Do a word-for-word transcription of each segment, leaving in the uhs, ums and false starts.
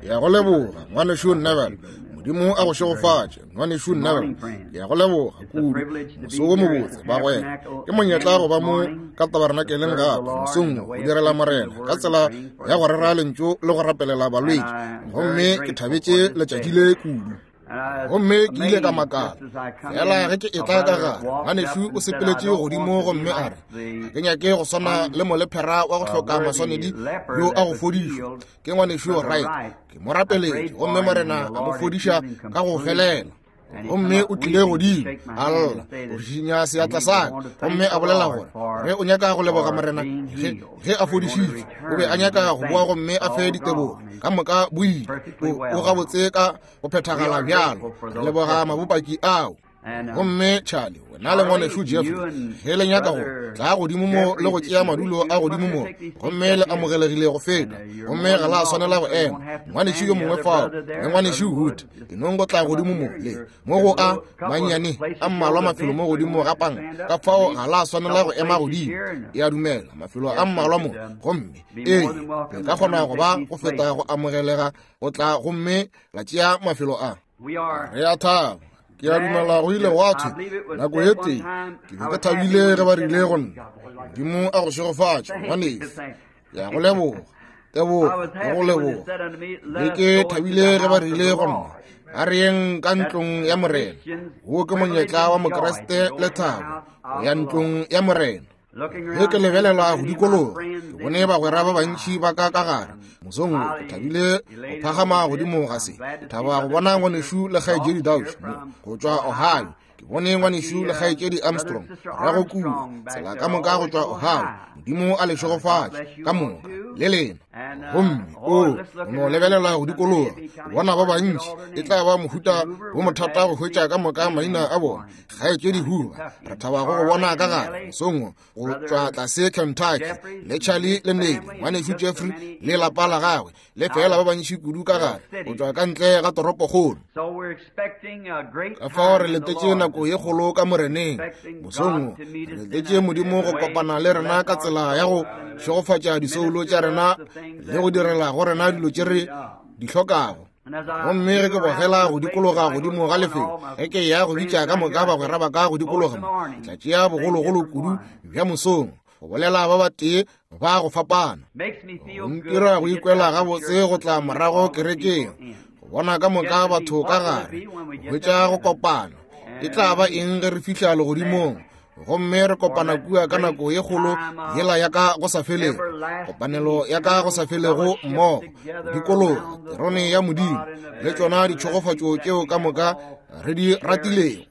Ya go leboga ngwanešu Neville. Modimo a go šegofatše ngwanešu Neville. Ya go leboga kudu. Moso wo mobotse bagwera. Ke monyetla go ba mo ka tabernakeleng gape mosong wo go direla Morena ka tsela ya go rera lentšu le go rapelela balwetši. Gomme ke thabetše letšatši le kudu. Gomme ke ile ka makala fela ge ke etla ka gare, ngwanešu o sepeletše godimo gomme a re, ga ke nyake go swana le molephera wa go hloka maswanedi yo a go fodišwa ke ngwanešu Wright. Ke mo rapeletše gomme Morena a mo fodiša ka go felela. Gomme o tlile godimo a lla go šišinya seatla sa ka gomme a bolela gore ge o nyaka go leboga Morena ge ge a fodišitšwe, o be a nyaka go boa gomme a fe ditebogo ka moka boile o o gabotse ka go phethagala bjalo. Re leboga mabopaki ao. Gomme Charlie, wena le ngwanešu Jeffrey, ge le nyaka go tla godimo mo le go tšea madulo a godimo mo, gomme le amogelegile go feta, gomme ga la swanela go ema. Ngwanešu yo mongwe fao le ngwanešu Wood, ke nong go tla godimo mo le mo go a mannyane a mmalwa mafelo mo godimo ga panka, ka fao ga la swanela go ema godimo. E a dumela mafelo a mmalwa mo, gomme ee, le ka kgona go ba go feta go amogelega go tla gomme la tšea mafelo a. Re a thaba. Ke a dumela go ile gwa thwe nako ye tee ke be ke thabile ge ba rile go nna, Modimo a go šegofatše ngwanešu. Ke a go leboga, tebogo le go leboga. Be ke thabile ge ba rile go nna, a re yeng ka ntlong ya Morena. Wo ke monyetla wa Mokriste le thabo go ya ntlong ya Morena. Ge ke lebelela go dikologa, ke bone bagwera ba bantši ba ka ka gare. Mosong wo ke thabile go phagama godimo ga se. Ke thaba go bona ngwanešu le kgaetšedi Dauch mo go tšwa Ohio. Ke bone ngwanešu le kgaetšedi Armstrong morago kua, tsela ka moka go tšwa Ohio. Modimo a le šegofatše ka moka le lena. Gomme o o no lebelela go dikologa, go bona ba bantši, e tla ba mohuta wo mothata go hwetša ka moka maina a bona. Kgaetšedi Hoover, re thaba go go bona ka gare mosong wo go tšwa tlase Kentucky, le Charlie le Nelly, ngwanešu Jeffrey le lapa la gagwe, le fela ba bantši kudu ka gare go tšwa ka ntle ga toropokgolo. Ka fao re letetše nako ye kgolo ka Moreneng mosong wo. Re letetše Modimo go kopana le rena ka tsela ya go šegofatša disoulo tša rena le go direla go rena dilo tše re di hlokago. Gomme ge ke bogela go dikologa godimo ga lefelo, ge ke ya go bitša ka moka bagwera ba ka go dikologa mo, ke tla tšea bogologolo kudu bja mosong go bolela ba batee ba go fapana. Go ntira go ikwela gabotse go tla morago kerekeng, go bona ka moka batho ka gare, go hwetša go kopana. E tla ba eng ge re fihla legodimong gomme re kopana kua ka nako ye kgolo yela ya ka go sa felego, kopanelo ya ka go sa felego mmogo, dikologa terone ya Modimo le tšona ditšhegofatšo tšeo ka moka re di ratilego.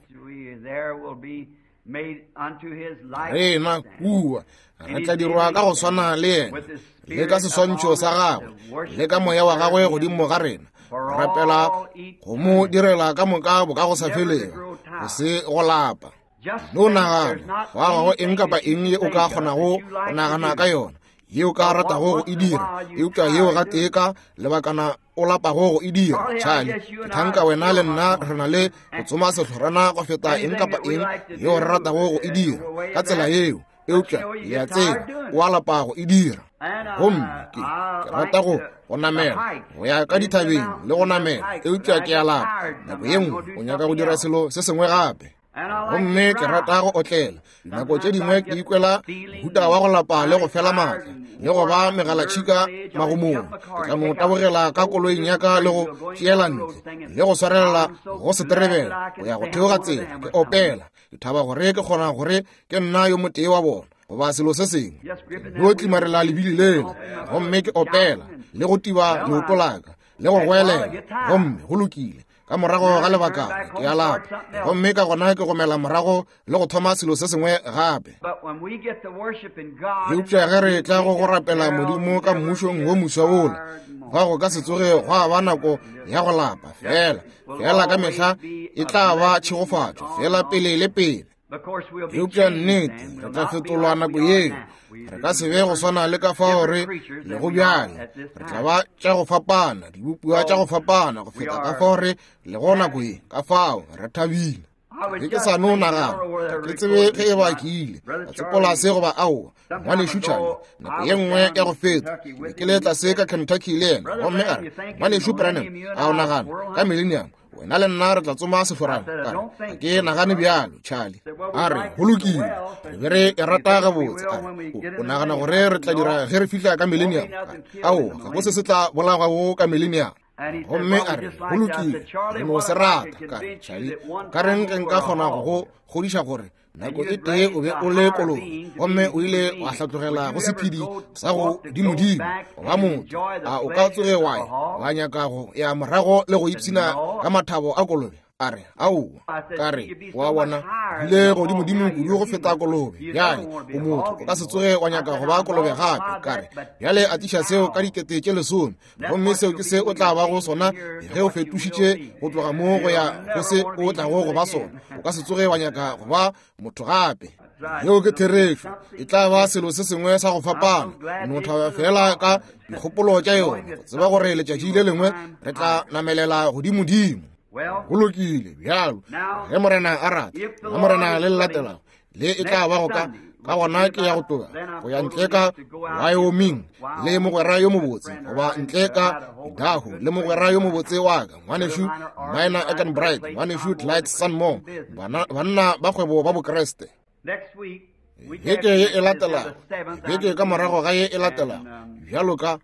Rena kua re tla dirwa ka go swana le yena, le ka seswantšho sa gagwe, le ka moya wa gagwe godimo ga rena, rapela go mo direla ka moka bo ka go sa felego, go se go lapa. No nagana wa gago eng kapa eng ye o ka kgonago go nagana ka yona, ye o ka ratago go e dira, eupša yeo gatee ka lebakana o lapago go e dira. Charlie, ke thanka wena le nna re na le go tsoma sehlorana go feta eng kapa eng yeo re ratago go e dira ka tsela yeo, eupša le a tseba o a lapa go e dira. Gomme ke ke rata go go namela go ya ka dithabeng le go namela, eupša ke a lapa. Nako ye nngwe o nyaka go dira selo se sengwe gape. Gomme ke rata go otlela. Dinako tše dingwe ke ikwela mohuta wa go lapa le go fela maatla le go ba megalatšhika magomong. Ke tla no tabogela ka koloing ya ka le go tšeela ntle le go swarelela go seterebela go ya go theoga tsela ke opela. Ke thaba gore ke kgona gore ke nna yo motee wa bona goba selo se sengwe. No tlimarela lebili lela gomme ke opela le go tiba leoto la ka le go goelela, gomme go lokile. Ka morago ga lebakana ke a lapa, gomme ka gona ke gomela morago le go thoma selo se sengwe gape. Eupša ge re tla go go rapela Modimo ka mmušong wo moswa wola, gwa go ka se tsoge gwa ba nako ya go lapa. Fela fela ka mehla e tla ba tšhegofatšo, fela pele le pele. Eupša nnete re tla fetolwa nako yeo. Re ka se be go swana le ka fao re lego bjale. Re tla ba tša go fapana, dibopiwa tša go fapana go feta ka fao re lego nako ye. Ka fao re thabile. Ke ke sa no nagana, ke tsebe ge e ba ke ile ka tsepola se goba aowa. Ngwanešu Charlie, nako ye nngwe ya go feta, ke be ke le tlase ka Kentucky le yena, gomme a re, Ngwanešu Branham, a o nagana ka Millennium wena le nna re tla tsoma seforane? Ka re, ke nagane bjalo, Charlie. A re, go lokile, re be re e rata gabotse. A re, o nagana gore re tla dira ge re fihla ka Millennium? Aowa, ga go se se tla bolagago ka Millennium. Gomme a re, go lokile, re no se rata. Ka re, Charlie, ka reng ge nka kgona go go kgodiša gore nako e tee o be o le kolobe gomme o ile wa hlatlogela go sephedi sa go dimodimo goba motho, a o ka tsoge wa ya wa nyaka go ya morago le go ipshina ka mathabo a kolobe? A re, aowa. Ka re, wa bona, bile godimodimo kudu go feta kolobe. Bjale o motho, o ka se tsoge wa nyaka go ba kolobe gape. Ka re, bjale a tliša seo ka dikete tše lesome, gomme seo ke se o tla bago sona ge o fetošitše go tloga mo go ya go se o tlago go ba sona. O ka se tsoge wa nyaka go ba motho gape. Yeo ke therešo. E tla ba selo se sengwe sa go fapana. O no thaba fela ka dikgopolo tša yona, go tseba gore letšatši le lengwe re tla namelela godimodimo. Go lokile bjalo, ge Morena a rata, ge Morena le latelago le e tla ba go ka ka gona ke ya go tloga go ya ntle ka Wyoming le mogwera yo mobotse, goba ntle ka Idaho le mogwera yo mobotse wa ka, ngwanešu Miner Ekenbright, ngwanešu Clyde Sanmore, banna ba kgwebo ba Bokreste. Beke ye e latelago, beke ka morago ga ye e latelago, bjalo ka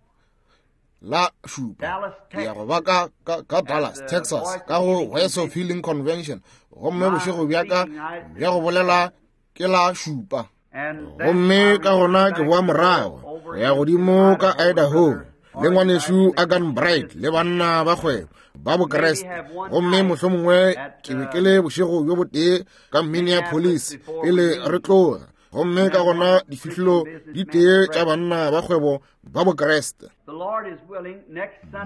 la šupa, ke ya go ba ka, ka, ka Dallas, Texas, ka go Voice of Healing Convention, gomme bošego bja ka bja go bolela ke la šupa. Gomme ka gona ke boa morago go ya godimo ka Idaho le ngwanešu Agan Bright le banna ba kgwebo ba Bokreste. Gomme mohlomongwe ke be ke le bošego bjo botee ka Minneapolis pele re tloga. Gomme ka gona difihlolo di tee tša banna ba kgwebo ba Bokreste.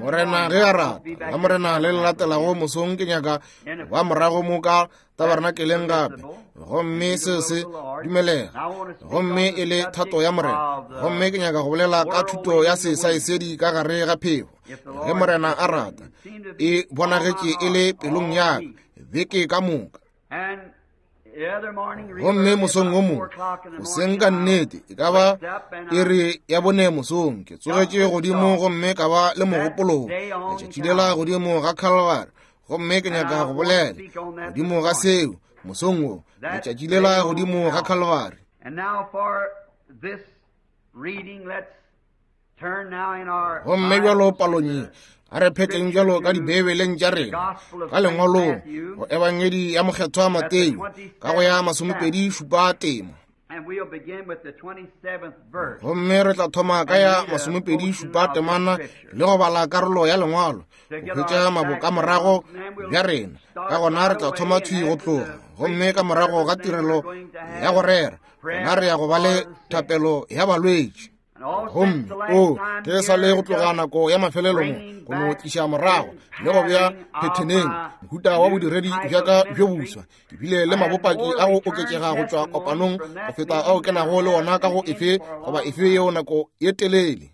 Morena ge a rata, la Morena le le latelago mosong ke nyaka ba morago mo ka tabernakeleng gape. Gomme seo se dumelega, gomme e le thato ya Morena. Gomme ke nyaka go bolela ka thuto ya sesaesedi ka gare ga phefo, ge Morena a rata. E bonagetše e le pelong ya ka beke ka moka. Gomme mosong o mongwe, goseng ka nnete, e ka ba iri ya bone mosong, ke tsogetše godimo gomme ka ba le mogopolo letšatši lela godimo ga Calvary. Gomme ke nyaka go bolela godimo ga seo mosong wo, letšatši lela godimo ga Calvary. Gomme bjalo palong ye, a re phetleng bjalo ka dibeibeleng tša rena ka lengwalong go Ebangedi ya Mokgethwa Mateo ka go ya masomepedi šupa tema. Gomme re tla thoma ka ya masomepedi šupa temana le go bala karolo ya lengwalo go hwetša mabokamorago bja rena. Ka gona re tla thoma thwi go tloga, gomme ka morago ga tirelo ya go rera, gona re ya go ba le thapelo ya balwetši. Gomme o ke sa le go tloga nako ya mafelelo mo go no tliša morago le go bea phetheneng mohuta wa bodiredi bja ka bjo boswa. Ke bile le mabopaki a go oketšega go tšwa kopanong go feta ao ke nago le ona ka go efe goba efe yeo nako ye telele.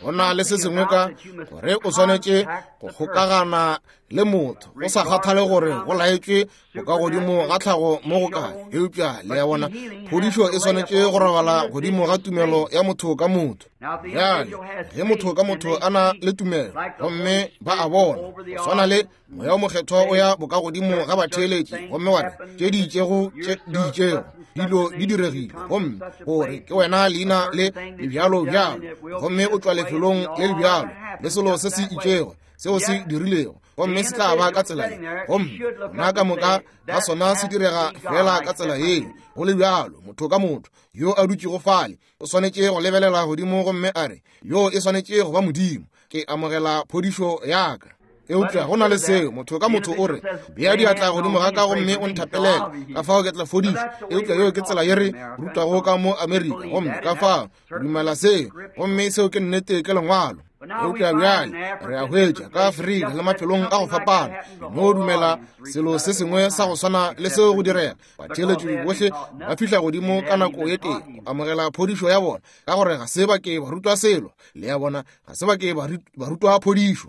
Go na le se sengwe ka gore o swanetše go kgokagana le motho, go sa kgathale gore go laetšwe bokagodimo ga tlhago mo go kae, eupša le ya bona phodišo e swanetše go robala godimo ga tumelo ya motho ka motho. Bjale ge motho ka motho a na le tumelo gomme ba a bona, go swana le moya o mokgethwa o ya bokagodimo ga batheeletši gomme wa re tše di itšego tše di itšego dilo di diregile, gomme gore ke wena leina le le bjalo bjalo, gomme o tšwa lefelong le le bjalo le selo se se itšego seo se dirilego, gomme se tla ba ka tsela ye, gomme nna ka moka ga sona se direga fela ka tsela yeo. Go le bjalo, motho ka motho yo a dutšego fale o swanetše go lebelela godimo gomme a re, yo e swanetše go ba Modimo, ke amogela phodišo ya ka. Eupša go na le seo motho ka motho o re, bea diatla godimo ga ka gomme o nthapelele, ka fao ke tla fodišwa. Eupša yeo ke tsela ye re rutwago ka mo Amerika, gomme ka fao dumela seo, gomme seo ke nnete, ke lengwalo. Eupša bjale re a hwetša ka Afrika le mafelong a go fapana mo dumela selo se sengwe sa go swana le seo go direga. Batheeletši bohle ba fihla godimo ka nako ye tee go amogela phodišo ya bona, ka gore ga se ba ke ba rutwa selo. Le ya bona, ga se ba ke ba rutwa phodišo.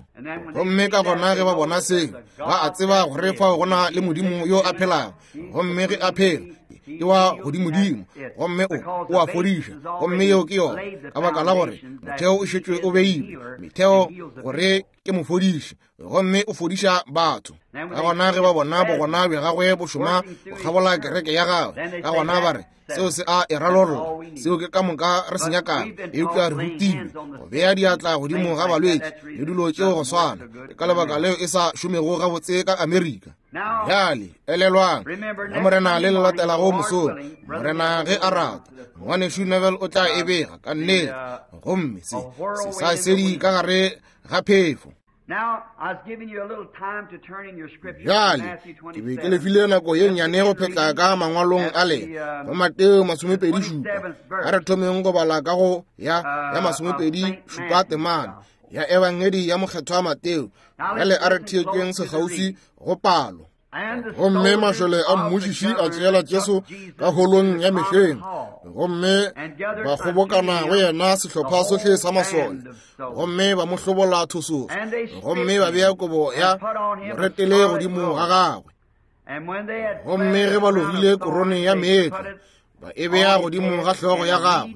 Gomme ka gona ge ba bona seo, ba a tseba gore fao go na le Modimo yo a phelago, gomme ge a phela ke wa godimodimo, gomme o o a fodiša, gomme yeo ke yona, ka baka la gore motheo o šetšwe o beilwe, metheo gore ke mofodiši, gomme o fodiša batho. Ka gona ge ba bona bogona bja gagwe bo šoma go kgabola kereke ya gagwe, ka gona ba re seo se a e ralolla, seo ke ka moka re se nyakago. Eupša re rutilwe go bea diatla godimo ga balwetši le dilo tšeo go swana. Ke ka lebaka leo e sa šomego gabotse ka Amerika. Bjale elelwang, la Morena le le latelago mosong, Morena ge a rata, ngwanešu Neville o tla e bega ka nnete, gomme se se sa sedi ka gare ga phefo. Bjale ke be ke lefile nako ye nnyane go phetla ka mangwalong a lena go Mateo masomepedi šupa. A re thomeng go bala ka go ya ya masomepedi šupa temana ya Ebangedi ya mokgethwa Mateo. Bjale a re theetšeng sekgauswi go palo. Gomme mašole a mmušiši a tšeela Jesu ka holong ya mehleng, gomme ba kgobokana go yena sehlopha sohle sa masole, gomme ba mo hlobola thosogo, gomme ba bea kobo ya moretele godimo ga gagwe. Gomme ge ba logile korone ya meetlo, ba e bea godimo ga hlogo ya gagwe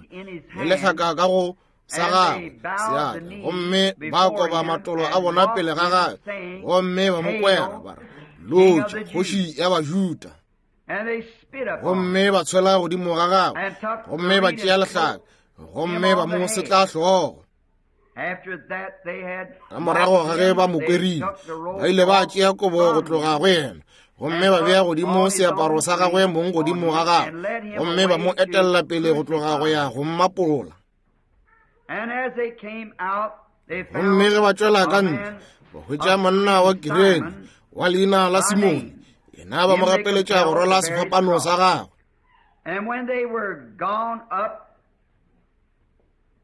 le lehlaka ka go sa gagwe seatla, gomme ba koba matolo a bona pele ga gagwe, gomme ba mo kwera ba re, Lotša kgoši ya Bajuda. Gomme ba tshwela godimo ga gagwe, gomme ba tšea lehlaka, gomme ba mo setla hlogo. Ka morago ga ge ba mo kwerile, ba ile ba tšea kobo go tloga go yena, gomme ba bea godimo seaparo sa gagwe mong godimo ga gagwe, gomme ba mo etella pele go tloga go ya go mmapola. Gomme ge ba tšwela ka ntle, ba hwetša monna wa Kirene wa leina la Simone, yena ba mo gapeletša go rwala sefapano sa gagwe. And when they were gone up,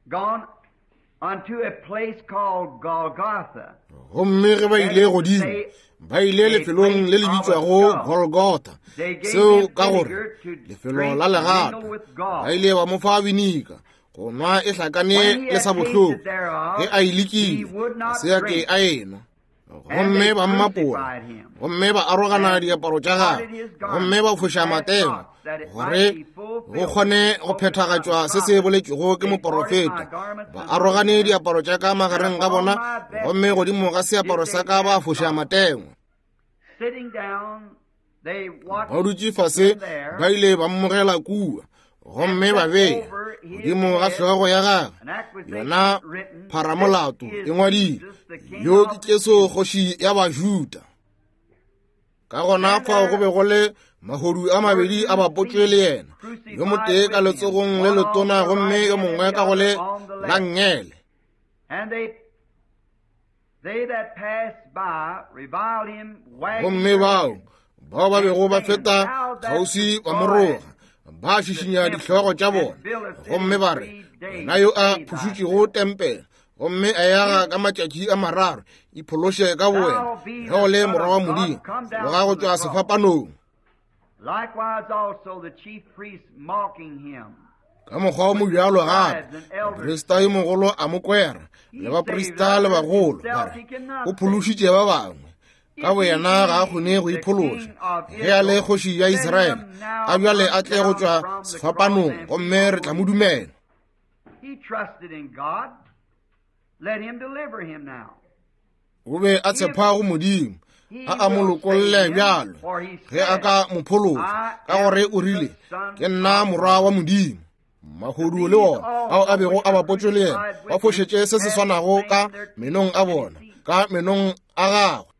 gone unto a place called Golgotha. Gomme ge ba ile godimo, ba ile lefelong le le bitšwago Golgotha, seo ka gore lefelo la legato. Ba ile ba mo fa binika go nwa e hlakane le sa bohloko. Ge a e lekile, se ya ke a enwa. Gomme ba mmapola, gomme ba arogana diaparo tša gagwe, gomme ba foša matengwa gore go kgone go phethagatšwa se se boletšwego ke moporofeta. Ba arogane diaparo tša ka magareng ga bona, gomme godimo ga seaparo sa ka ba foša matengwa. Ba dutše fase, ba ile ba mmogela kua, gomme ba bea godimo ga hlogo ya gagwe yona pharamolato e ngwadile, yo ke Jesu kgoši ya Bajuda. Ka gona fao go be go le mahodu a mabedi a bapotšwe le yena, yo motee ka letsogong le letona gomme yo mongwe ka go le la nngele. Gomme bao bao ba bego ba feta kgauswi ba moroga, ba šišinya dihlogo tša bona, gomme ba re, yena yo a phušutšego tempele gomme a yaga ka matšatši a mararo, iphološe ka bowena ge o le morwa wa Modimo, tloga go tšwa sefapanong. Ka mokgwa o mobjalo gape moprista yo mogolo a mo kwera, le baprista le bagolo, ba re, o phološitše ba bangwe, ka boyena ga a kgone go iphološa. Ge a le kgoši ya Israele, a bjale a tle go tšwa sefapanong, gomme re tla mo dumela. O be a tshepa go Modimo, a a mo lokolle bjalo ge a ka mo phološa, ka gore o rile, ke nna morwa wa Modimo. Mahodu le ona ao a bego a bapotšwe le yena ba fošetše se se swanago ka menong a bona, ka menong a gagwe.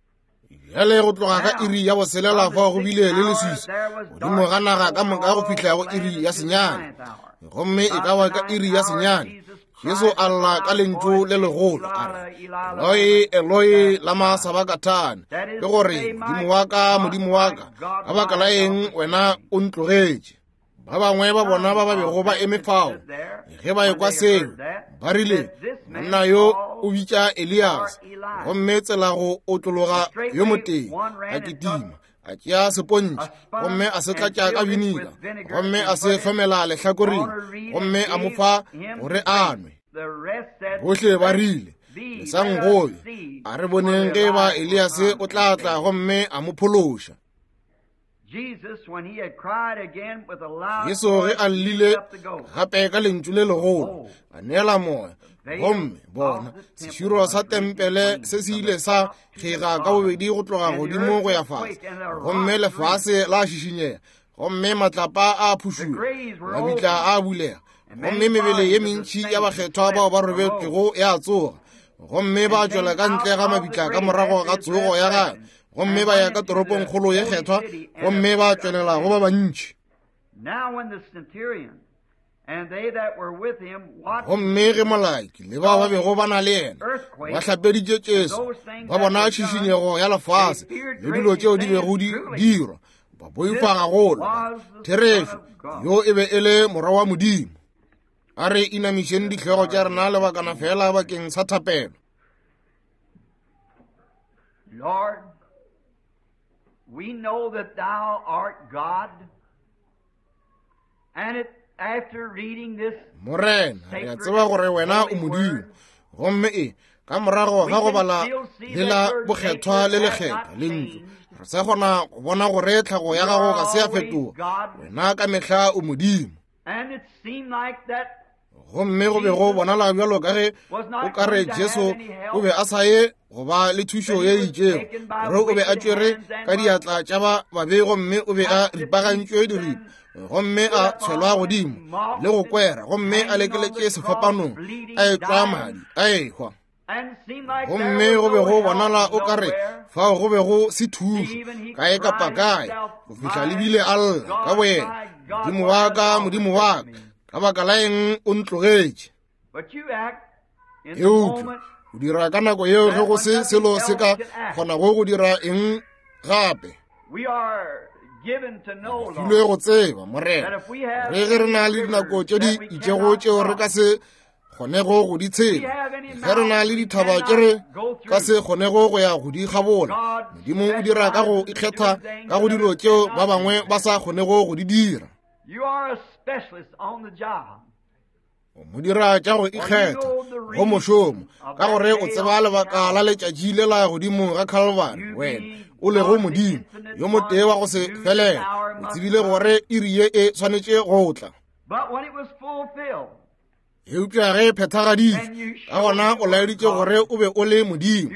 Bjale go tloga ka iri ya boselela fao go bile le leswiswi godimo ga naga ka moka go fihla go iri ya senyane. Gomme e ka ba ka iri ya senyane, Jesu a lla ka lentšu le legolo a re, Eloi, Eloi, lama sabakthani, ke gore, Modimo wa ka, Modimo wa ka, ka baka la eng wena o ntlogetše? Ba bangwe ba bona ba ba bego ba eme fao, ge ba ekwa seo, ba rile, monna yo o bitša Elias. Gomme tsela go otlologa yo motee a kitima, a tšea sepontšhe gomme a se tlatša ka vinika, gomme a se hlomela lehlakoreng, gomme a mo fa gore a nwe. Bohle ba rile, lesang gobe, a re boneng ge ba Elias o tla tla gomme a mo phološa. Jesu ge a llile gape ka lentšu le legolo, a neela moya. Gomme bona, seširo sa tempele se se ile sa kgega ka bobedi go tloga godimo go ya fase, gomme lefase la šišinyega, gomme matlapa a phušula, mabitla a bulega, gomme mebele ye mentši ya bakgethwa bao ba robetšego ya tsoga, gomme ba tšwela ka ntle ga mabitla ka morago ga tsogo ya gagwe, gomme ba ya ka toropong kgolo ye kgethwa, gomme ba tšwelela go ba bantši. Gomme ge molaiki le bao ba bego ba na le yena ba hlapeditše Jesu, ba bona tšhišinyego ya lefase le dilo tšeo di bego di dirwa, ba boifa gagolo. Therešo, yo e be e le morwa wa Modimo. A re inamišeng dihlogo tša rena lebakana fela bakeng sa thapelo. Lord, we know that thou art God, and it, after reading this, Morena, re a tseba gore wena o Modimo, gomme e ka morago ga go bala lela bokgethwa le lekgethwa lentšu, re sa kgona go bona gore tlhago ya gago ga se ya fetoga. Wena ka mehla o Modimo. And it seemed like that Gomme go be go bonala bjalo ka ge o ka re Jesu o be a sa ye go ba le thušo ye itšego, gore o be a tšwere ka diatla tša ba babe, gomme o be a ripagantšwe diripa, gomme a tshwelwa godimo le go kwera, gomme a lekeletše sefapanong, a etšwa madi, a ehwa. Gomme go be go bonala o ka re fao go be go se thušo kae kapa kae, go fihla lebile a lla ka boyena, Modimo wa ka, Modimo wa ka, ka baka la eng o ntlogetše? Eupša o dira ka nako yeo ge go se selo se ka kgonago go dira eng gape. Filwe go tseba, Morena, re ge re na le dinako tše di itšego tšeo re ka se kgonego go di tshela, ge re na le dithaba tše re ka se kgonego go ya go di kgabola, Modimo o dira ka go ikgetha ka go dilo tšeo ba bangwe ba sa kgonego go di dira. You are a specialist on the job. O mo dira tša go ikgetha go mošomo, ka gore o tseba lebaka la letšatši le la godimo ga Calvary. Wena o lego Modimo yo motee wa go se felele, o tsebile gore iri ye e swanetše go tla. But when it was fulfilled, Eupša ge e phethagaditšwe, ka gona o laeditše gore o be o le Modimo.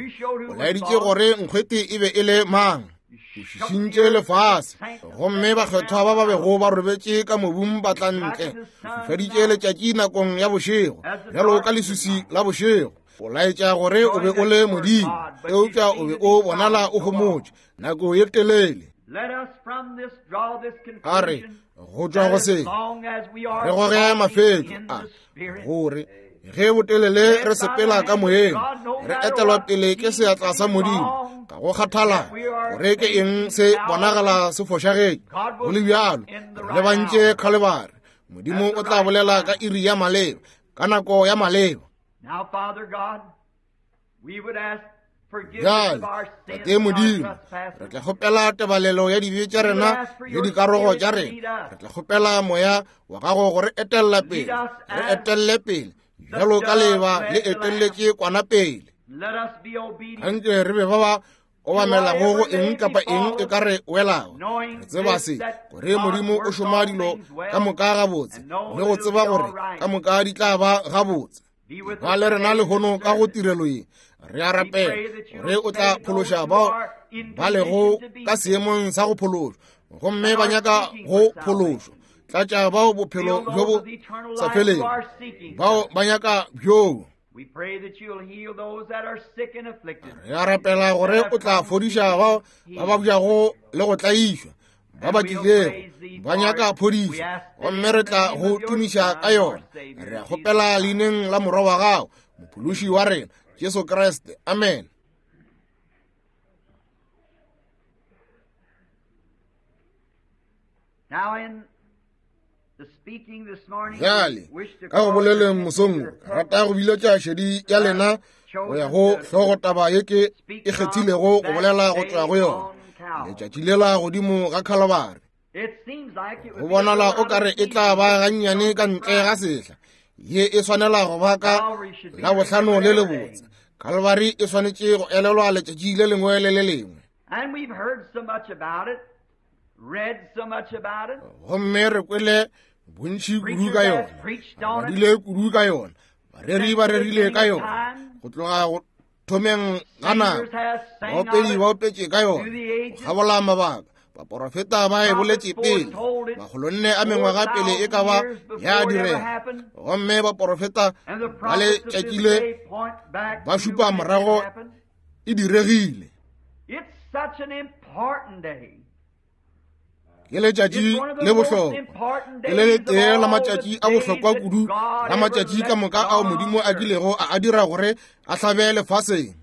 O laeditše gore nkgwete e be e le mang. O šišintše lefase, gomme bakgethwa ba ba bego ba robetše ka mobung ba tla ntle. O fifaditše letšatši nakong ya bošego, bjalo ka leswiswi la bošego. O laetša gore o be o le Modimo, eupša o be o bonala o homotše nako ye telele. let us from this draw this A re conclusion go tšwa go that se as long as we are re goge walking mafetšo in a the Spirit, gore ge botelele re sepela ka moyeng, re etelwa pele ke seatla sa Modimo, ka go kgathala gore ke eng se bonagala se fošagetše. Go le bjalo, re lebantše Calvary. Modimo o tla bolela ka iri ya maleba, ka nako ya maleba. Now, Father God, we would ask forgiveness Bjale, of our sins Tate and our Modimo, re trespasses. tla kgopela tebalelo ya dibe tša rena le dikarogo tša rena. Re tla kgopela moya wa gago gore etella pele, re etelle pele bjalo ka leba le etelletše kwana pele. Let us be obedient, Anke re be ba ba obamelago go eng kapa eng e ka re welago. Re tseba se, gore Modimo o šoma dilo ka moka gabotse, le go tseba gore ka moka di tla ba gabotse. be with Ba us le rena today in lehono this ka go service. tirelo ye, re a We rapela pray that you gore will o tla save those phološa who bao are in ba lego condition to be ka saved seemong sa go phološwa, gomme and ba are nyaka seeking go for phološwa. salvation. Tlatša bao bophelo Fill bjo those bo with eternal sa life who felego, are seeking bao such. ba nyaka bjoo. We pray that you'll heal those that are sick and afflicted, Re a rapela that gore have o tla come fodiša seeking bao ba healing. babjago le go tlaišwa, ba ba And we'll tlilego praise thee ba for nyaka it. We phodišo, ask it gomme in re the tla name go of your tumiša ka Son, our yona. Savior, Re a Jesus kgopela Christ. leineng la morwa wa gago, mophološi wa rena, Jesu Kriste. Amen. Now in Bjale ka go boleleng mosong, rata go biletša šedi ya lena go ya go hlogotaba ye ke e kgethilego go bolela go tšwa go yona, letšatši lela godimo ga Khalibari. Go bonala o kare e tla ba gannyane ka ntle ga sehla, ye e swanela go ba ka Labohlano le lebotse. Khalibari e swanetše go elelwa letšatši le lengwe le le lengwe. Gomme re kwele bontši kudu ka yona, badile kudu ka yona, bareri ba rerile ka yona go tloga go thomeng ga nako, baopedi ba opetše ka yona go kgabola mabaka, baporofeta ba e boletše pele makgolonne a mengwaga pele e ka ba ya direga, gomme baporofeta ba letšatši le ba šupa morago e diregile. Ke letšatši le bohlokwa, ke le letee la matšatši a bohlokwa kudu la matšatši ka moka ao Modimo a kilego a a dira gore a hlabe lefaseng.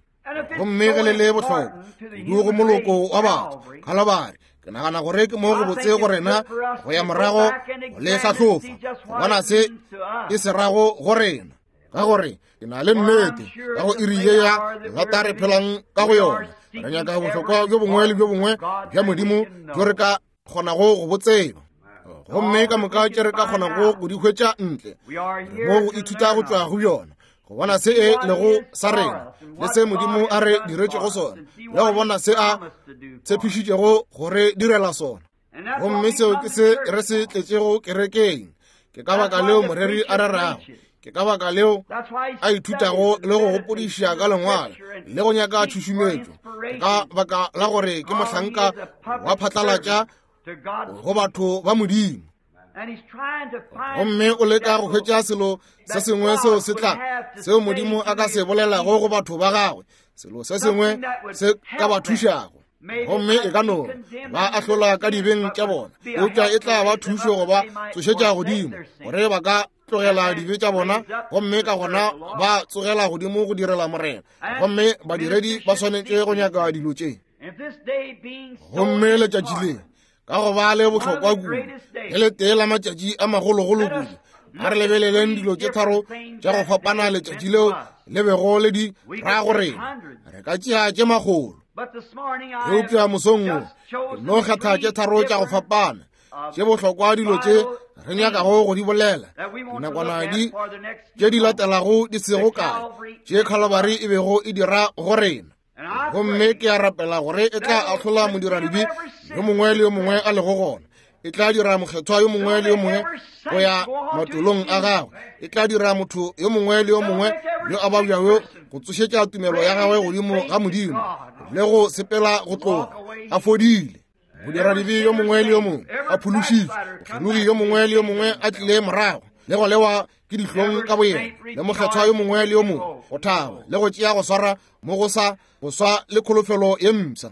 Gomme ge le le bohlokwa kudu go moloko wa batho, Khalibari, ke nagana gore ke mo go botse go rena go ya morago go le hlahlofa, go bona se e se rago go rena, ka gore ke na le nnete ka go iri ye ya lata re phelang ka go yona, re nyaka bohlokwa bjo bongwe le bjo bongwe bja Modimo bjo re ka kgonago go bo tseba, gomme ka moka tše re ka kgonago go di hwetša ntle re mo go ithuta go tšwa go bjona, go bona se e lego sa rena le se Modimo a re diretšego sona, le go bona se a tshepišitšego go re direla sona. Gomme seo ke se re se tletšego kerekeng. Ke ka baka leo moreri a rerago, ke ka baka leo a ithutago le go gopodiša ka lengwalo le go nyaka tšhušumetšo, ke ka baka la gore ke mohlanka wa phatlalatša go batho ba Modimo. Gomme o leka go hwetša selo se sengwe seo se tla, seo Modimo a ka se bolelago go batho ba gagwe, selo se sengwe se ka ba thušago. Gomme e ka no ba ahlola ka dibeng tša bona, eupša e tla ba thušo go ba tsošetša godimo gore ba ka tlogela dibe tša bona, gomme ka gona ba tsogela godimo go direla Morena. Gomme badiredi ba swanetše go nyaka dilo tše. Gomme letšatši le ka go ba le bohlokwa kudu, le letee la matšatši a magologolo kudu, a re lebeleleng dilo tše tharo tša go fapana letšatši leo le bego le di ra go rena. Re ka tšea tše makgolo, eupša mosong wo ke no kgetha tše tharo tša go fapana tše bohlokwa, dilo tše re nyakago go di bolela dinakwana di tše di latelago di sego kae, tše Khalibari e bego e dira go rena. Gomme ke a rapela gore e tla ahlola modiradibe yo mongwe le yo mongwe a lego gona, e tla dira mokgethwa yo mongwe le yo mongwe go ya matolong a gagwe, e tla dira motho yo mongwe le yo mongwe yo a babjago go tsošetša tumelo ya gagwe godimo ga Modimo le go sepela go tloga a fodile. Modiradibe yo mongwe le yo mongwe a phološitšwe, mokgelogi yo mongwe le yo mongwe a tlile morago le go lewa ke dihlong ka boyena, le mokgethwa yo mongwe le yo mongwe go thaba le go tšea go swara mo go sa go swa le kholofelo ye mpsha.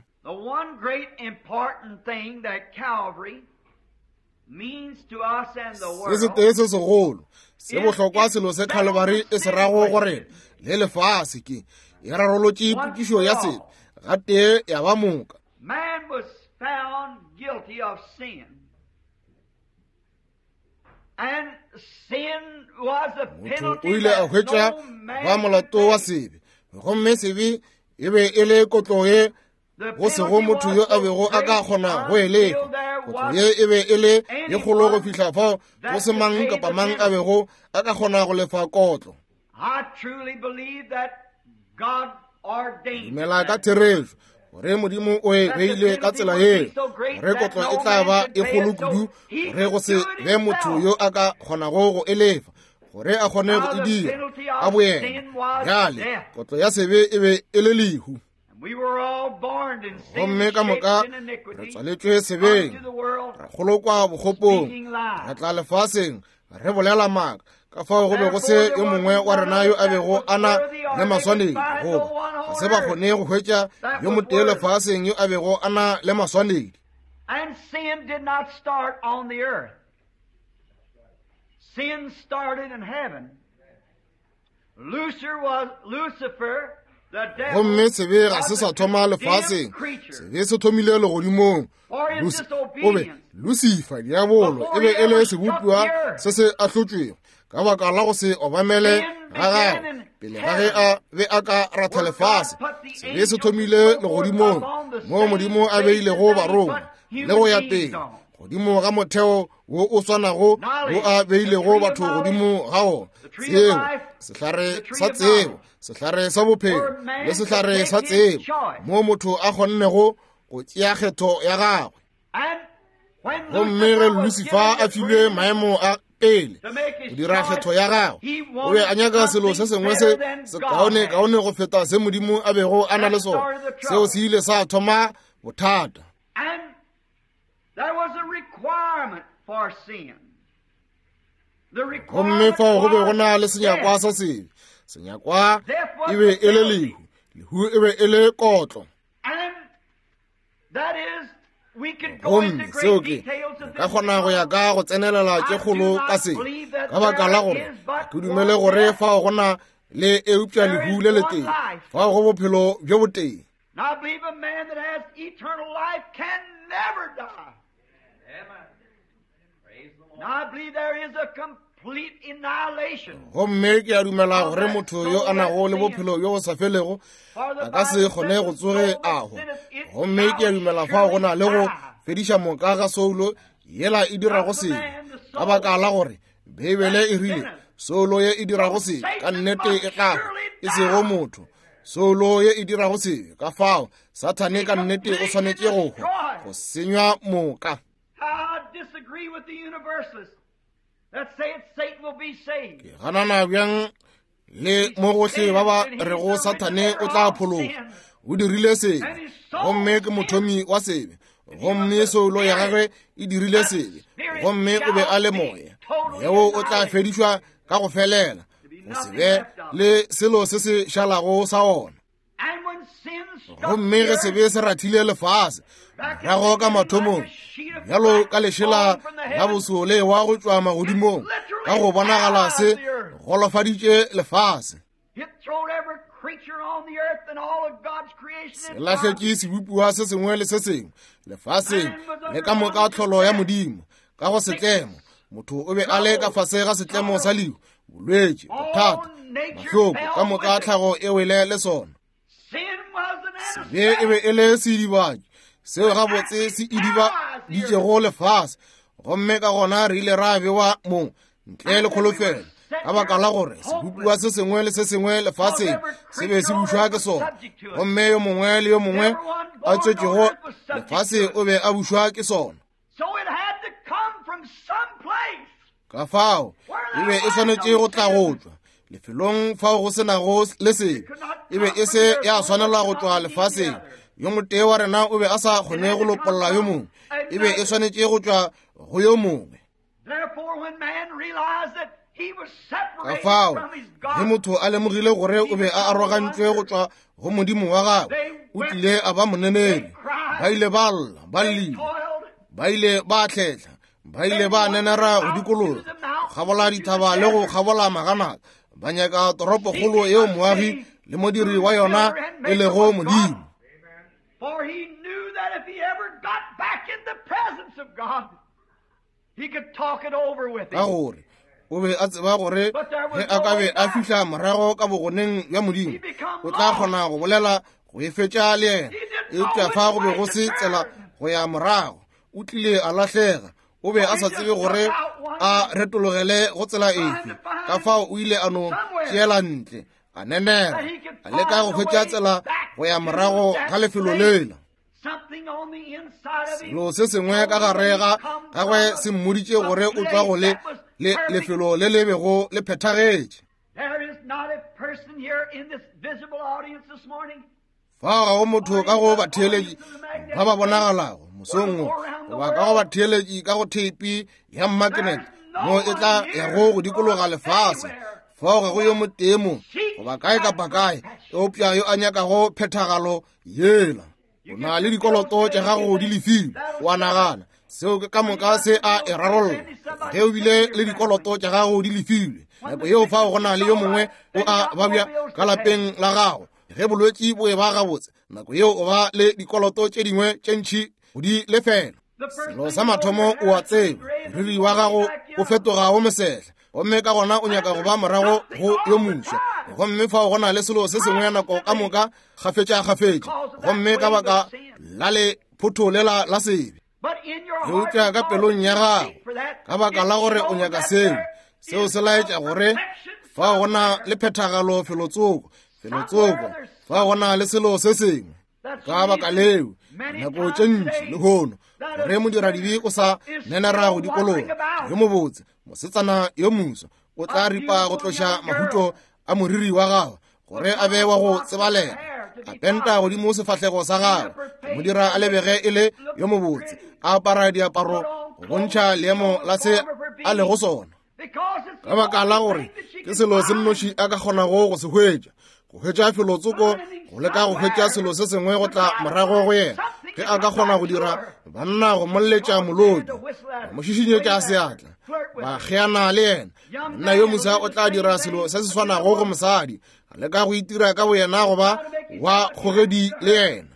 Se setee se segolo se bohlokwa selo se Khalibari e se rago go rena le lefase ke e rarolotše potšišo ya sebe gatee ya ba moka. Motho o ile a hwetša ba molato wa sebe, gomme sebe e be e le kotlo ye go sego motho yo a bego a ka kgona go e lefa. Kotlo ye e be e le ye kgolo go fihla fao go se mang kapa mang a bego a ka kgona go lefa kotlo. Dumela ka therešo gore Modimo o e beile ka tsela yeo, gore kotlo e tla ba e kgolo kudu gore go se be motho yo a ka kgonago go e lefa, gore a kgone go e dira ka boyena. Bjale kotlo ya sebe e be e le lehu, gomme ka moka re tswaletšwe sebeng, ra kgolokwa bokgopong, ra tla lefaseng re bolela maaka. Ka fao go be go se yo mongwe wa rena yo a bego a na le maswanedi, goba ga se ba kgone go hwetša yo motee lefaseng yo a bego a na le maswanedi. Gomme sebe ga se sa thoma lefaseng, sebe se thomile legodimong. O be Lucifer, diabolo, e be e le sebopiwa se se ahlotšwego ka baka la go se obamele ga gagwe pele ga ge a be a ka ratha lefase. Sebe se thomile legodimong moo Modimo a beilego barongwa le go ya pele godimo ga motheo wo o swanago wo a beilego batho godimo ga ona. Tsebo, sehlare sa tsebo, sehlare sa bophelo le sehlare sa tsebo, moo motho a kgonnego go tšea kgetho ya gagwe. Gomme ge Lucifer a filwe maemo a pele go dira kgetho ya gagwe, o be a nyaka selo se sengwe se sekaone kaone go feta se Modimo a bego a na le sona. Seo se ile sa thoma bothata. Gomme fao go be go na le senyakwa sa sebe. Senyakwa e be e le lehu, lehu e be e le kotlo. Gomme seo ke ka kgona go ya ka go tsenelela tše kgolo ka se, ka baka la gore ke dumele gore fao go na le eupša lehu le letee, fao go bophelo bjo botee. Gomme ke a dumela gore motho yo a nago le bophelo bjo bo sa felego a ka se kgone go tsoge a hwa. Gomme ke a dumela fao go na le go fediša moka ga soulo yela e dirago sebe, ka baka la gore Beibele e rile soulo ye e dirago sebe ka nnete e tla hwa, e sego motho. Soulo ye e dirago sebe, ka fao Sathane ka nnete o swanetše go hwa, go senywa moka. Ke ganana bjang le mo gohle ba ba rego Sathane o tla phologa. O dirile sebe, gomme ke mothomi wa sebe, gomme soulo ya gagwe e dirile sebe, gomme o be a le moya. Moya wo o tla fedišwa ka go felela, go se be le selo se se šalago sa ona. Gomme ge sebe se rathile lefase morago ka mathomong, bjalo ka lešela la boso le wa go tšwa magodimong, ka go bonagala se golofaditše lefase. Se lahletše sebopiwa se sengwe le se sengwe lefaseng le ka moka tlholo ya Modimo ka go setlemo. Motho o be a le ka fase ga setlemo sa lehu, bolwetši, bothata, mahloko, ka moka tlhago e wele le sona. Sebe e be e le sedibatši seo gabotse se idibaditšego lefase, gomme ka gona re ile ra bewa mo ntle le kholofelo, ka baka la gore sebopiwa se sengwe le se sengwe lefaseng se be se bušwa ke sona, gomme yo mongwe le yo mongwe a tswetšego lefase o be a bušwa ke sona. Ka fao e be e swanetše go tla go tšwa lefelong fao go senago le sebe. E be e se ya swanela go tšwa lefaseng. Yo motee wa rena o be a sa kgone go lopolla yo mongwe, e be e swanetše go tšwa go yo mongwe. Ka fao ge motho a lemogile gore o be a arogantšwe go tšwa go Modimo wa gagwe, o tlile a ba moneneri. Ba ile ba lla, ba llile, ba ile ba hletla, ba ile ba nenera go dikologa, go kgabola dithaba le go kgabola maganata, ba nyaka toropokgolo yeo moagi le modiri wa yona e lego Modimo. Ka gore o be a tseba gore ge a ka be a fihla morago ka bogoneng bja Modimo, o tla kgona go bolela go e fetša le yena. Eupša fa go be go se tsela go ya morago, o tlile a lahlega. O be a sa tsebe gore a retologele go tsela efe, ka fao o ile a no tšeela ntle, a nenera, a leka go hwetša tsela go ya morago ga lefelo lela. Selo se sengwe ka gare ga gagwe se mmoditše gore o tšwa go le le lefelo le le bego le phethagetše. Fao ga go motho ka go batheeletši ba ba bonagalago mosong wo, goba ka go batheeletši ka go theipi ya mmakenete mo e tla yago go dikologa lefase. Fao ga go yo motee mo goba kae kapa kae eupša yo a nyakago phethagalo yela. O na le dikoloto tša gago di lefilwe, o a nagana seo ke ka moka se a e rarolla. Ge o bile le dikoloto tša gago di lefilwe, nako yeo fao go na le yo mongwe o a babja ka lapeng la gago. Ge bolwetši bo e ba gabotse, nako yeo o ba le dikoloto tše dingwe tše ntši go di lefela. Selo sa mathomo o a tseba, moriri wa gago o fetoga wo mosehla, gomme ka gona o nyaka go ba morago go yo moswa. Gomme fao go na le selo se sengwe nako ka moka kgafetša-kgafetša, gomme ka baka la le photho lela la sebe. Eupša ka pelong ya gago, ka baka la gore o nyaka seo, seo se laetša gore fao go na le phethagalo felotsoko, felotsoko, fao go na le selo se sengwe. Ka baka leo, nako tše ntši lehono, gore modiradibe o sa nenera go dikologa, yo mobotse, mosetsana yo moswa, o tla ripa go tloša mahuto a moriri wa gagwe gore a be wa go tsebalega, a penta godimo sefahlego sa gagwe, mo dira a lebege e le yo mobotse, a apara diaparo go bontšha leemo la se a lego sona. Ka baka la gore ke selo se nnoši a ka kgonago go se hwetša, go hwetša felotsoko, go leka go hwetša selo se sengwe go tla morago go yena. Ge a ka kgona go dira banna go molletša molodi, ba mo šišinyetša seatla, ba kgeana le yena, monna yo moswa o tla dira selo se se swanago go mosadi, a leka go itira ka boyena goba wa kgogedi le yena.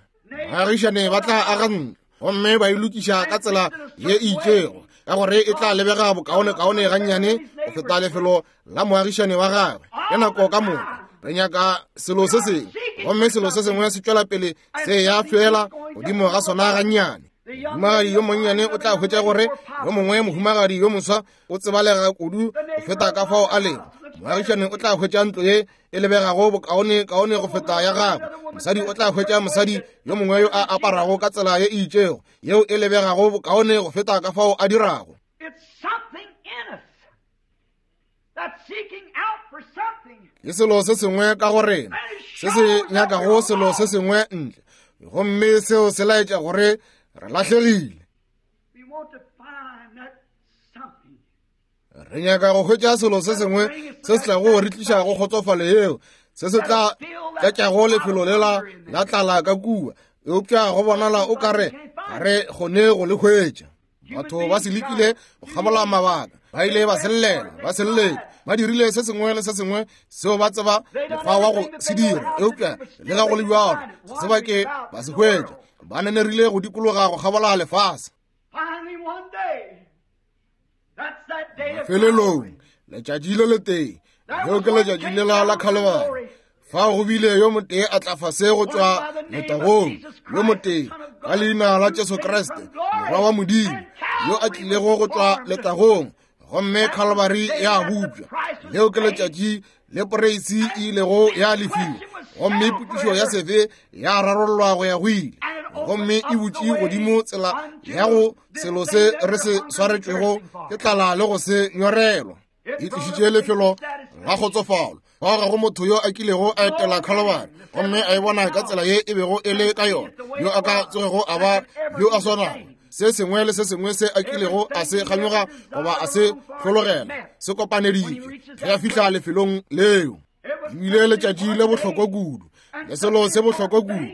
Baagišane ba tla aga ntlo gomme ba e lokiša ka tsela ye e itšego, ka gore e tla lebega bokaonekaone gannyane go feta lefelo la moagišane wa gagwe. Ke nako ka moka re nyaka selo se sengwe, gomme selo se sengwe se tšwela pele se ya fela godimo ga sona gannyane. Mohumagadi yo monnyane o tla hwetša gore yo mongwe mohumagadi yo moswa o tsebalega kudu go feta ka fao a lego. Moagišane o tla hwetša ntlo ye e lebegago bokaone kaone go feta ya gagwe. Mosadi o tla hwetša mosadi yo mongwe yo a aparago ka tsela ye e itšego, yeo e lebegago bokaone go feta ka fao a dirago. Ke selo se sengwe ka go rena se se nyakago selo se sengwe ntle, gomme seo se laetša gore re lahlegile. Re nyaka go hwetša selo se sengwe se se tlago re tliša go kgotsofalo yeo, se se tla tlatšago lefelo lela la tlala ka kua, eupša go bonala o kare ga re kgone go le hwetša. Batho ba se lekile go kgabola mabaka, ba ile ba sellela, ba selletše, ba dirile se sengwe le se sengwe seo ba tseba mokgwa wa go se dira, eupša le ga go le bjalo ga se ba ke ba se hwetša. Ba nenerile go dikologa go kgabola lefase. Mafelelong letšatši le letee, leo ke letšatši lela la Khalibari, fa go bile yo motee a tla fase go tšwa letagong, yo motee ka leina la Jesu Kriste, Morwa wa Modimo, yo a tlilego go tšwa letagong, gomme Khalibari ya bupša. Leo ke letšatši le poreisi e ilego ya lefiwa, gomme potšišo ya sebe ya rarollwa go ya go ile, gomme e butše godimo tsela ya go selo se re se swaretšwego ke tlala le go se nyorelwa. E tlišitše lefelo la kgotsofalo. Fao ga go motho yo a kilego a etela Khalibari gomme a e bona ka tsela ye e bego e le ka yona, yo a ka tsogego a ba yo a swanago. Se sengwe le se sengwe se a kilego a se kganyoga goba a se hlologela se kopaneditšwe ge a fihla lefelong leo. Ebile letšatši le bohlokwa kudu, le selo se bohlokwa kudu,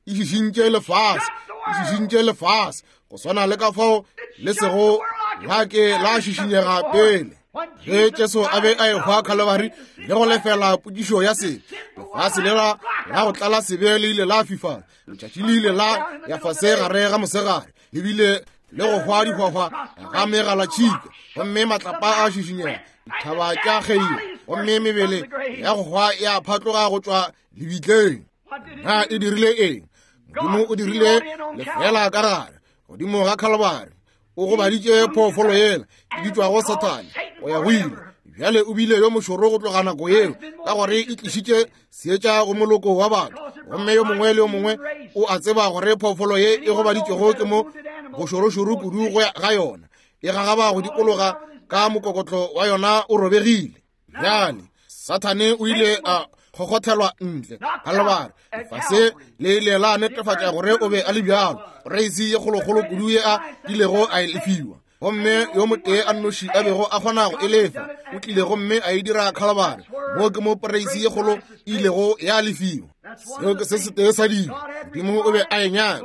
e šišintše lefase, e šišintše lefase go swana le ka fao le sego la ke la šišinyega pele. Ge Jesu a be a ehwa Khalibari le go lefela potšišo ya sebe, lefase lela la go tlala sebe le ile la fifala, letšatši le ile la ya fase gare ga mosegare, le bile le go hwa dihwahwa ga megalatšhika, gomme matlapa a šišinyega, dithaba tša kgeiwa, gomme mebele ya go hwa ya phatloga go tšwa lebitleng. Na e dirile eng? Modimo o dirile lefela ka gare godimo ga Khalibari, o gobaditše phoofolo yela e bitšwago Sathane go ya go ile. Bjale o bile yo mošoro go tloga nako yeo, ka gore e tlišitše seetša go moloko wa batho, gomme yo mongwe le yo mongwe o a tseba gore phoofolo ye e gobaditšwego ke mo bošorošoro kudu go ga yona, e gagaba go dikologa ka mokokotlo wa yona o robegile. Bjale Sathane o ile a kgokgothelwa ntle Khalibari, lefase le ile la netefatša gore o be a le bjalo, reisi ye kgolokgolo kudu ye a kilego a e lefiwa, gomme yo motee a nnoši a bego a kgona go e lefa o tlile gomme a e dira Khalibari. Moo ke mo poreisi ye kgolo e ilego ya lefiwa. Seo ke se setee sa dilo Modimo o be a e nyaka.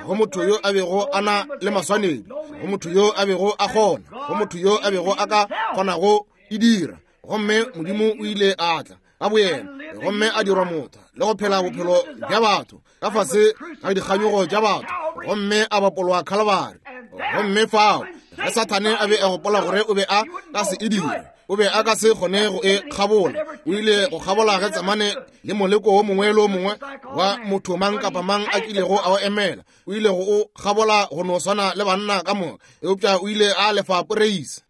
Go motho yo a bego a na le maswanedi, go motho yo a bego a kgona, go motho yo a bego a ka kgonago e dira. Gomme Modimo o ile a tla ka boyena gomme a dirwa motho le go phela bophelo bja batho ka fase ga dikganyogo tša batho, gomme a bapolwa Khalibari. Gomme fao ge Sathane a be a gopola gore o be a ka se e dire, o be a ka se kgone go e kgabola, o ile go kgabola Getsemane le moleko wo mongwe le wo mongwe wa motho mang kapa mang a kilego a o emela. O ile go o kgabola go no swana le banna ka moka, eupša o ile a lefa poreisi.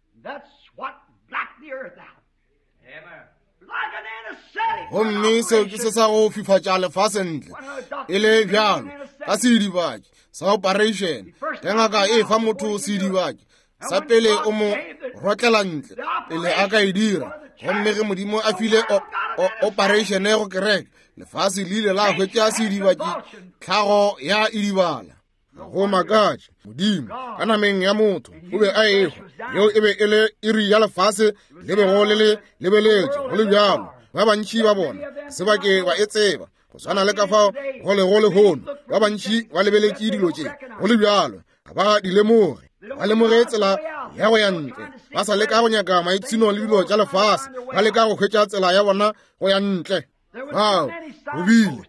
Gomme seo ke se sa go fifatša lefase ntle e le bjalo ka seidibatši sa operation. Ge ngaka e fa motho seidibatši sa pele, o mo rotlela ntle pele a ka e dira. Gomme ge Modimo a file operation go kereke, lefase le ile la hwetša seidibatši, tlhago ya idibala. Go makatše, Modimo ka nameng ya motho o be a ehwa. Yeo e be e le iri ya lefase le bego le le lebeletše. Go le bjalo, ba bantši ba bona se ba ke ba e tseba, go swana le ka fao go lego lehono. Ba bantši ba lebeletše dilo tše, go le bjalo ga ba di lemoge. Ba lemoge tsela ya go ya ntle, ba sa leka go nyaka maipshino le dilo tša lefase, ba leka go hwetša tsela ya bona go ya ntle. Bao go bile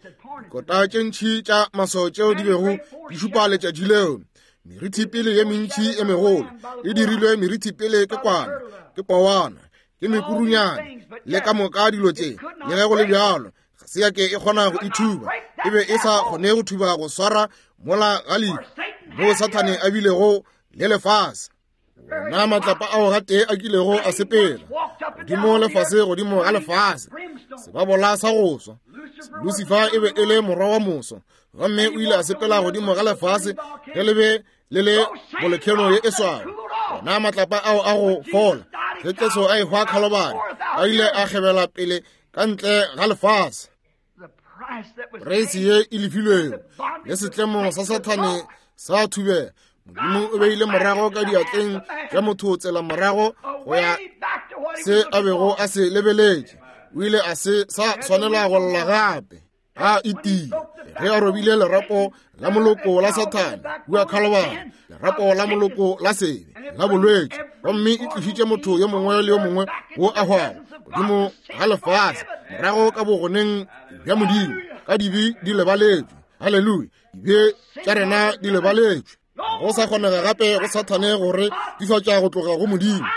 dikota tše ntši tša maswao tšeo di bego di šupa letšatši leo. Merithipele ye mentši e megolo e dirilwe merithipele ke kwana, ke powana, ke mekurunyane le ka moka dilo tše. Le ge go le bjalo, ga se ya ke e kgona go ithuba. E be e sa kgone go thuba go swara mola ga lehu moo Sathane a bilego le lefase. Ona matlapa ao gatee a kilego a sepela godimo lefase, godimo ga lefase, sebabola sa go swa. Lucifer e be e le morwa wa moso, gomme o ile a sepela godimo ga lefase ge le be le le bolekheno ye e swago. Ona matlapa ao a go fola ge Jesu a ehwa Khalobari, a ile a kgebela pele ka ntle ga lefase. Reisi ye e lefilwego le setlemo sa Sathane sa thubela, Modimo o beile morago ka diatleng tša motho tsela morago go ya se a bego a se lebeletše. O ile a se sa swanela go lla gape. A itile ge a robile lerapo la moloko la Sathane kua Khalobari, lerapo la moloko la sebe la bolwetši, gomme e tlišitše motho yo mongwe le yo mongwe wo a hwago godimo ga lefase morago ka bogoneng bja Modimo, ka dibe di lebaletšwe. Haleluya! Dibe tša rena di lebaletšwe. Go sa kgonega gape go Sathane gore difatša go tloga go Modimo.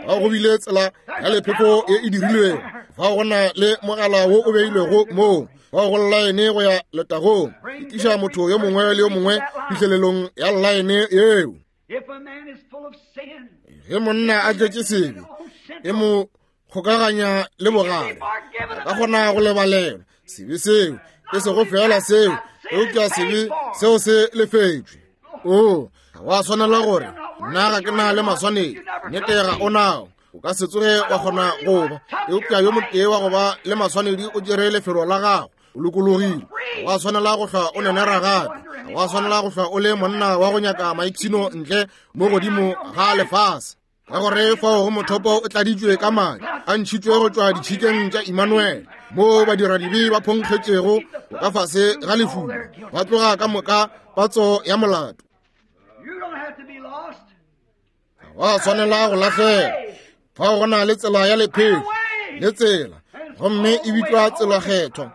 Ga go bile tsela ya lepheko ye e dirilwego, fa go na le mogala wo o beilwego moo, fa go llaene go ya letagong, e tliša motho yo mongwe le yo mongwe phihlelelong ya llaene yeo. Ge monna a tletše sebe, e mo kgokaganya le bogare, a ka kgona go lebalelwa sebe seo, e sego fela seo, eupša sebe seo se lefetšwe. O ga wa swanela gore nna ga ke na le maswanedi, nnete ga o nao, o ka se tsoge wa kgona go ba, eupša yo motee wa go ba le maswanedi o tšere lefelo la gago, o lokologile. Ga wa swanela go hlwa o nenera gape, ga wa swanela go hlwa o le monna wa go nyaka maipshino ntle mo godimo ga lefase, ka gore fao go mothopo o tladitšwe ka madi a ntšhitšwe go tšwa ditšhikeng tša Emmanuel, moo badiradibe ba phonkgetšego go ka fase ga lefulo, ba tloga ka moka patso ya molato. Ga wa swanela go lahlela. Fao go na le tsela ya lepheko le tsela, gomme e bitšwa tsela kgethwa.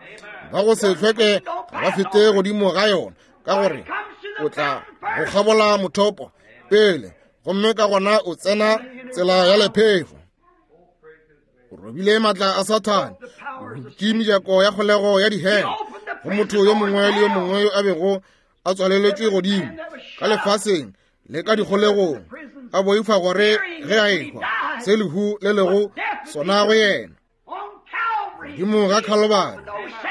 Ba go se hlweke ga ba fete godimo ga yona, ka gore o tla go kgabola mothopo pele, gomme ka gona o tsena tsela ya lephefo. O robile matla a Sathane, o butše mejako ya kgolego ya dihele go motho yo mongwe le yo mongwe yo a bego a tswaleletšwe godimo ka lefaseng le ka dikgolegong, a boifa gore ge a ehwa se lehu le lego sona go yena. Godimo ga Khalobari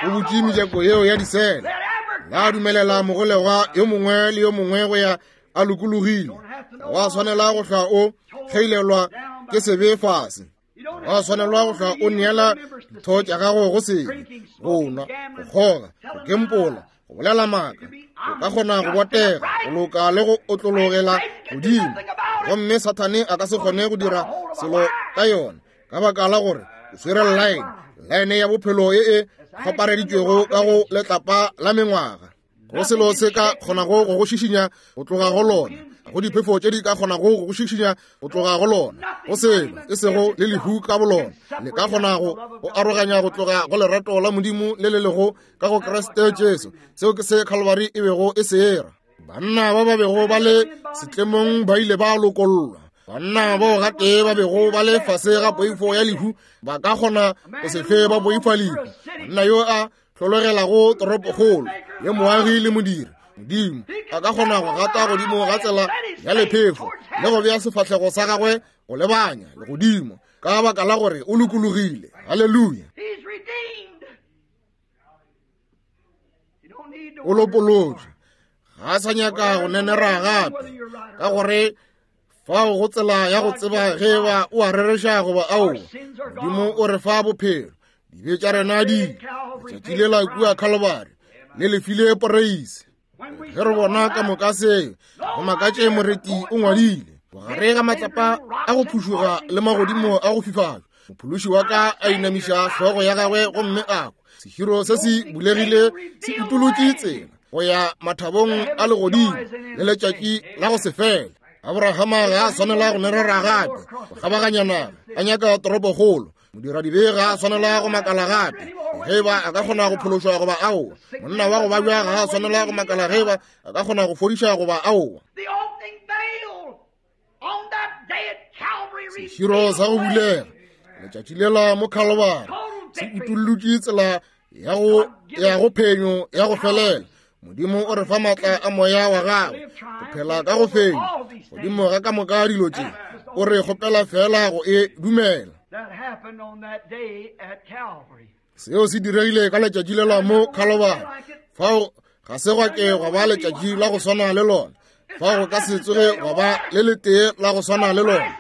o butše mejako yeo ya disele, la dumelela mogolegwa yo mongwe le yo mongwe go ya a lokologile. Ga wa swanela go hlwa o kgeilelwa ke sebe fase, ga wa swanelwa go hlwa o neela ditho tša gago go sebe, go nwa, go kgoga, go kempola, go bolela maaka. O ka kgona go botega, go loka le go otlologela godimo, gomme Sathane a ka se kgone go dira selo ka yona, ka baka la gore o swere llaene, llaene ya bophelo ye e kgopareditšwego ka go letlapa la mengwaga. Go selo se ka kgonago go go šišinya go tloga go lona, go diphefo tše di ka kgonago go go šišinya go tloga go lona, go selo e sego le lehu ka bolona le ka kgonago go aroganya go tloga go lerato la Modimo le le lego ka go Kriste Jesu. Seo ke se Khalobari e bego e se era. Banna ba ba bego ba le setlemong ba ile ba lokollwa. Banna bao gatee ba bego ba le fase ga poifo ya lehu ba ka kgona go se hlwe ba boifa lehu. Monna yo a hlologelago toropokgolo ye moagi le modiri Modimo a ka kgona go gata godimo ga tsela ya lephefo le go bea sefahlego sa gagwe go lebanya legodimo ka baka la gore o lokologile. Haleluya! O lopolotšwe, ga a sa nyaka go nenera gape, ka gore fao go tsela ya go tseba ge ba o a rereša goba aowa. Modimo o re fa bophelo, dibe tša rena di ile. Letšatši lela kua Calvary le lefile poreise. Ge re bona ka moka seo, go makatše moreti o ngwadile bogare ga matlapa a go phušoga le magodimo a go fifatšwa, mophološi wa ka a inamiša hlogo ya gagwe gomme a kwa sehiro se se bulegile se utolotše tsela go ya mathabong a legodimo le letšatši la go se fele. Abrahama ga a swanela go merera gape go kgabaganya naga a nyaka toropokgolo. Modiradibe ga a swanela go makala gape ge ba a ka kgona go phološwa goba aowa. Monna wa go babja ga a swanela go makala ge ba a ka kgona go fodiša goba aowa. Seširo sa go bulega letšatši lela mo Calvary se utollotše tsela ya go ya go phenyo ya go felela. Modimo o re fa maatla a moya wa gagwe go phela ka go fenya godimo ga ka moka dilo tše. O re kgopela fela go e dumela. Seo se diregile ka letšatši lela mo Calvary. Fao ga se gwa ke gwa ba letšatši la go swana le lona. Fao go ka se tsoge gwa ba le letee la go swana le lona.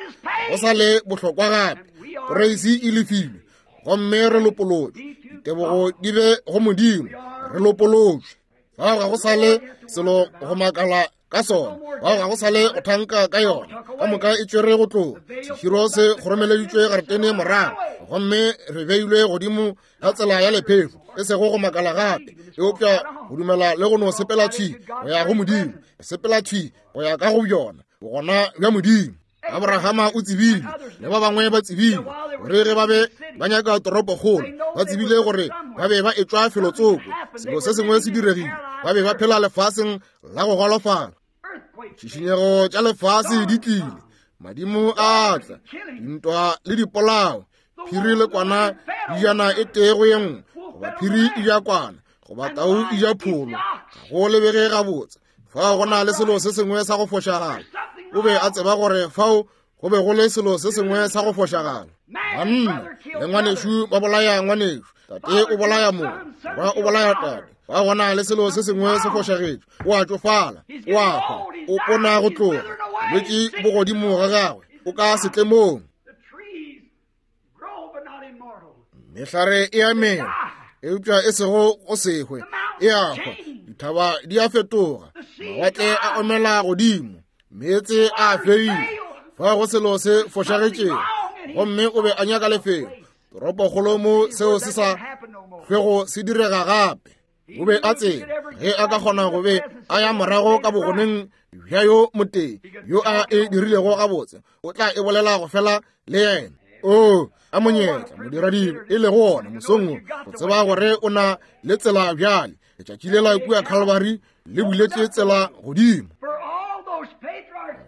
Go sa le bohlokwa gape. Poreisi e lefilwe gomme re lopolotšwe. Ditebogo di be go Modimo, re lopolotšwe. Fao ga go sa le selo go makala ka sona, fao ga go sa le go thanka ka yona. Ka moka e tšwere go tloga. Seširo se kgoromeleditšwe garetene morago gomme re beilwe godimo ga tsela ya lephefo, e sego go makala gape, eupša go dumela le go no sepela thwi go ya go Modimo, sepela thwi go ya ka go bjona bogona bja Modimo. Abrahama o tsebile le ba bangwe ba tsebile gore ge ba be ba nyaka toropokgolo, ba tsebile gore ba be ba etšwa felotsoko. Selo se sengwe se diregile, ba be ba phela lefaseng la go golofala. Tšhišinyego tša lefase di tlile, madimo a tla, dintwa le dipolao, phiri le kwana di jana e tee go ye nngwe, goba phiri e ja kwana, goba tau e ja pholo. Ga go lebege gabotse. Fao go na le selo se sengwe sa go fošagala. O be a tseba gore fao go be go le selo se sengwe sa go fošagala. Banna le ngwanešu ba bolaya ngwanešu, tate o bolaya mong, morwa o bolaya tate. Fao go na le selo se sengwe se fošagetše. O a tšofala, o a hwa, o pona go tloga, bolwetši bo godimo ga gagwe, o ka setlemong. Mehlare e a mela, eupša e sego go se hwe, e a hwa. Dithaba di a fetoga, mawatle a omela godimo, meetse a feile. Fao go selo se fošagetšego, gomme o be a nyaka lefelo toropokgolo mo seo se sa hlwego se direga gape. O be a tseba ge a ka kgona go be a ya morago ka bogoneng bja yo motee yo a e dirilego gabotse, o tla e bolela go fela le yena. O a monyetla modiradibe e lego ona mosong wo go tseba gore o na le tsela bjale. Letšatši lela kua Calvary le buletše tsela godimo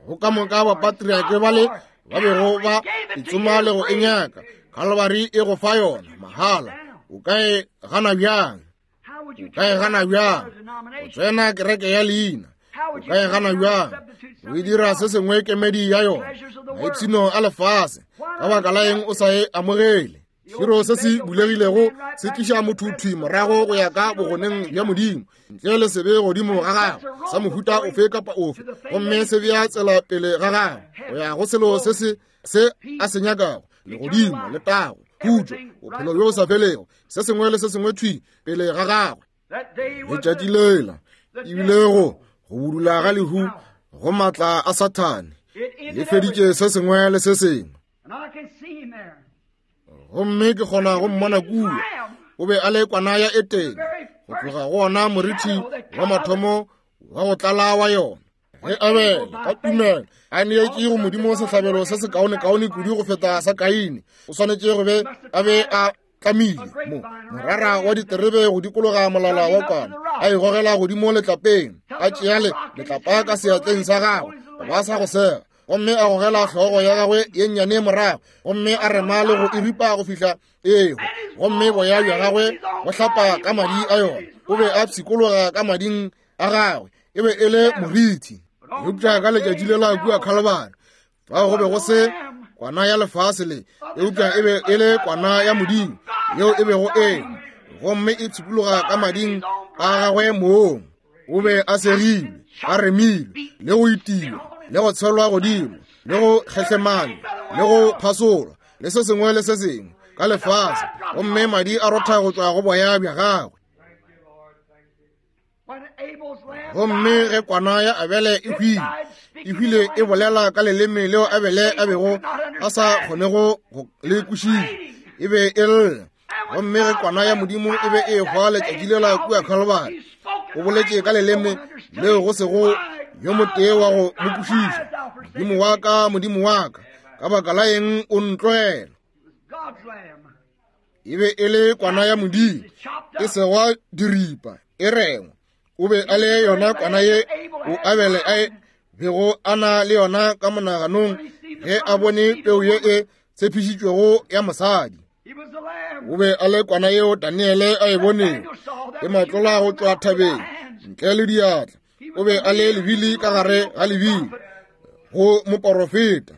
go ka moka bapatriake bale ba bego ba itsoma le go e nyaka. Calvary e go fa yona mahala. O ka e gana bjang? O ka e gana bjang? O tsena kereke ya leina, o ka e gana bjang? O e dira se sengwe kemedi ya yona, maipshino a lefase. Ka baka la eng o sa e amogele? Seširo se se bulegilego se tliša motho thwi morago go ya ka bogoneng bja Modimo, ntle le sebe godimo ga gagwe sa mohuta ofe kapa ofe, gomme se bea tsela pele ga gagwe go ya go selo se se se a se nyakago, legodimo, letago, khutšo, bophelo bjo bo sa felego, se sengwe le se sengwe thwi pele ga gagwe. Letšatši lela ebile go go budula ga lehu go maatla a Sathane le feditše se sengwe le se sengwe. Gomme ke kgona go mmona kua. O be a le kwana ya Etene, go tloga go ona morithi wa mathomo wa go tlala wa yona. Ge Abele ka tumelo a neetše go Modimo sehlabelo se sekaonekaone kudu go feta sa Kaine, o swanetše go be a be a tlamile mo morara wa diterebe go dikologa molala wa kwana, a e gogela godimo letlapeng, a tšea letlapa ka seatleng sa gagwe ba sa go sega, gomme a gogela hlogo ya gagwe ye nnyane morago, gomme a rema le go e ripa go fihla eo, gomme boya bja gagwe go hlapa ka madi a yona. O be a pshikologa ka mading a gagwe, e be e le morithi. Eupša ka letšatši le la kua Calvary, fao go be go se kwana ya lefase le, eupša e be e le kwana ya Modimo yeo e bego e, gomme e pshikologa ka mading a gagwe mong. O be a segilwe, a remilwe, le go itiwa, le go tshelwa godimo, le go kgehlemanywa, le go phasolwa, le se sengwe le se sengwe ka lefase, gomme madi a rotha go tšwa go boya bja gagwe. Gomme ge kwana ya Abele e hwile, e hwile e bolela ka leleme leo Abele a bego a sa kgonego go le kwešiša, e be e lla. Gomme ge kwana ya Modimo e be e hwa letšatši lela kua Calvary, o boletše ka leleme leo go sego yo motee wa go mo kwešiša. Modimo wa ka, Modimo wa ka, ka baka la eng o ntlogela? E be e le kwana ya Modimo e segwa diripa, e rengwa. O be a le yona kwana ye o Abele a bego a na le yona ka monaganong ge a bone peu ye e tshepišitšwego ya mosadi. O be a le kwana yeo Daniele a e bonego e matlola go tšwa thabeng ntle le diatla. O be a le lebili ka gare ga lebili go moporofeta.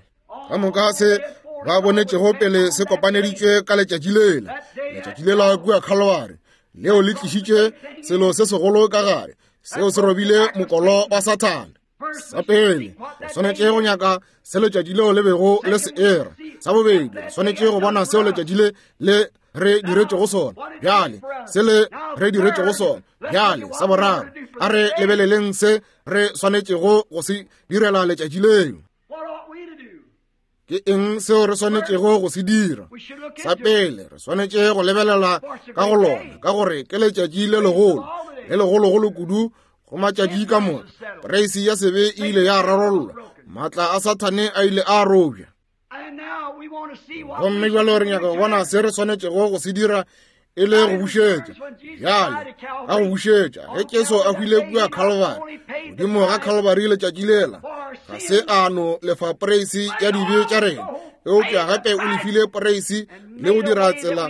Ka moka se ba bonetšego pele se kopaneditšwe ka letšatši lela, letšatši lela kua Calvary, leo le tlišitše selo se segolo ka gare, seo se robile mokolo wa Sathane. Sa pele, re swanetše go nyaka se letšatši leo le bego le se era. Sa bobedi, re swanetše go bona seo letšatši le le re diretšego sona. Bjale, se le re diretšego sona. Bjale, sa boraro, a re lebeleleng se re swanetšego go se direla letšatši leo. Ke eng seo re swanetšego go se dira? Sa pele, re swanetše go lebelela ka go lona, ka gore ke letšatši le legolo, le legologolo kudu go matšatši ka moka. Poreisi ya sebe e ile ya rarollwa, maatla a Sathane a ile a robja. Gomme bjalo re nyaka go bona se re swanetšego go se dira e le go bušetša. Bjale, ka go bušetša, ge Jesu a hwile kua Calvary, godimo ga Calvary letšatši lela, ga se a no lefa poreisi ya dibe tša rena, eupša gape o lefile poreisi le go dira tsela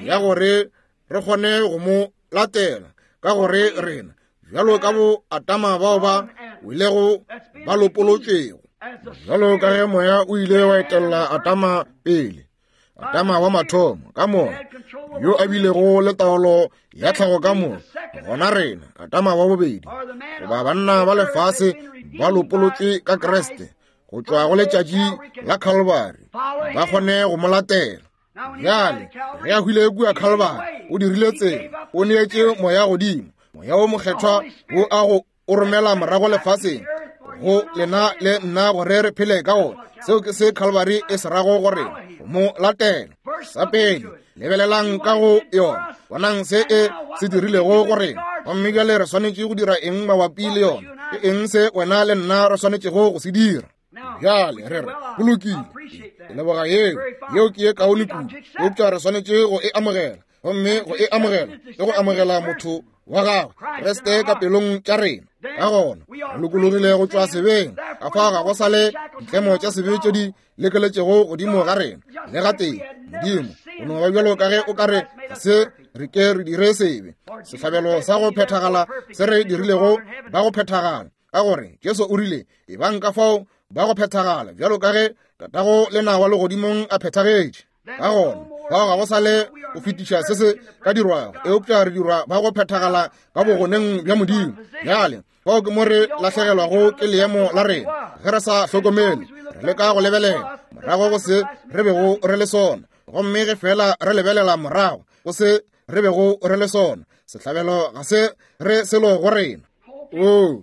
ya gore re kgone go mo latela, ka gore rena bjalo ka bo Atama bao ba welego ba lopolotšwego, bjalo ka ge moya o ile wa etella Atama pele, Atama wa mathomo ka moya yo a bilego le taolo ya tlhago ka moya, gona rena Atama wa bobedi, goba banna ba lefase ba lopolotšwe ka Kriste go tšwa go letšatši la Calvary, ba kgone go mo latela. Bjale ge a hwile kua Calvary, o dirile tsela, o neetše moya godimo, moya wo mokgethwa wo a go o romela morago lefaseng go lena le nna gore re phele ka ona. Seo ke se Calvary e se rago gore go mo latela. Sa pele, lebelelang ka go yona, bonang se e se dirilego go rena. Gomme bjale re swanetše go dira eng mabapi le yona? Ke eng se wena le nna re swanetšego go se dira? Bjale re re go lokile, ke leboga yeo, yeo ke ye kaone kudu, eupša re swanetše go e amogela. Gomme go e amogela ke go amogela motho wa gagwe Kriste ka pelong tša rena. Ka gona re lokologile go tšwa sebeng, ka fao ga go sa le ditlemo tša sebe tše di lekeletšego godimo ga rena le gatee. Modimo o no ba bjalo ka ge o ka re ga se re ke re dire sebe. Sehlabelo sa go phethagala se re dirilego ba go phethagala, ka gore Jesu o rile, ebang ka fao ba go phethagala bjalo ka ge Tatago lena wa legodimong a phethagetše. Ka gona fao ga go sa le go fetiša se se ka dirwago, eupša re dirwa ba go phethagala ka bogoneng bja Modimo. Bjale fao ke mo re lahlegelwago ke leemo la rena ge re sa hlokomele, re leka go lebelela morago go se re bego re le sona, gomme ge fela re lebelela morago go se re bego re le sona, sehlabelo ga se re selo go rena. O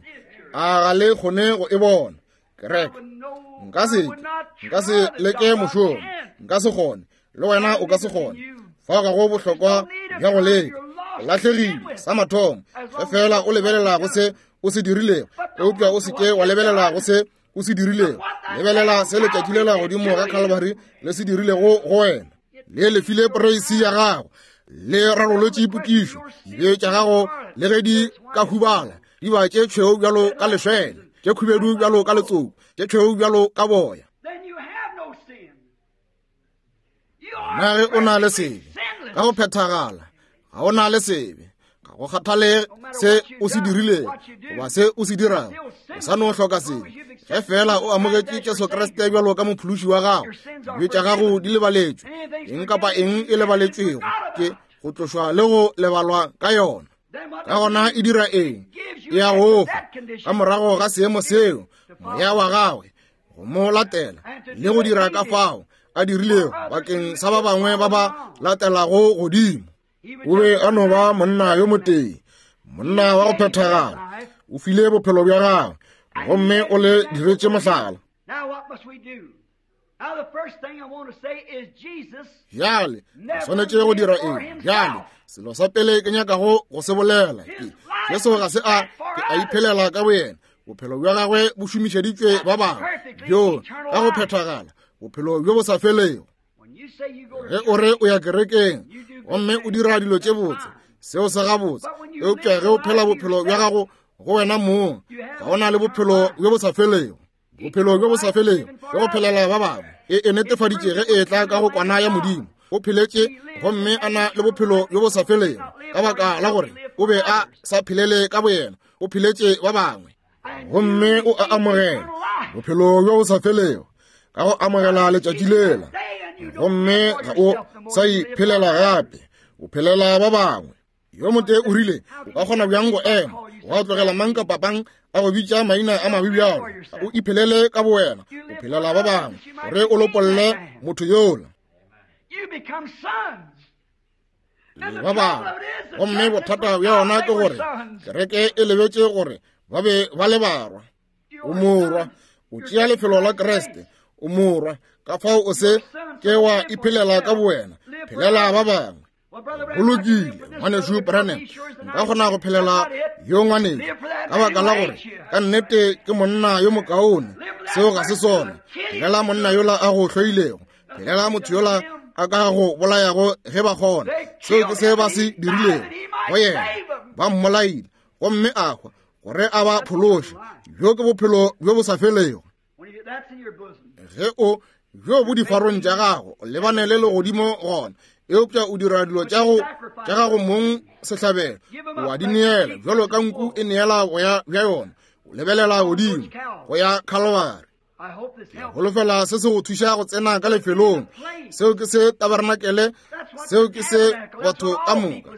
a ga le kgone go e bona kereke? Nka se nka se leke mošomo, nka se kgone, le wena o ka se kgone. Fao ga go bohlokwa bja go leka, o lahlegile sa mathomo ge fela o lebelela go se o se dirilego, eupša o se ke wa lebelela go se o se dirilego. Lebelela se letšatši lela godimo ga Calvary le se dirilego go wena. Le lefile poreisi ya gago, le rarolotše potšišo. Dibe tša gago le ge di ka hubala, di ba tše tšhweu bjalo ka lešwele, tše khubedu bjalo ka letsoku, tše tšhweu bjalo ka boya. Na ge o na le sebe ka go phethagala, ga o na le sebe, ga go kgathale se o se dirilego goba se o se dirago, o sa no hloka sebe. Ge fela o amogetše Jesu Kriste bjalo ka mophološi wa gago, dibe tša gago di lebaletšwe. Eng kapa eng e lebaletšwego ke go tlošwa le go lebalwa ka yona. Ka gona e dira eng? E a go fa ka morago ga seemo seo moya wa gagwe go mo latela le go dira ka fao a dirilego bakeng sa ba bangwe ba ba latelago godimo. O be a no ba monna yo motee, monna wa go phethagala. O file bophelo bja gagwe gomme o le diretše mohlala. Bjale re swanetše go dira eng? Bjale selo sa pele ke nyakago go se bolela ke Jesu ga se a ke a iphelela ka boyena. Bophelo bja gagwe bo šomišeditšwe ba bangwe, bjo ka go phethagala, bophelo bjo bo sa felego. Ge o re o ya kerekeng gomme o dira dilo tše botse, seo se gabotse, eupša ge o phela bophelo bja gago go wena mong, ga o na le bophelo bjo bo sa felego. Bophelo bjo bo sa felego ke go phelela ba bangwe. E e netefaditše ge e tla ka go kwana ya Modimo. O pheletše gomme a na le bophelo bjo bo sa felego ka baka la gore o be a sa phelele ka boyena, o pheletše ba bangwe. Gomme o a amogela bophelo bjo bo sa felego ka go amogela letšatši lela, gomme ga o sa iphelela gape, o phelela ba bangwe. Yo motee o rile, o ka kgona bjang go ema wa tlogela mang kapa mang a go bitša maina a mabe bjalo? O iphelele ka bowena, o phelela ba bangwe gore o lopolle motho yola le ba bangwe. Gomme bothata bja yona ke gore kereke e lebetše gore ba be ba le barwa. O morwa, o tšea lefelo la Kriste, o morwa. Ka fao o se ke wa iphelela ka bowena, phelela ba bangwe. Go lokile, ngwanešu Branham, nka kgona go phelela yo ngwanešu ka baka la gore ka nnete ke monna yo mokaone. Seo ga se sona. Phelela monna yola a go hloilego, phelela motho yola a ka go bolayago ge ba kgona. Seo ke se ba se dirilego go yena, ba mmolaile gomme a hwa gore a ba phološe. Bjo ke bophelo bjo bo sa felego. Ge o bjo bo difarong tša gago, o lebane le legodimo gona, eupša o dira dilo tša go tša gago mong sehlabelo, o a di neela bjalo ka nku e neela boya bja yona. O lebelela godimo go ya Calvary. Ke holofela se se go thuša go tsena ka lefelong. Seo ke se tabernacle, seo ke se batho ka moka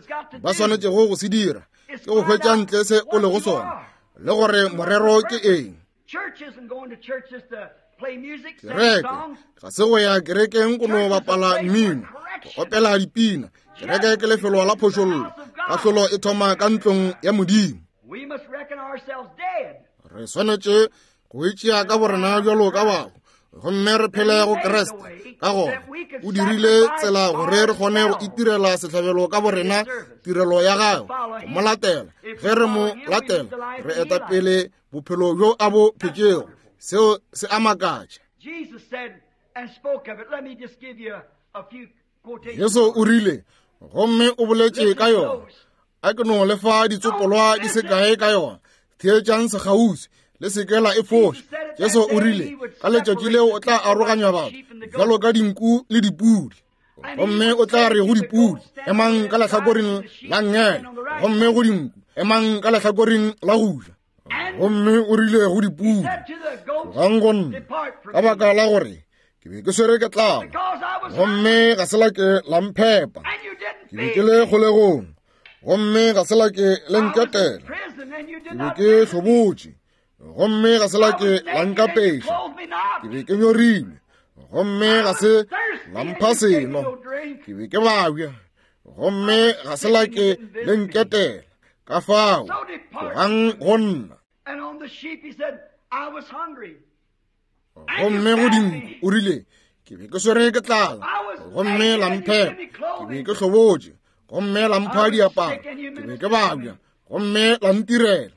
ba swanetšego go se dira, ke go hwetša ntle se o lego sona le gore morero ke eng. Kereke ga se go ya kerekeng go no bapala mmino, go opela dipina. Kereke ke lefelo la phošollo. Kahlolo e thoma ka ntlong ya Modimo. Re swanetše go itšea ka borena bjalo ka bahu gomme re phele go Kriste. Ka gona o dirile tsela gore re kgone go itirela sehlabelo ka borena, tirelo ya gagwe, go mo latela. Ge re mo latela, re eta pele bophelo bjo a bo phetšego. Seo se a makatša. Jesu o rile, gomme o boletše ka yona. A ke no lefa ditsopolwa di se kae ka yona. Theetšang sekgauswi, le se ke la e foša. Jesu o rile, ka letšatši leo o tla aroganya batho bjalo ka dinku le dipudi. Gomme o tla re go dipudi, emang ka lehlakoreng la nngele, gomme go dinku, emang ka lehlakoreng la go ja. Gomme o rile go dipudi, tlogang go nna, ka baka la gore ke be ke swere ke tlala, gomme ga se la ke la mphepa. Ke be ke le kgolegong, gomme ga se la ke le nketela. Ke be ke hlobotše, gomme ga se la ke la nkapeša. Ke be ke nyorilwe, gomme ga se la mpha seno. Ke be ke babja, gomme ga se la ke le nketela. Ka fao tlogang go nna. Gomme go dinku o rile, ke be ke swere ke tlala, gomme la mphepa. Ke be ke hlobotše, gomme la mpha diaparo. Ke be ke babja, gomme la ntirela.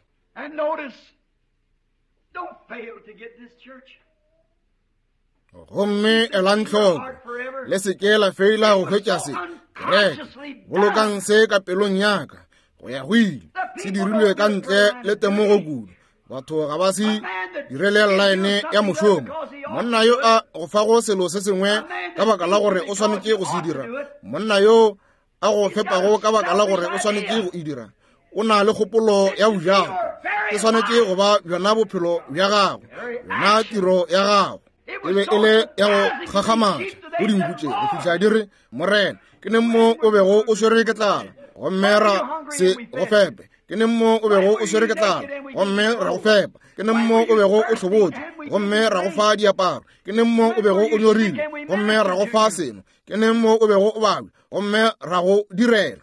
Gomme elang hloko, le se ke la feila go hwetša se. Kereke, bolokang se ka pelong ya ka go ya go ile. Se dirilwe ka ntle le temogo kudu. Batho ga ba se direle line ya mošomo. Monna yo a go fago selo se sengwe ka baka la gore o swanetše go se dira, monna yo a go fepago ka baka la gore o swanetše go e dira, o na le kgopolo ya bojato. E swanetše go ba bjona bophelo bja gago, yona tiro ya gago. E be e le ya go gakgamatša go dinku tše go fihla di re, Morena, ke neng mo o bego o swere ke tlala gomme ra se go fepe? Ke neng mo o bego o swere ke tlala gomme ra go fepa? Ke neng mo o bego o hlobotše gomme ra go fa diaparo? Ke neng mo o bego o nyorilwe gomme ra go fa seno? Ke neng mo o bego o babja gomme ra go direla?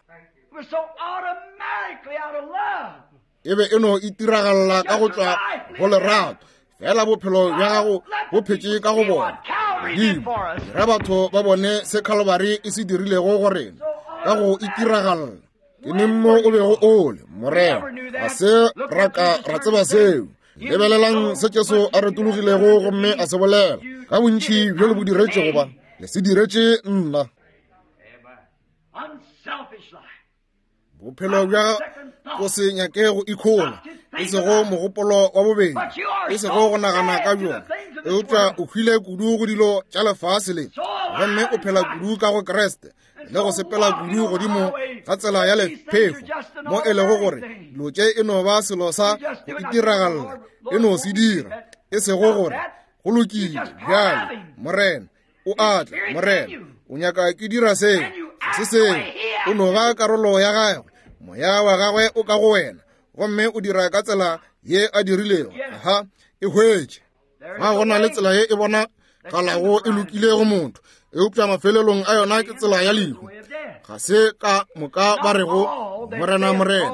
E be e no itiragalla ka go tšwa go lerato. Fela bophelo bja gago bo phetše ka go bona. Modimo, dira batho ba bone se Calvary e se dirilego go rena ka go itiragalla. Ke neng mo o bego o le, Morena? Ga se ra ka ra tseba seo. Lebelelang se Jesu a retologilego gomme a se bolela. Ka bontši bjo le bo diretšego ba, le se diretše nna. Bophelo bja go se nyake go ikhola, e sego mogopolo wa bobedi, e sego go nagana ka bjona, eupša o hwile kudu go dilo tša lefase le, gomme o phela kudu ka go Kriste le go sepela kudu godimo ga tsela ya lephefo, mo e lego gore dilo tše e no ba selo sa go itiragalla, e no se dira, e sego gore go lokile bjale Morena o a tla, Morena o nyaka ke dira seo, se seo, o no ba karolo ya gagwe, moya wa gagwe o ka go wena, gomme o dira ka tsela ye a dirilego. Aha, e hwetše. Ga go na le tsela ye e bona galago e lokile go motho, eupša mafelelong a yona ke tsela ya lehu. Ga se ka moka ba rego Morena, Morena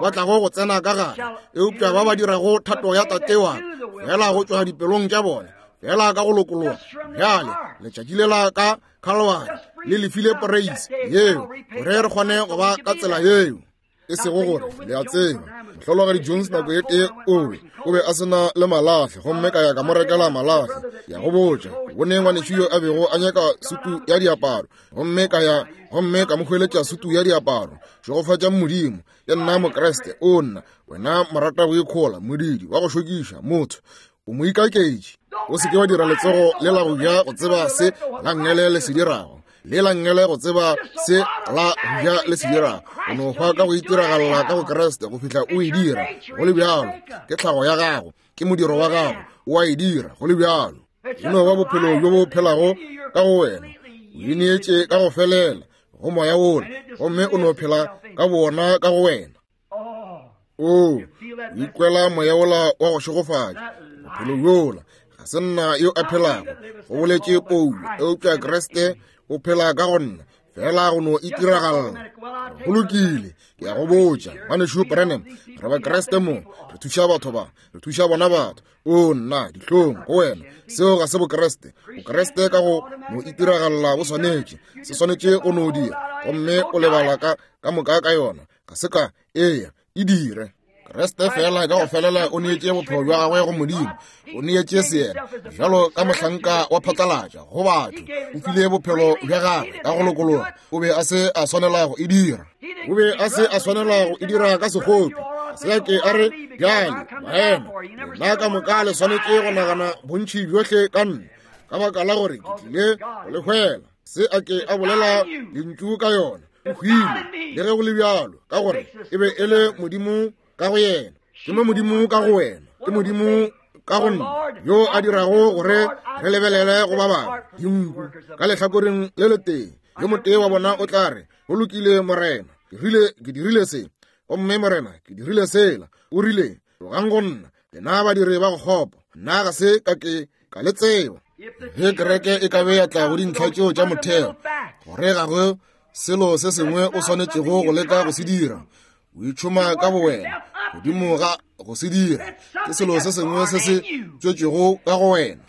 ba tlago go tsena ka gare, eupša ba ba dirago thato ya Tate wa fela go tšwa dipelong tša bona, fela ka go lokologa. Bjale letšatši le la ka Calvary le lefile poreisi yeo gore re kgone go ba ka tsela yeo. E sego gore le a tseba, mohlologadi Jones nako e tee o be o be a sena le malahle, gomme ka ya ka mo rekela malahle. Ya go botša, bone ngwanešu yo a bego a nyaka sutu ya diaparo, gomme ka ya gomme ka mo hweletša sutu ya diaparo. Šegofatša Modimo, ke nna Mokriste, o nna wena morata go ikhola, modidi wa go šokiša motho, o mo ikaketše. O se ke wa dira letsogo le la go ja go tseba se la nngele le se dirago, le la nngele go tseba se la go ja le se dirago. O no hwa ka go itiragalla ka go Kriste go fihla o e dira. Go le bjalo, ke tlhago ya gago, ke modiro wa gago, o a e dira. Go le bjalo, e no ba bophelo bjo bo phelago ka go wena. O ineetše ka go felela go moya wola, gomme o no phela ka bona ka go wena. O ikwela moya wola wa go šegofatša bophelo bjola. Ga se nna yo a phelago, go boletše Paulo, eupša Kriste o phela ka go nna, fela go no itiragalla. Go lokile, ke ya go botša ngwanešu Branham, re ba Kriste mo, re thuša batho ba, re thuša bona batho. O nna dihlong go wena, seo ga se Bokriste. Bokriste ka go no itiragalla bo swanetše, se swanetše go no dira, gomme o lebala ka ka moka ka yona. Ga se ka eya e dire. Kriste fela ka go felela o neetše bophelo bja gagwe go Modimo, o neetše seena bjalo ka mohlanka wa phatlalatša go batho. O file bophelo bja gagwe ka go lokologa. O be a se a swanela go e dira, o be a se a swanela go e dira ka sekgopi. Se a ke a re, bjale baena, lena ka moka le swanetše go nagana bontši bjohle ka nna, ka baka la gore ke tlile go le hwela. Se a ke a bolela lentšu ka yona. O hwile le ge go le bjalo, ka gore e be e le Modimo ka go yena. Ke mo Modimo ka go wena, ke Modimo ka go nna, yo a dirago gore re lebelele go ba bangwe dinku ka lehlakoreng le letee. Yo motee wa bona o tla re, go lokile Morena, ke rile ke dirile se, gomme Morena ke dirile sela. O rile, tlogang go nna, lena badiri ba go kgopo, nna ga se ka ke ka le tseba. Ge kereke e ka be ya tla go dintlha tšeo tša motheo, gore ga go selo se sengwe o swanetšego go leka go se dira, o itšhoma ka bowena godimo ga go se dira, ke selo se sengwe se se tšwetšego ka go wena.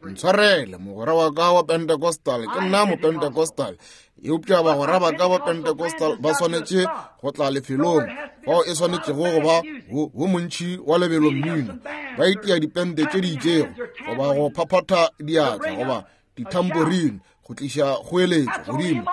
Ntshwarele mogwera wa ka wa Pentecostal, ke nna Mopentecostal, eupša bagwera ba ka ba Pentecostal ba swanetše go tla lefelong fao e swanetšego go ba wo montši wa lebelo mmino, ba itia dipente tše di itšego goba go phaphatha diatla goba ditamborine go tliša kgoeletšo godimo.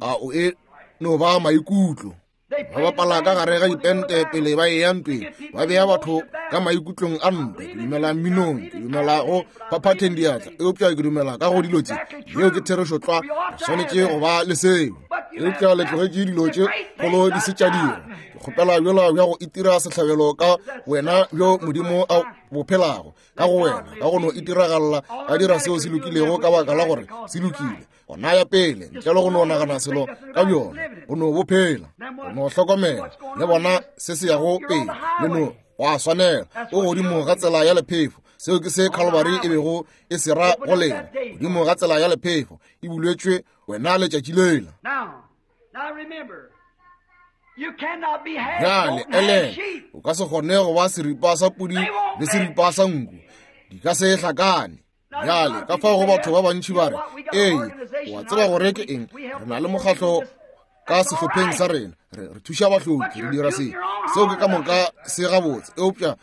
A o e no ba maikutlo. Ba bapala ka gare ga dipente pele ba eya ntweng, ba bea batho ka maikutlong a ntwa. Ke dumela mminong, ke dumela go phaphatheng diatla, eupša ke dumela ka go dilo tše. Yeo ke therešo tlwa, re swanetše go ba le seo. Eupša le tlogetše dilo tše kgolo di se tša dira. Ke kgopela bjola bja go itira sehlabelo ka wena bjo Modimo a bo phelago ka go wena, ka go no itiragalla a dira seo se lokilego ka baka la gore se lokile. Gona ya pele ntle le go no nagana selo ka bjona, go no bo phela, go no hlokomela le bona se se yago pele, le no go a swanela o godimo ga tsela ya lephefo. Seo ke se Calvary e bego e se ra go lena, godimo ga tsela ya lephefo e buletšwe wena letšatši lela. Bjale ele o ka se kgone go ba seripa sa pudi le seripa sa nku, di ka se hlakane. Bjale ka fao go batho ba bantši ba re, ee, o a tseba gore ke eng, re na le mokgatlo ka sehlopheng sa rena, re re thuša bahloki, re dira se. Seo ke ka moka se gabotse, eupša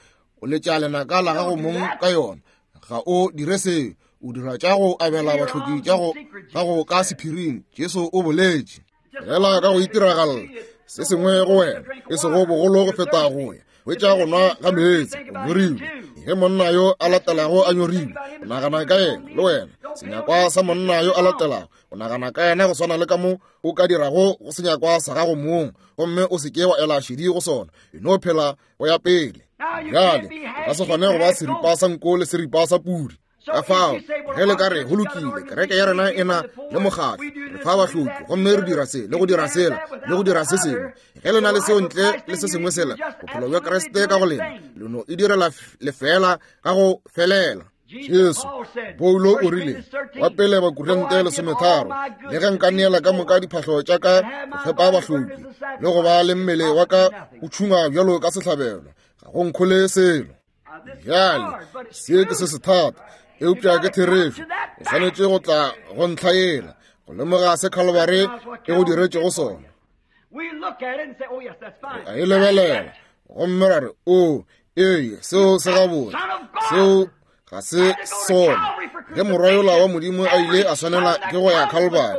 o letša lenaka la gago mong ka yona. Ga o dire seo, o dira tša go abela bahloki tša go gago ka sephiring. Jesu o boletše fela ka go itiragalla se sengwe go wena, e sego bogolo go feta go ya hwetša go nwa ga meetse o nyorilwe. Ge monna yo a latelago a nyorilwe, o nagana ka yena le wena. Senyakwa sa monna yo a latelago, o nagana ka yena go swana le ka mo o ka dirago go senyakwa sa gago mong, gomme o se ke wa ela šedi go sona. E no phela go ya pele. Bjale o ka se kgone go ba seripa sa nko le seripa sa pudi. Ka fao ge le ka re go lokile, kereke ya rena e na le mokgatlo, re fa bahloki, gomme re dira se le go dira sela le go dira se sengwe, ge le na le seo ntle le se sengwe sela, bophelo bja Kriste ka go lena le no e direla lefela ka go felela. Jesu Paulo o rile wa pele Bakorinte lesometharo, le ge nka neela ka moka diphahlo tša ka go fepa bahloki le go ba le mmele wa ka o tšhungwa bjalo ka sehlabelo, ga go nkhole selo. Bjale se ke se se thata, eupša ke therešo. O swanetše go tla go ntlha yela go lemoga se Calvary e go diretšego sona. A e lebelela gomme ra re, o ee, seo se gabotse, seo ga se sona. Ge morwa yola wa Modimo a ile a swanela ke go ya Calvary,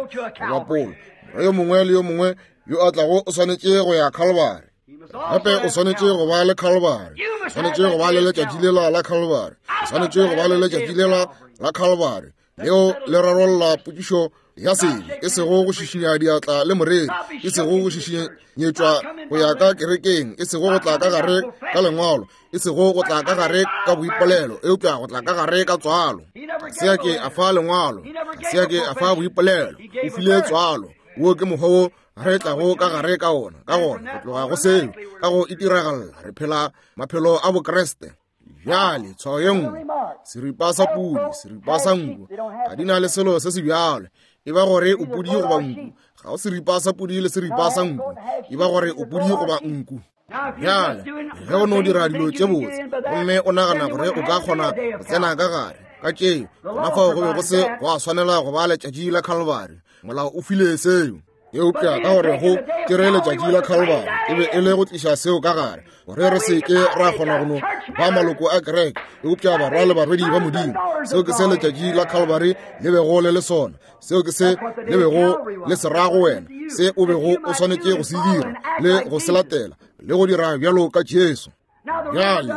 goba Paulo, morwa yo mongwe le yo mongwe yo a tlago o swanetše go ya Calvary. Gape o swanetše go ba le Calvary, o swanetše go ba le letšatši lela la Calvary, o swanetše go ba le letšatši lela la Calvary leo le rarolla potšišo ya sebe, e sego go šišinya diatla le moreri, e sego go šišinyetšwa go ya ka kerekeng, e sego go tla ka gare ka lengwalo, e sego go tla ka gare ka boipolelo, eupša go tla ka gare ka tswalo. Ga se a ke a fa lengwalo, ga se a ke a fa boipolelo, o file tswalo. Wo ke mokgwa wo re tlago ka gare ka ona. Ka gona go tloga go seo, ka go itiragalla re phela maphelo a Bokriste. Bjale tshwao ye nngwe, seripa sa pudi, seripa sa nku, ga di na le selo se se bjalo. E ba gore o pudi goba nku, ga o seripa sa pudi le seripa sa nku, e ba gore o pudi goba nku. Bjale ge o no dira dilo tše botse gomme o nagana gore o ka kgona go tsena ka gare ka tšeo, gona fao go be go se go a swanela go ba letšatši la Calvary. Molao o file seo. Eupša ka gore go tšere letšatši la Calvary e be e le go tliša seo ka gare, gore re se ke ra kgona go no ba maloko a kereke, eupša barwa le barwedi ba Modimo. Seo ke se letšatši la Calvary le bego le le sona. Seo ke se le bego le se ra go wena, se o bego o swanetše go se dira le go se latela le go dira bjalo ka Jesu. Bjale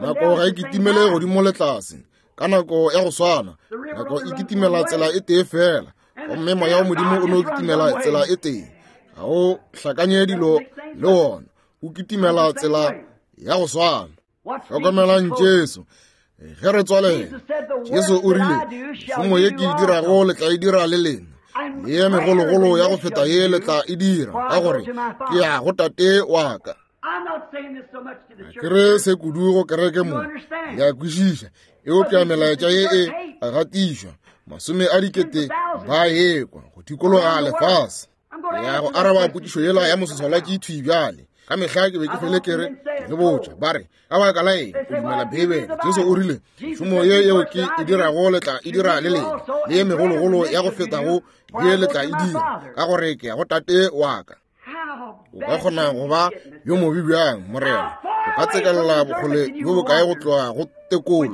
nako ga e kitimele godimo le tlase ka nako ya go swana, nako e kitimela tsela e tee fela, gomme moya wa Modimo o no kitimela tsela e tee. Ga o hlakanye dilo le wona, o kitimela tsela ya go swana. Hlokomelang Jesu ge re tswalela. Jesu o rile, mešomo ye ke e dirago le tla e dira le lena, le ye megologolo ya go feta ye le tla e dira, ka gore ke ya go Tate wa ka. Ke re se kudu go kereke mo, le a kwešiša, eupša melaetša ye e a gatišwa, masome a dikete ba ekwa go dikologa lefase. Ya go araba potšišo yela ya mososwalatši thwi bjale. Ka mehla ke be ke fele ke re ke le botša, ba re ka baka la eng o dumela Beibele? Jesu o rile, mešomo ye yeo ke e dirago le tla e dira le lena, le ye megologolo ya go fetago ye le tla e dira, ka gore ke ya go Tate wa ka. O ka kgona go ba yo mobe bjang, Morena? O ka tsekelela bokgole bjo bokae go tloga go tekolo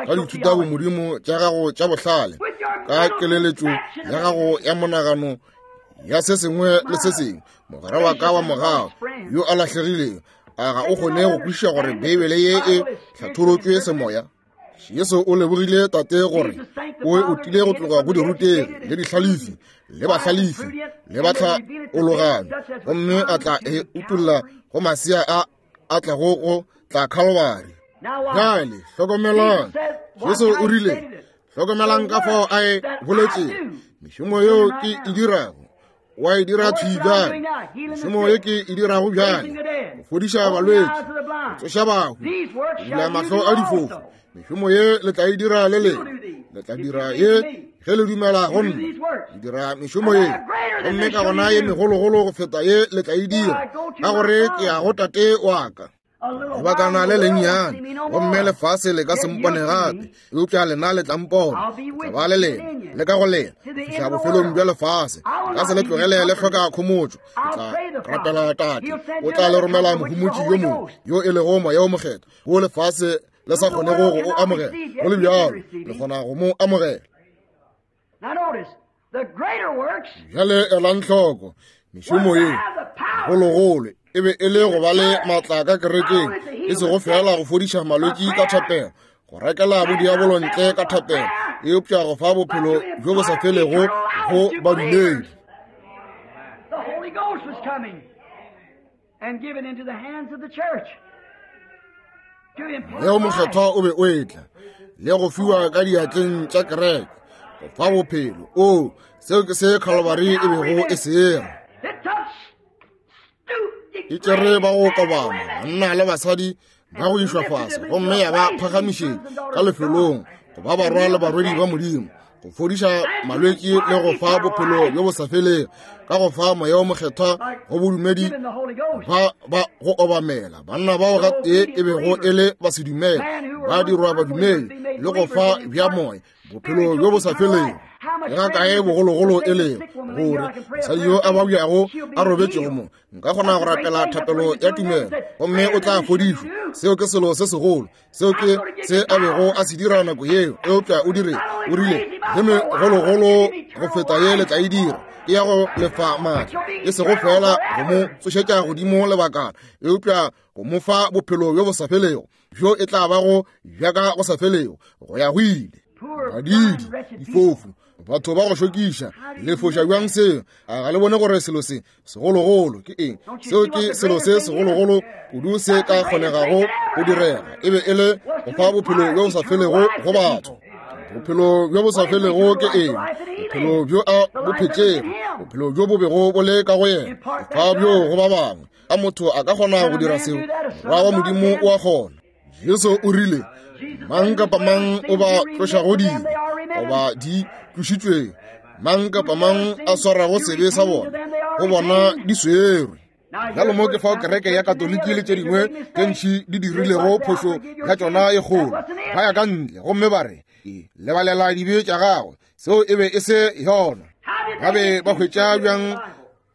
ka dithutabomodimo tša gago tša bohlale, ka keleletšo ya gago ya monagano ya se sengwe le se sengwe? Mogwera wa ka wa mogau yo a lahlegilego, a ga o kgone go kwešiša gore Beibele ye e hlatholotšwe semoya? Jesu o lebogile Tate gore o o tlile go tloga go dirutegi le dihlalefi le bahlalefi le bahlaologano, gomme a tla e utolla go masea a a tlago go tla Calvary. Bjale hlokomelang, Jesu o rile, hlokomelang ka fao a e boletšego, mešomo yeo ke e dirago wa e dira thwi bjale, mešomo ye ke e dirago bjale, go fodiša balwetši, go tsoša bahu, go bula mahlo a difofu, mešomo ye le tla e dira le lena, le tla dira ye ge le dumela go nna. Le dira mešomo ye, gomme ka gona ye megologolo go feta ye le tla e dira, ka gore ke ya go Tate wa ka. Lebakana le lennyane, gomme lefase le ka se mpone gape, eupša lena le tla mpona. Ke tla ba le lena le ka go lena go fihla bofelong bja lefase. Nka se le tlogele le hloka khomotšo. Ke tla rapela Tate, o tla le romela mohomotši yo mongwe, yo e lego Moya o Mokgethwa, wo lefase le sa kgonego go o amogela. Go le bjalo, le kgona go mo amogela. Bjale elang hloko, mešomo ye gologolo e be e le go ba le maatla ka kerekeng, e sego fela go fodiša malwetši ka thapelo, go rekela bodiabolo ntle ka thapelo, eupša go fa bophelo bjo bo sa felego go badumedi. Leo Mokgethwa o be o etla le go fiwa ka diatleng tša kereke go fa bophelo. O seo ke se Calvary e bego e se era. E tšere ba go kobama, banna le basadi ba go išwa fase, gomme ya ba phagamišetša ka lefelong go ba barwa le barwedi ba Modimo, go fodiša malwetši le go fa bophelo bjo bo sa felego, ka go fa Moya o Mokgethwa go bodumedi ba ba go obamela. Banna bao gatee e bego e le basedumele ba dirwa badumedi le go fa bja moya bophelo bjo bo sa felego. Le ga kae bogologolo e lego gore mosadi yo a babjago a robetšego mo, nka kgona go rapela thapelo ya tumelo gomme o tla fodišwa. Seo ke selo se segolo, seo ke se a bego a se dira nako yeo. Eupša o dire, o rile, le megologolo go feta ye le tla e dira, ke ya go lefa maatla, e sego fela go mo tsošetša godimo lebakana, eupša go mo fa bophelo bjo bo sa felego, bjo e tla bago bja ka go sa felego go ya go ile. Badidi, difofu, batho ba go šokiša, le foša bjang seo? A ga le bone gore selo se segologolo ke eng? Seo ke selo se segologolo kudu se ka kgonegago go direga, e be e le go fa bophelo bjo bo sa felego go batho. Bophelo bjo bo sa felego ke eng? Bophelo bjo a bo phetšego, bophelo bjo bo bego bo le ka go yena, go fa bjo go ba bangwe. A motho a ka kgona go dira seo? Morwa wa Modimo o a kgona. Jesu o rile, mang kapa mang o ba tlošago dibe goba di tlošitšweng, mang kapa mang a swarago sebe sa bona, go bona di swerwe. Bjalo mo ke fao kereke ya Katoliki le tše dingwe tše ntši di dirilego phošo ya tšona e kgolo. Ba ya ka ntle gomme ba re, lebalela dibe tša gagwe. Seo e be e se yona. Ba be ba hwetša bjang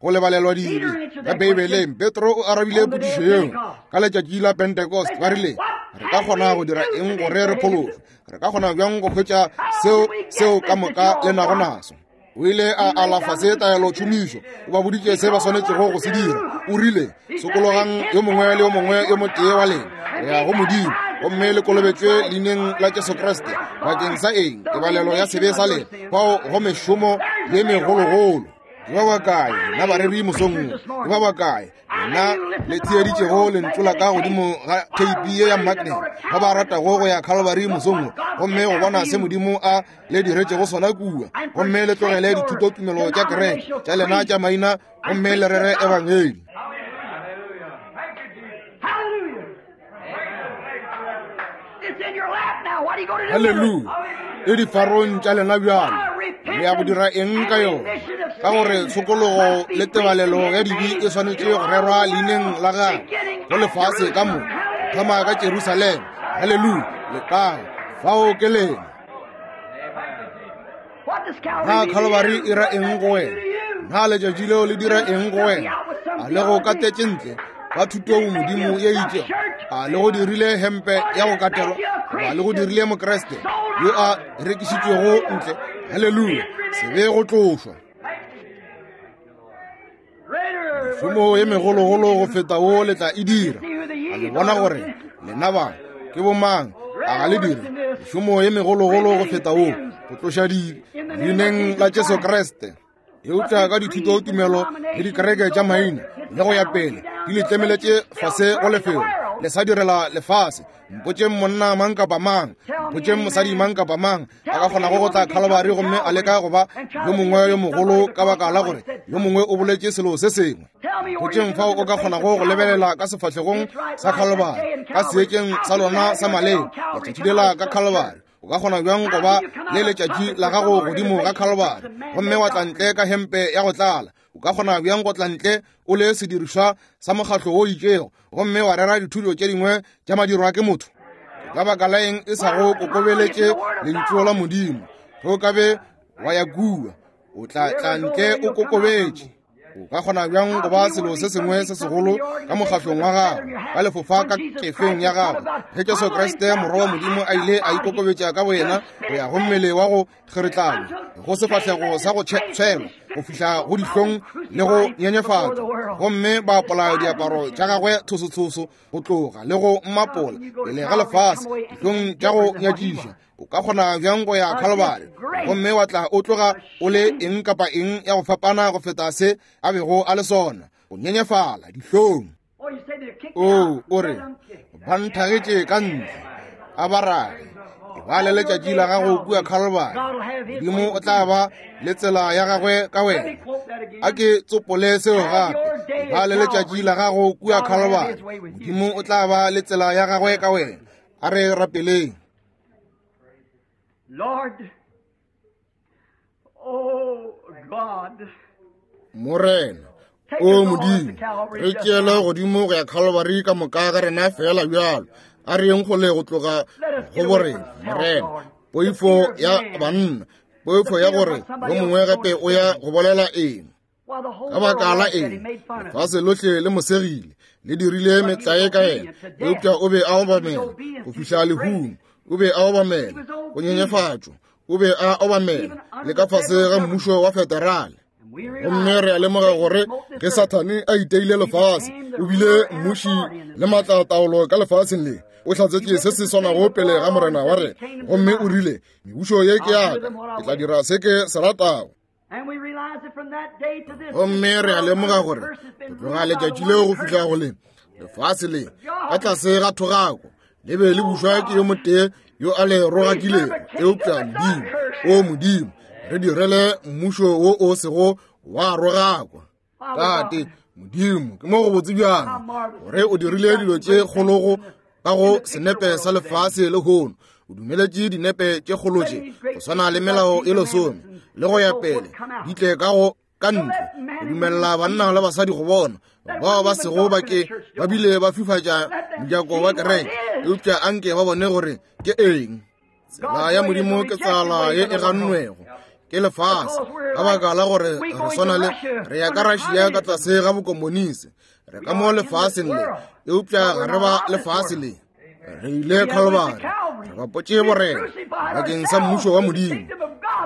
go lebalelwa dibe? Ka Beibeleng, Petro o arabile potšišo yeo ka letšatši la Pentecost. Ba rile, re ka kgona go dira eng gore re phološwe? Re ka kgona bjang go hwetša seo seo ka moka le nago naso? O ile a alafa se taelo tšhomišo, o ba boditše se ba swanetšego go se dira. O rile, sokologang yo mongwe le yo mongwe yo motee wa lena go ya go Modimo, gomme le kolobetšwe leineng la Jesu Kriste bakeng sa eng? Tebalelo ya sebe sa lena. Fao go mešomo ye megologolo. Ke ba bakae nna bareri mosong wo? Ke ba bakae nna le theeditšego lentšu la ka godimo ga theipi ye ya magnet, ba ba ratago go ya Calvary mosong wo gomme go bona se Modimo a le diretšego sona kua, gomme le tlogele dithutotumelo tša kereke tša lena tša maina gomme le rere ebangedi? Haleluya! E difarong tša lena bjalo, le ya go dira eng ka yona? Ka gore tshokologo le tebalelo ya dibe e swanetše go rerwa leineng la gagwe go lefase ka moka, thoma ka Jerusalema. Haleluya! Letago fao ke lena. Na Calvary e ra eng go wena? Na letšatši leo le dira eng go wena? A le go katetše ntle ka thuto modimo ye itšego? A le go dirile hempe ya go katelwa? Goba le go dirile Mokriste yo a rekišitšwego ntle? Haleluya! Sebe go tlošwa. Mešomo ye megologolo go feta wo le tla e dira. A le bona gore lena ba ke bomang? A ga le dire mešomo ye megologolo go feta wo, go tloša dibe leineng la Jesu Kriste. Eupša ka dithuto tumelo le dikereke tša maina le go ya pele di le tlemeletše fase go lefelo le sa direla lefase. Mpotšeng monna mang kapa mang, mpotšeng mosadi mang kapa mang a ka kgonago go tla Calvary gomme a leka go ba yo mongwe yo mogolo ka baka la gore yo mongwe o boletše selo se sengwe. Mpotšeng fao o ka kgonago go lebelela ka sefahlegong sa Calvary, ka seetšeng sa lona sa maleng letšatši lela ka Calvary. O ka kgona bjang go ba le letšatši la gago godimo ga Calvary gomme wa tla ntle ka hempe ya go tlala? O ka kgona bjang go tla ntle o le sedirišwa sa mokgatlo wo itšego gomme wa rera dithuto tše dingwe tša madirwa ke motho? Ka baka la eng e sa go kokobeletše lentšu la Modimo? Ge o ka be wa ya kua, o tla tla ntle o kokobetše. O ka kgona bjang go ba selo se sengwe se segolo ka mokgatlong wa gago, ka lefofa ka kefeng ya gago, ge Jesu Kriste morwa wa Modimo a ile a ikokobetša ka boyena go ya go mmele wa go kgeretlana, go sefahlego sa go tshwelwa, go fihla go dihlong le go nyenyefatšwa, gomme ba apola diaparo tša gagwe thosotshoso go tloga le go mmapola pele ga lefase dihlong tša go nyatšiša. O ka kgona bjang go ya Calvary gomme wa tla o tloga o le eng kapa eng ya go fapana go feta se a bego a le sona? O nyenyefala dihlong. O o re ba nthagetše ka ntle, a ba rage. E ba le letšatši la gago kua Calvary, Modimo o tla ba le tsela ya gagwe ka wena. A ke tsopole seo gape. E ba le letšatši la gago kua Calvary, Modimo o tla ba le tsela ya gagwe ka wena. A re rapeleng. Lord, oh God, Morena, o Modimo, re tšeele godimo go ya Calvary ka moka ga rena fela bjalo. A re yeng kgole go tloga go borena, Morena. Poifo ya banna, poifo ya gore yo mongwe gape o ya go bolela eng. Ka baka la eng lefase lohle le mo segile, le dirile metlae ka yena, eupša o be a obamela go fihla lehung. O be a obamela go nyenyefatšwa, o be a obamela le ka fase ga mmušo wa federale. Gomme re a lemoga gore ge Sathane a iteile lefase, o bile mmuši le maatlataolo ka lefaseng le. O hlatsetše se se swanago pele ga Morena wa rena, gomme o rile, mebušo ye ke ya ka, ke tla dira se ke se ratago. Gomme re a lemoga gore go tloga letšatši leo go fihla go le lefase le ka tlase ga thogako le be le bušwa ke yo motee yo a le rogakilego, eupša Modimo. O Modimo, re direle mmušo wo o sego wa rogakwa. Tate Modimo, ke mo go botse bjang gore o dirile dilo tše kgologo ka go senepe sa lefase lehono. O dumeletše dinepe tše kgolo tše go swana le melao e lesome le go ya pele di tle ka go ka ntle, go dumelela banna le basadi go bona bao ba sego ba ke ba bile ba fifatša mojako wa kereke, eupša anke ba bone gore ke eng. Tsela ya Modimo ke tsela ye e gannwego ke lefase, ka baka la gore re swana le re ya ka Russia ka tlase ga bokomonisi. Re ka mo lefaseng le, eupša ga re ba lefase le. Re ile Calvary, re bapotše borena bakeng sa mmušo wa Modimo,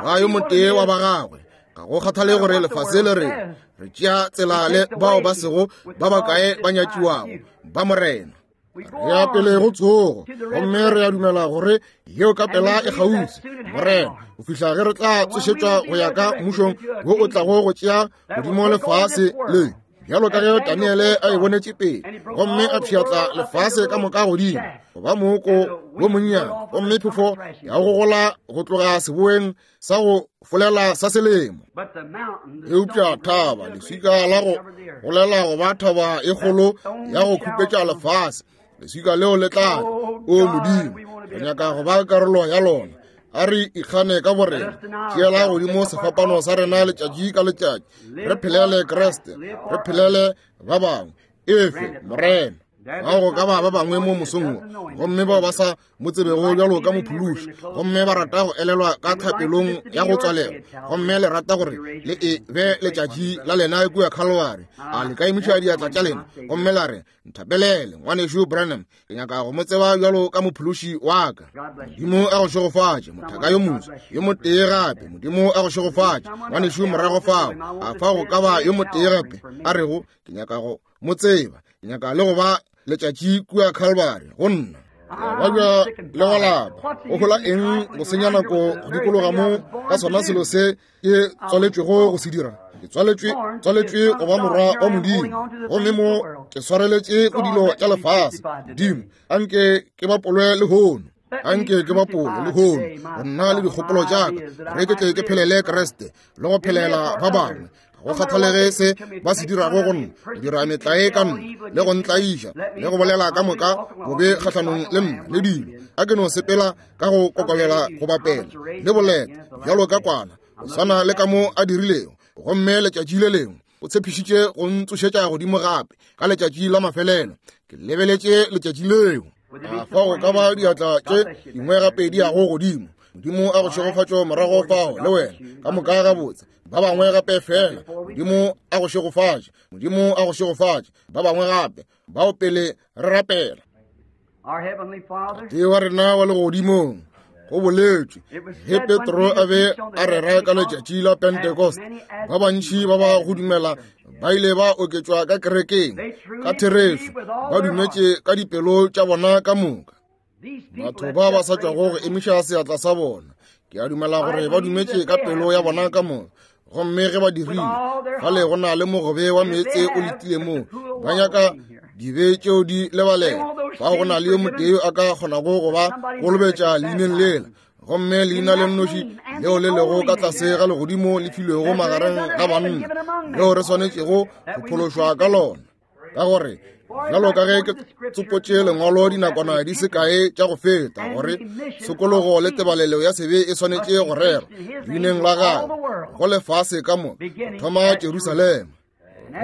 ba yo motee wa ba gagwe. Ga go kgathale gore lefase le re re tšea tsela le bao ba sego ba bakae ba nyatšiwago ba Morena. Re ya pele go tsogo, gomme re a dumela gore yeo ka pela e kgauswi, Morena, go fihla ge re tla tsošetšwa go ya ka mmušong wo o tlago go tšea godimo lefase le, bjalo ka ge Daniele a e bonetše pele, gomme a pšhatla lefase ka moka godimo go ba mooko wo monnyane, gomme phefo ya go gola go tloga seboeng sa go folela sa selemo. Eupša thaba, leswika la go golela go ba thaba e kgolo ya go khupetša lefase, leswika leo le tla. O Modimo, re nyaka go ba karolo ya lona. A re ikgane ka borena, tšeela godimo sefapano sa rena letšatši ka letšatši, re phelele Kriste, re phelele ba bangwe. Efe Morena. Ga go ka ba ba bangwe mo mosong wo, gomme bao ba sa mo tsebego bjalo ka mophološi, gomme ba rata go elelwa ka thapelong ya go tswalelwa, gomme le rata gore le e be letšatši la lena kua Calvary, a le ka emiša diatla tša lena gomme la re, nthapelele ngwanešu Branham, ke nyaka go mo tseba bjalo ka mophološi wa ka. Modimo a go šegofatše, mothaka yo moswa yo motee gape. Modimo a go šegofatše, ngwanešu morago fao. A fa go ka ba yo motee gape a rego, ke nyaka go mo tseba, ke nyaka le go ba letšatši kua Calvary go nna. Ba bja le go lapa, o hola eng go senya nako go dikologa mo ka sona selo se ke tswaletšwego go se dira? Ke tswaletšwe tswaletšwe go ba morwa wa Modimo, gomme mo ke swareletše go dilo tša lefase. Modimo, anke ke bapolwe lehono, anke ke bapolwe lehono go nna le dikgopolo tša ka, gore ke tle ke phelele Kriste le go phelela ba bangwe. Go kgathalege se ba se dirago go nna, go dira metlae ka nna le go ntlaiša le go bolela ka moka bobe kgahlanong le nna le dilo, a ke no sepela ka go kokobela go bapela le boleta bjalo ka kwana, go swana le ka mo a dirilego. Gomme letšatši le lengwe o tshepišitše go ntsošetša godimo gape ka letšatši la mafelelo. Ke lebeletše letšatši leo. A fa go ka ba diatla tše dingwe gape di yago godimo. Modimo a go šegofatšo morago fao le wena ka moka gabotse. Ba bangwe gape fela, Modimo a go šegofatše, Modimo a go šegofatše. Ba bangwe gape bao pele re rapela. Tate wa rena wa legodimong, go boletšwe ge Petro a be a rera ka letšatši la Pentecost, ba bantši ba ba go dumela ba ile ba oketšwa ka kerekeng. Ka therešo ba dumetše ka dipelo tša bona ka moka. Batho ba ba sa tšwago go emiša seatla sa bona, ke a dumela gore ba dumetše ka pelo ya bona ka moka. Gomme ge ba dirile, fale go na le mogobe wa meetse o letile moo, ba nyaka dibe tšeo di lebalela. Fa go na le yo motee a ka kgonago go ba kolobetša leineng lela, gomme leina le nnoši leo le lego ka tlase ga legodimo le filwego magareng ga banna, leo re swanetšego go phološwa ka lona. Ka gore bjalo ka ge ke tsopotše lengwalo dinakwana di se kae tša go feta, gore tshokologo le tebalelo ya sebe e swanetše go rerwa leineng la gagwe go lefase ka moka, go thoma Jerusalema.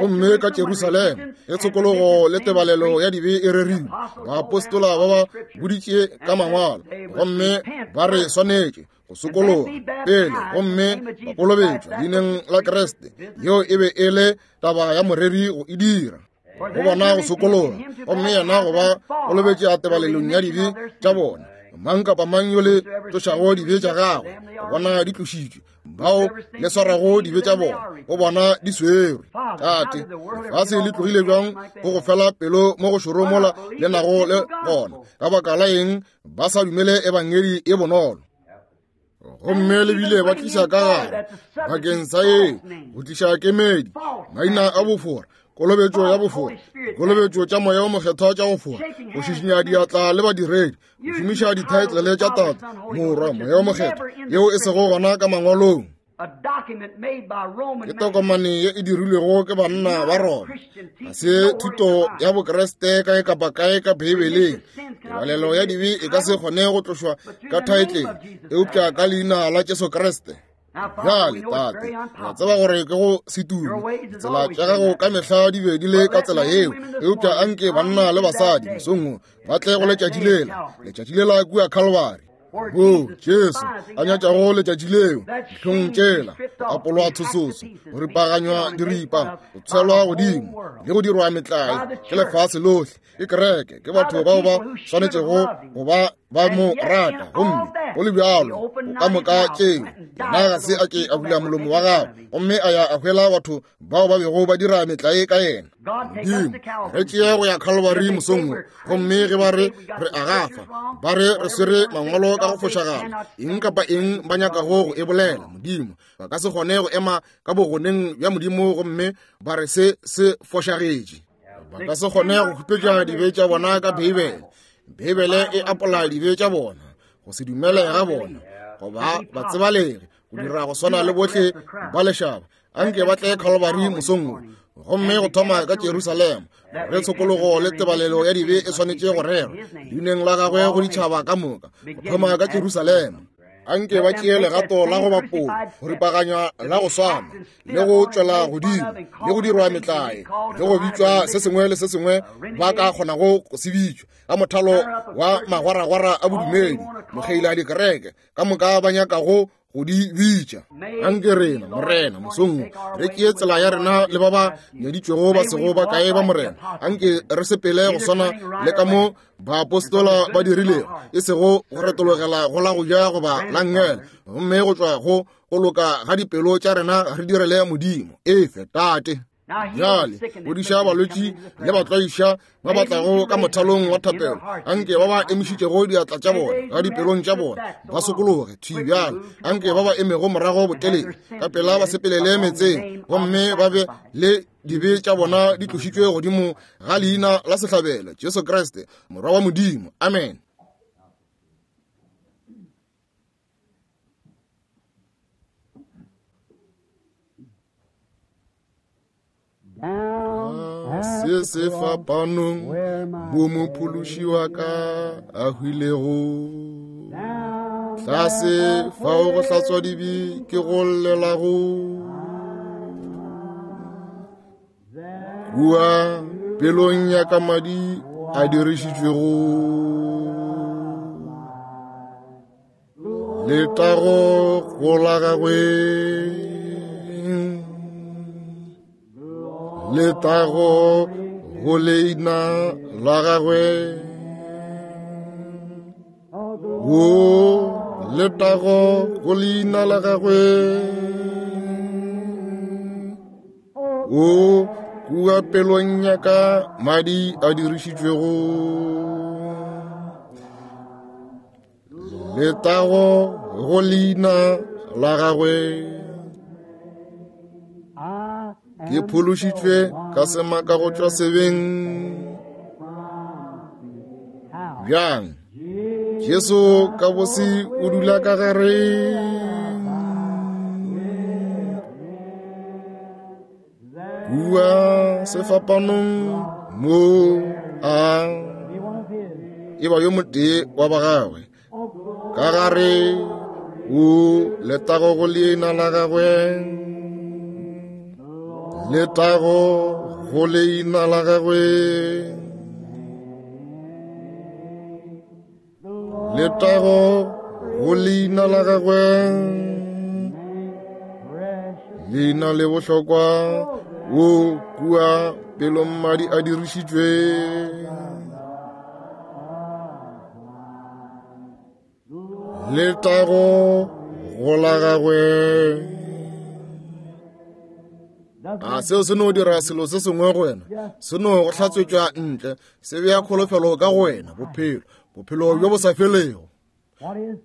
Gomme ka Jerusalema ge tshokologo le tebalelo ya dibe e rerilwe, baapostola ba ba boditše ka mangwalo, gomme ba re swanetše go sokologa pele gomme ba kolobetšwa leineng la Kriste. Yeo e be e le taba ya moreri go e dira, go bona go sokologa, gomme yena go ba kolobetše a tebalelong ya dibe tša bona. Mang kapa mang yo le tlošago dibe tša gagwe, go bona di tlošitšwe, bao le swarago dibe tša bona, go bona di swerwe. Tate, lefase le tlogile bjang go go fela pelo mo go šoro mola le nago le gona? Ka baka la eng ba sa dumele ebangedi e bonolo? Gomme le bile ba tliša ka gare bakeng sa eng? Go tliša kemedi, maina a bofora, kolobetšo ya bofora, kolobetšo tša moya o mokgethwa tša go fora, go šišinya diatla le badiredi, go šomiša dithaetlele tša Tate, Morwa, Moya o Mokgethwa, yeo e sego gona ka mangwalong. Ke tokomane ye e dirilwego ke banna ba Roma. Ga se thuto ya Bokriste kae kapa kae ka Beibeleng. Tebalelo ya dibe e ka se kgone go tlošwa ka thaetlele, eupša ka leina la Jesu Kriste. Bjale, Tate, re a tseba gore ke go se tume. Ditsela tša gago ka mehla di be di le ka tsela yeo, eupša anke banna le basadi mosong wo ba tle go letšatši lela, letšatši lela kua Calvary, wo Jesu a nyatšago letšatši leo, dihlong tšela, go apolwa tshososo, go ripaganywa diripa, go tshwelwa godimo le go dirwa metlae ke lefase lohle, ke kereke, ke batho bao ba swanetšego go ba ba mo rata. Gomme go le bjalo, go ka moka tšeo, yena ga se a ke a bula molomo wa gagwe, gomme a ya a hwela batho bao ba bego ba dira metlae ka yena. Modimo, re tšee go ya Calvary mosong wo, gomme ge ba re re a gafa, ba re re swere mangwalo ka go fošagala, eng kapa eng ba nyakago go e bolela, Modimo, ba ka se kgone go ema ka bogoneng bja Modimo gomme ba re se se fošagetše. Ba ka se kgone go khupetša dibe tša bona ka Beibele. Beibele e apola dibe tša bona, go se dumele ga bona, goba ba tsebalege, go dira go swana le bohle ba lešaba. Anke ba tle Calvary mosong wo, gomme go thoma ka Jerusalema, re tshokologo le tebalelo ya dibe e swanetše go rerwa leineng la gagwe go ditšhaba ka moka, go thoma ka Jerusalema. Anke ba tšee legato la go bapola, go ripaganywa la go swana, le go tšwela godimo, le go dirwa metlae, le go bitšwa se sengwe le se sengwe ba ka kgonago go se bitšwa ka mothalo wa magwaragwara a bodumedi, mokgeila a dikereke ka moka ba nyakago go di bitša. Anke rena, Morena, mosong re tšee tsela ya rena le ba ba nyaditšwego ba sego ba kae ba Morena. Anke re sepele go swana le ka mo baapostola ba dirilego, e sego go retologela go la go ja goba la nngele, gomme go tšwa go go loka ga dipelo tša rena re direle Modimo. Efe, Tate. Bjale fodiša balwetši le batlwaiša ba ba tlago ka mothalong wa thapelo. Anke ba ba emišitšego diatla tša bona ga dipelong tša bona ba sokologe thwi bjale. Anke ba ba emego morago botelele ka pela ba sepelele metseng, gomme ba be le dibe tša bona di tlošitšwe godimo ga leina la sehlabelo, Jesu Kriste, Morwa wa Modimo. Amen. Se se fapanong bo mophološi wa ka a hwilego, tlase fao go hlatswa dibe ke go llelago, kua pelong ya ka madi a dirišitšwego, letago go la gagwe, letago go leina la gagwe, o letago go leina la gagwe, o kua pelong ya ka madi a dirišitšwego, letago go leina la gagwe. Ke phološitšwe ka semaka go tšwa sebeng. Bjang? Jesu ka bose o dula ka gare. Kua sefapanong mo a e ba yo motee wa ba gagwe ka gare, o letago go leina la gagwe, letago go leina la gagwe, letago go leina la gagwe, leina le bohlokwa, o kua pelong madi a dirišitšwe, letago go la gagwe. A seo se no dira selo se sengwe go wena, se no go hlatswetšwa ntle, se bea kholofelo ka go wena, bophelo, bophelo bjo bo sa felego.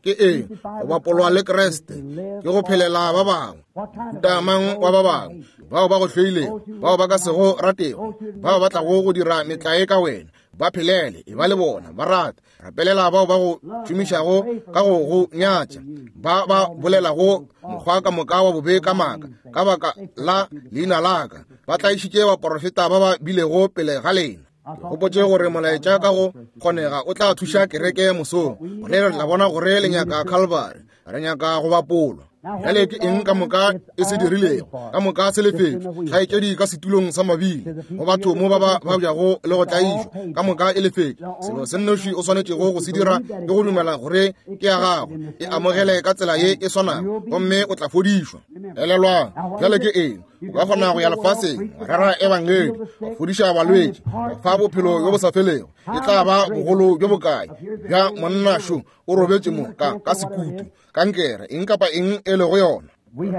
Ke eng? Go bapolwa le Kriste, ke go phelela ba bangwe, mohuta mang wa ba bangwe, bao ba go hloilego, bao ba ka sego ratego, bao ba tlago go dira metlae ka wena, ba phelele, e ba le bona, ba rate, rapelela bao ba go šomišago ka go go nyatša, ba ba bolelago mokgwa ka moka wa bobe ka maaka ka baka la leina la ka, ba tlaišitše baporofeta ba ba bilego pele ga lena. Ke gopotše gore molaetša ka go kgonega o tla thuša kereke mosong, gore re tla bona gore le nyaka Calvary, re nyaka go bapolwa. Bjale ke eng ka moka e se dirilego, ka moka se lefetšwe, kgaetšedi ka setulong sa mabile, go batho mo ba ba babjago le go tlaišwa, ka moka e lefetšwe. Selo se nnoši o swanetšego go se dira ke go dumela gore ke ya gago, e amogele ka tsela ye e swanago, gomme o tla fodišwa. Elelwang, bjale ke eng? O ka kgona go ya lefaseng, wa rera ebangedi, wa fodiša balwetši, wa fa bophelo bjo bo sa felego. E tla ba bogolo bjo bokae bja monna šo o robetše mo ka ka sekutu, kankere, eng kapa eng e lego yona.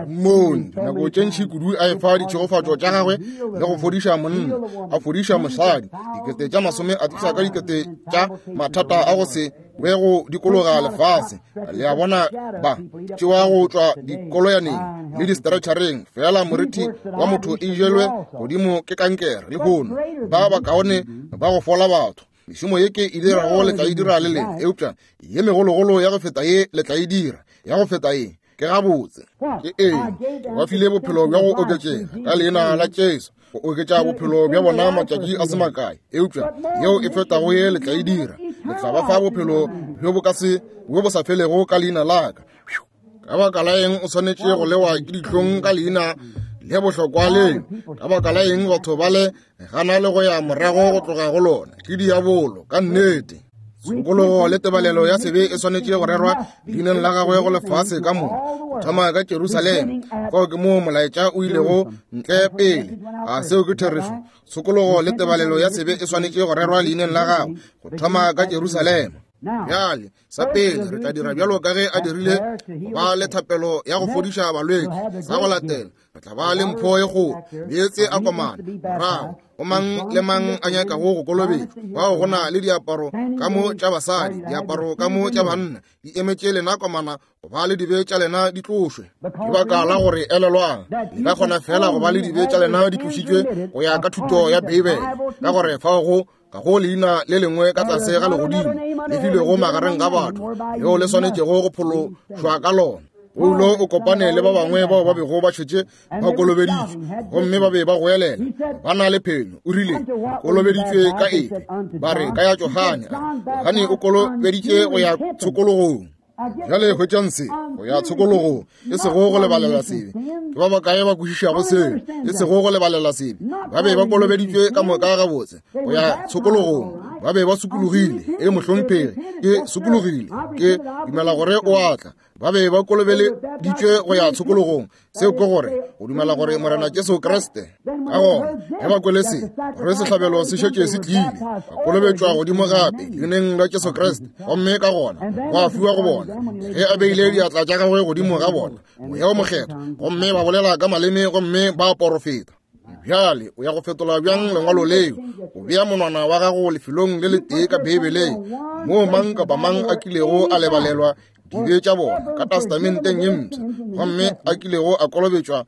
Mmone nako tše ntši kudu a efa ditšhegofatšo tša gagwe le go fodiša monna, a fodiša mosadi, dikete tša masome a tliša ka dikete tša mathata a go se be go dikologa lefase. Le a bona, ba tšewa go tšwa dikoloyaneng le di-stretchereng, fela moriti wa motho e jelwe godimo ke kankere lehono. Ba bakaone ba go fola batho. Mešomo ye ke e dirago le tla e dira le lena, eupša ye megologolo ya go feta ye le tla e dira, ya go feta ye. Ke gabotse. Ke eng? Ba file bophelo bja go oketšega ka leina la Jesu, go oketša bophelo bja bona matšatši a se makae, eupša yeo e fetago ye le tla e dira, le tla ba fa bophelo bjo bo ka se bjo bo sa felego ka leina la ka. Ka baka la eng o swanetše go lewa ke dihlong ka leina le bohlokwa leo? Ka baka la eng batho ba le gana le go ya morago go tloga go lona? Ke diabolo ka nnete. Tshokologo le tebalelo ya sebe e swanetše go rerwa leineng la gagwe go lefase ka moka, go thoma ka Jerusalema. Fao ke moo molaetša o ilego ntle pele. A seo ke therešo? Tshokologo le tebalelo ya sebe e swanetše go rerwa leineng la gagwe go thoma ka Jerusalema. Bjale, sa pele re tla dira bjalo ka ge a dirile, go ba le thapelo ya go fodiša balwetši. Sa go latela re tla ba le mpho ye kgolo, meetse a komana. Morago go mang le mang a nyakago go kolobetšwa, bao go na le diaparo ka mo tša basadi, diaparo ka mo tša banna, di emetše lena komana go ba le dibe tša lena di tlošwe. Ke baka la gore elelwang, le ka kgona fela go ba le dibe tša lena di tlošitšwe go ya ka thuto ya Beibele, ka gore fao go ka go leina le lengwe ka tlase ga legodimo le filwego magareng ga batho leo le swanetšego go phološwa ka lona. Paulo o kopane le ba bangwe bao ba bego ba šetše ba kolobeditšwe, gomme ba be ba goelela ba na le phenyo. O rile, kolobeditšwe ka efe? Ba re, ka ya Johane. Johane o kolobeditše go ya tshokologong. Bjale hwetšang se, go ya tshokologong, e sego go lebalela sebe. Ke ba bakae ba kwešišago seo? E sego go lebalela sebe. Ba be ba kolobeditšwe ka moka gabotse go ya tshokologong. Ba be ba sokologile. E mohlomphegi, ke sokologile, ke dumela gore o a tla. Ba be ba kolobeleditšwe go ya tshokologong. Seo ke gore go dumela gore Morena Jesu Kriste. Ka gona ge ba kwele se, gore sehlabelo se šetše se tlile, ba kolobetšwa godimo gape leineng la Jesu Kriste, gomme ka gona gwa fiwa go bona ge a beile diatla tša gagwe godimo ga bona Moya o Mokgethwa, gomme ba bolela ka maleme gomme ba porofeta. Bjale o ya go fetola bjang lengwalo leo? O bea monwana wa gago lefelong le letee ka Beibeleng moo mang kapa mang a kilego a lebalelwa dibe tša bona ka testamenteng ye mpsha, gomme a kilego a kolobetšwa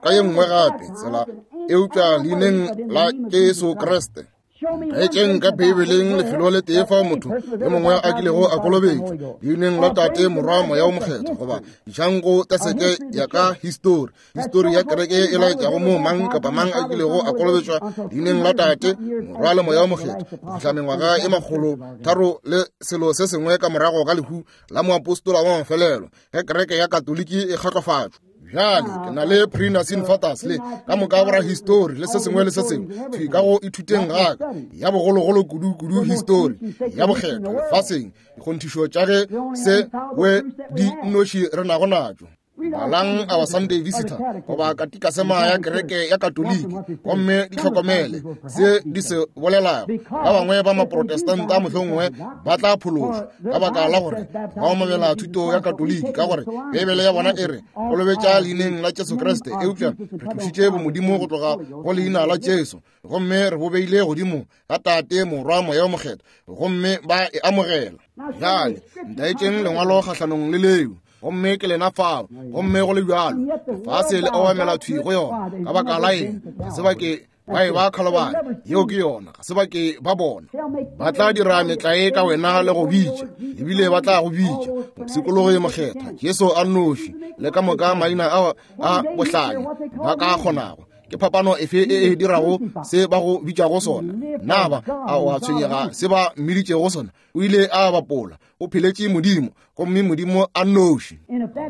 ka ye nngwe gape tsela eupša leineng la Jesu Kriste. Etšeng ka Beibeleng lefelo le tee fao motho yo mongwe a kilego a kolobetšwa leineng la Tate, Morwa, Moya o Mokgethwa, goba dišango teseke ya ka histori, histori ya kereke e laetšago moo mang kapa mang a kilego a kolobetšwa leineng la Tate, Morwa le Moya o Mokgethwa go fihla mengwaga e makgolo tharo le selo se sengwe ka morago ga lehu la moapostola wa mafelelo ge kereke ya Katoliki e kgatlofatšwa. Bjale ke na le pre-Nicene Fathers le ka moka bora histori le se sengwe le se sengwe thwi ka go ithuteng gaka ya bogologolo kudu-kudu histori ya bokgethwa lefaseng, dikgonthišo tša ge se we di nnoši re nago natšo. Balang Our Sunday Visitor goba katikasema ya kereke ya Katoliki, gomme di hlokomele se di se bolelago. Ba bangwe ba maprotestanta mohlomongwe ba tla phološwa ka baka la gore ba omamela thuto ya Katoliki, ka gore Beibele ya bona e re kolobetša leineng la Jesu Kriste, eupša re tlošitše bomodimo go tloga go leina la Jesu gomme re bo beile godimo ga Tate, Morwa, Moya o Mokgethwa, gomme ba e amogela. Bjale ntaetšeng lengwalo kgahlanong le leo, gomme ke lena fao, gomme go le bjalo lefase le obamela thwi go yona. Ka baka la eng? Ga se ba ke ba e ba kgalobane, yeo ke yona, ga se ba ke ba bona. Ba tla dira metlae ka wena le go bitša, ebile ba tla go bitša mopshikologi mokgethwa, Jesu a nnoši, le ka moka maina a a bohlanya ba ka kgonago. Ke phapano efe e e dirago se ba go bitšago sona? Na ba a o a tshwenyega se ba mmiditšego sona? O ile a bapola, o pheletše Modimo, gomme Modimo a nnoši.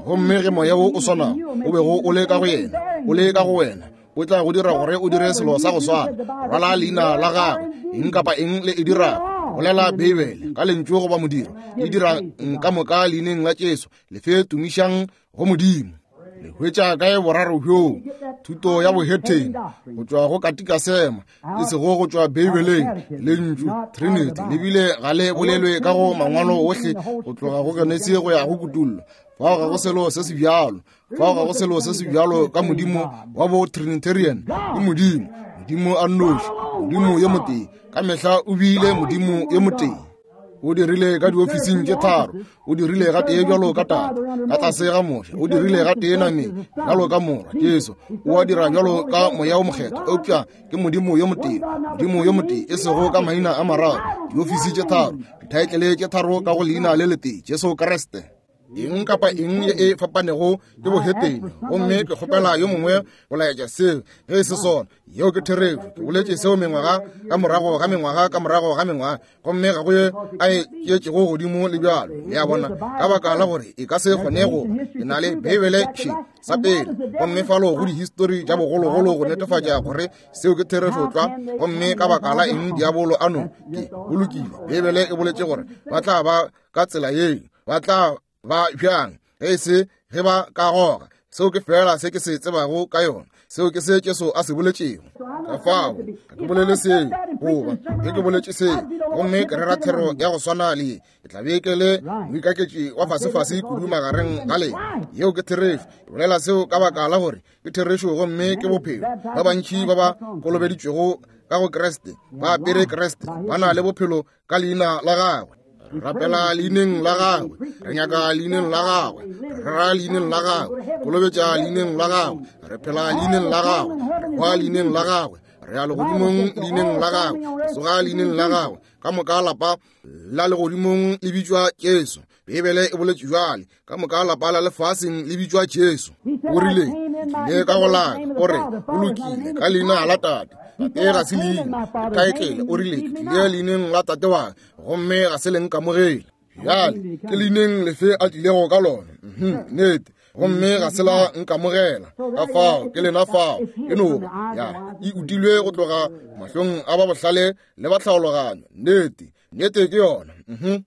Gomme ge moya wo o swanago o bego o le ka go yena o le ka go wena, o tla go dira gore o dire selo sa go swana. Rwala leina la gagwe, eng kapa eng le e dirago, bolela Beibele ka lentšu goba modiro, e dira ka moka leineng la Jesu, le fe tumišang go Modimo. Le hwetša kae boraro bjoo? Thuto ya bohetene go tšwa go katikasema, e sego go tšwa Beibeleng. Lentšu Trinity le bile ga le bolelwe ka go mangwalo ohle go tloga go Genesi go ya go Kutullo. Fao ga go selo se se bjalo, fao ga go selo se se bjalo ka Modimo wa bo Trinitarian. Ke Modimo, Modimo a nnoši, Modimo yo motee, ka mehla o bile Modimo yo motee. O dirile ka diofising tše tharo, o dirile ga tee bjalo ka Tate ka tlase ga Moshe, o dirile ga tee nameng bjalo ka Morwa Jesu, o a dira bjalo ka Moya o Mokgethwa, eupša ke Modimo yo motee, Modimo yo motee, e sego ka maina a mararo, diofisi tše tharo, dithaetlele tše tharo ka go leina le letee, Jesu Kriste. Eng kapa eng ye e fapanego ke bohetene. Gomme ke kgopela yo mongwe go laetša seo ge e se sona. Yeo ke therešo. Ke boletše seo mengwaga ka morago ga mengwaga ka morago ga mengwaga, gomme ga go ye a e tšeetšego godimo le bjalo. Le a bona, ka baka la gore e ka se kgone go. Ke na le Beibele še sa pele, gomme falo go dihistori tša bogologolo go netefatša gore seo ke therešo tlwa. Gomme ka baka la eng diabolo a no ke go lokile. Beibele e boletše gore ba tla ba ka tsela yeo, ba tla ba bjang ge e se ge ba ka goga. Seo ke fela se ke se tsebago ka yona. Seo ke se Jesu a se boletšego. Ka fao ga ke bolele seo, goba ge ke boletše seo gomme ke rera thero ya go swana le ye, ke tla be ke le moikaketši wa fasefase kudu magareng ga lena. Yeo ke therešo. Ke bolela seo ka baka la gore ke therešo gomme ke bophelo. Ba bantši ba ba kolobeditšwego ka go Kriste ba apere Kriste, ba na le bophelo ka leina la gagwe. Re rapela leineng la gagwe, re nyaka leineng la gagwe, re rera leineng la gagwe, kolobetša leineng la gagwe, re phela leineng la gagwe, re hwa leineng la gagwe, re ya legodimong leineng la gagwe, re tsoga leineng la gagwe. Ka moka lapa la legodimong le bitšwa Jesu. Beibele e boletše bjale, ka moka lapa la lefaseng le bitšwa Jesu. O rile, ke tlile ka go laka, o re, o lokile ka leina la Tate. Tate ga se leina, ke taetlele. O rile, ke tlile leineng la Tate wa ka, gomme ga se le nkamogele. Bjale ke leineng lefe a tlilego ka lona? Mhm, nnete. Gomme ga se la nkamogela. Ka fao ke lena fao e no ba ya e utilwe go tloga mahlong a ba bohlale le ba tlhaologanyo. Nnete, nnete ke yona. Mhm.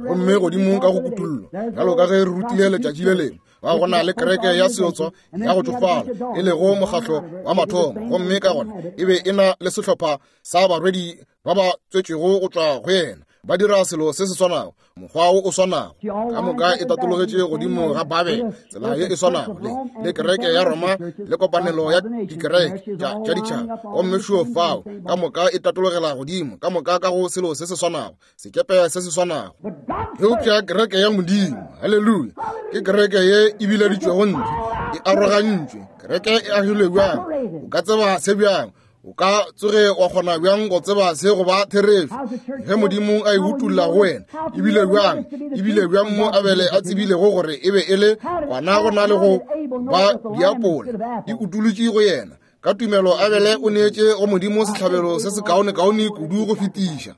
Gomme godimo ka go kutullo, bjalo ka ge re rutile letšatši le lengwe, ba go na le kereke ya seotswa ya go tšofala, e lego mokgahlo wa mathomo, gomme ka gona e be e na le sehlopha sa barwedi ba ba tswetšego go tšwa go yena, ba dira selo se se swanago, mokgwa wo o swanago. Ka moka e tatologetše godimo ga Babele, tsela ye e swanago le le kereke ya Roma le kopanelo ya dikereke tša ditšhaba. Gomme šuo fao ka moka e tatologela godimo, ka moka ka go selo se se swanago, sekepe se se swanago. Eupša kereke ya Modimo, haleluya, ke kereke ye e bileditšwego ntle, e arogantšwe. Kereke e agilwe bjang? O ka tseba se bjang? O ka tsoge wa kgona bjang go tseba se go ba therešo ge Modimo a e utulla go wena? Ebile bjang, ebile bjang mo Abele a tsebilego gore e be e le kwana go na le go ba diapola, e utulotše go yena. Ka tumelo Abele o neetše go Modimo sehlabelo se se kaonekaone kudu go fetiša.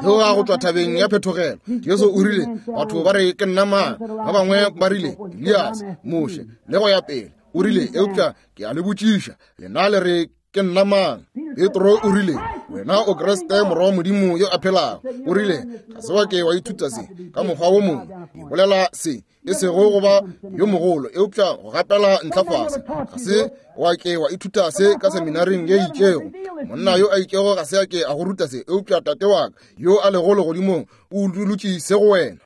Theoga go tšwa thabeng ya phethogelo, Jesu o rile, batho ba re ke nna mang? Ba bangwe ba rile Elias, Moshe, le go ya pele. O rile, eupša ke a le botšiša, lena le re ke nna mang? Petro o rile, wena o Kriste morwa wa Modimo yo a phelago. O rile, ga se wa ke wa ithuta se ka mokgwa wo mongwe. Ke bolela se e sego go ba yo mogolo, eupša go gapela ntlha fase. Ga se wa ke wa ithuta se ka seminaring ye itšego. Monna yo a itšego ga se a ke a go ruta se, eupša Tate wa ka yo a lego legodimong o utolotše se go wena.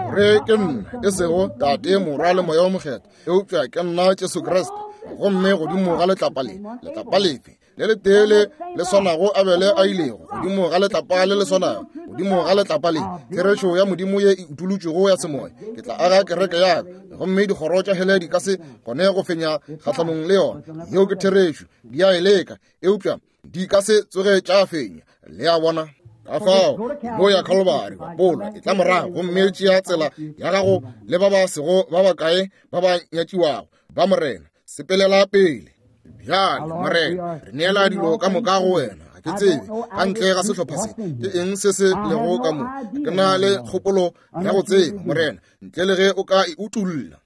Gore ke nna, e sego Tate, Morwa le Moya o Mokgethwa, eupša ke nna Jesu Kriste. Gomme godimo ga letlapa le, letlapa lefe le letee le le swanago Abele a ilego godimo ga letlapa le le swanago, godimo ga letlapa le therešo ya Modimo ye e utolotšwego ya semoya, ke tla aga kereke ya ka, gomme dikgoro tša hele di ka se kgone go fenya kgahlanong le yona. Yeo ke therešo. Di a e leka, eupša di ka se tsoge tša fenya. Le a bona? Ka fao mo ya Kalvari, bapola e tla morago gomme tšea tsela ya gago le ba ba sego ba bakae ba ba nyatšiwago ba Morena. Sepelela pele. Bjale, Morena, re neela dilo ka moka go wena. Ga ke tsebe ka ntle ga sehlopha se ke eng se se lego ka mo. Ke na le kgopolo ya go tseba, Morena, ntle le ge o ka e utulla.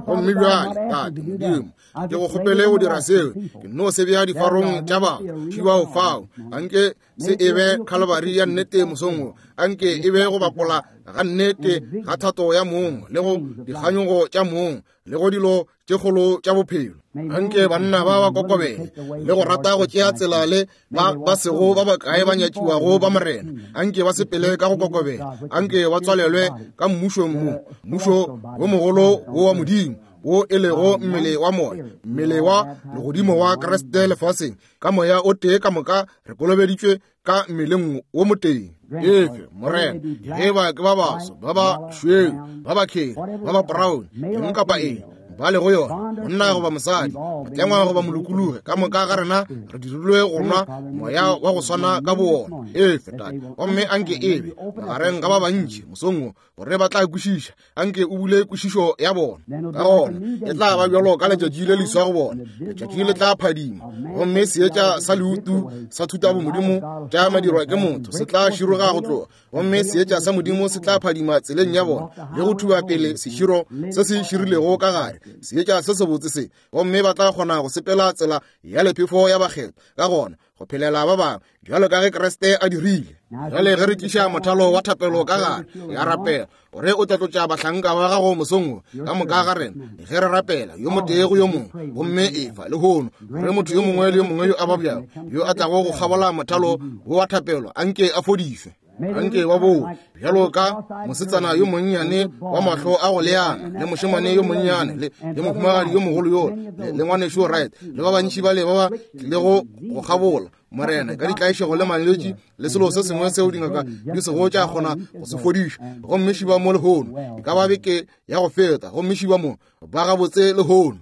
Gomme bjale, Tate Modimo, ke go kgopele go dira seo. Ke no se bea difarong tša batho šibao fao. Anke se e be Kalvari ya nnete mosong wo. Anke e be go bapola ga nnete ga thato ya mong le go dikganyogo tša mong le go dilo tše kgolo tša bophelo. Anke banna ba ba kokobele le go rata go tšea tsela le ba ba sego ba bakae ba nyatšiwago ba Morena. Anke ba sepele ka go kokobela. Anke ba tswalelwe ka mmušong mo, mmušo wo mogolo wo wa Modimo, wo e lego mmele wa moya, mmele wa legodimo wa Kriste lefaseng. Ka moya o tee ka moka re kolobeditšwe ka mmeleng wo motee. Efe, Morena, ge ba ke ba baso, ba ba šweu, ba ba kheri, ba ba brown, eng kapa eng, ba lego yona, monna goba mosadi, motlengwa goba molokologi, ka moka ga rena re dirilwe go nwa moya wa go swana ka bowona. Efe, Tate, gomme anke e be magareng ga ba bantši mosong wo, gore ba tla kwešiša. Anke o bule kwešišo ya bona. Ka gona e tla ba bjalo ka letšatši le leswa go bona. Letšatši le tla phadima, gomme seetša sa leutu sa thutabomodimo tša madirwa ke motho se tla široga go tloga, gomme seetša sa Modimo se tla phadima tseleng ya bona le go thuba pele seširo se se širilego ka gare, seetša se sebotse se, gomme ba tla kgona go sepela tsela ya lephefo ya bakgethwa, ka gona go phelela ba bangwe bjalo ka ge Kriste a dirile. Bjale ge re tliša mothalo wa thapelo ka gare, ya rapela gore o tla tlotša bahlanka ba gago mosong wo ka moka ga rena ge re rapela yo motee go yo mongwe, gomme efa lehono gore motho yo mongwe le yo mongwe yo a babjago yo a tlago go kgabola mothalo wo wa thapelo anke a fodišwe. Anke ba bowe bjalo ka mosetsana yo monnyane wa mahlo a go leana, le mošemane yo monnyane, le le mohumagadi yo mogolo yo, le, le ngwanešu Wright, le ba bantši bale ba ba tlilego go kgabola, Morena, ka ditlaišego le malwetši le selo se sengwe seo dingaka di sego tša kgona go se fodiša. Gomme šiba mo lehono, e ka ba beke ya go feta, gomme šiba mo ba gabotse lehono.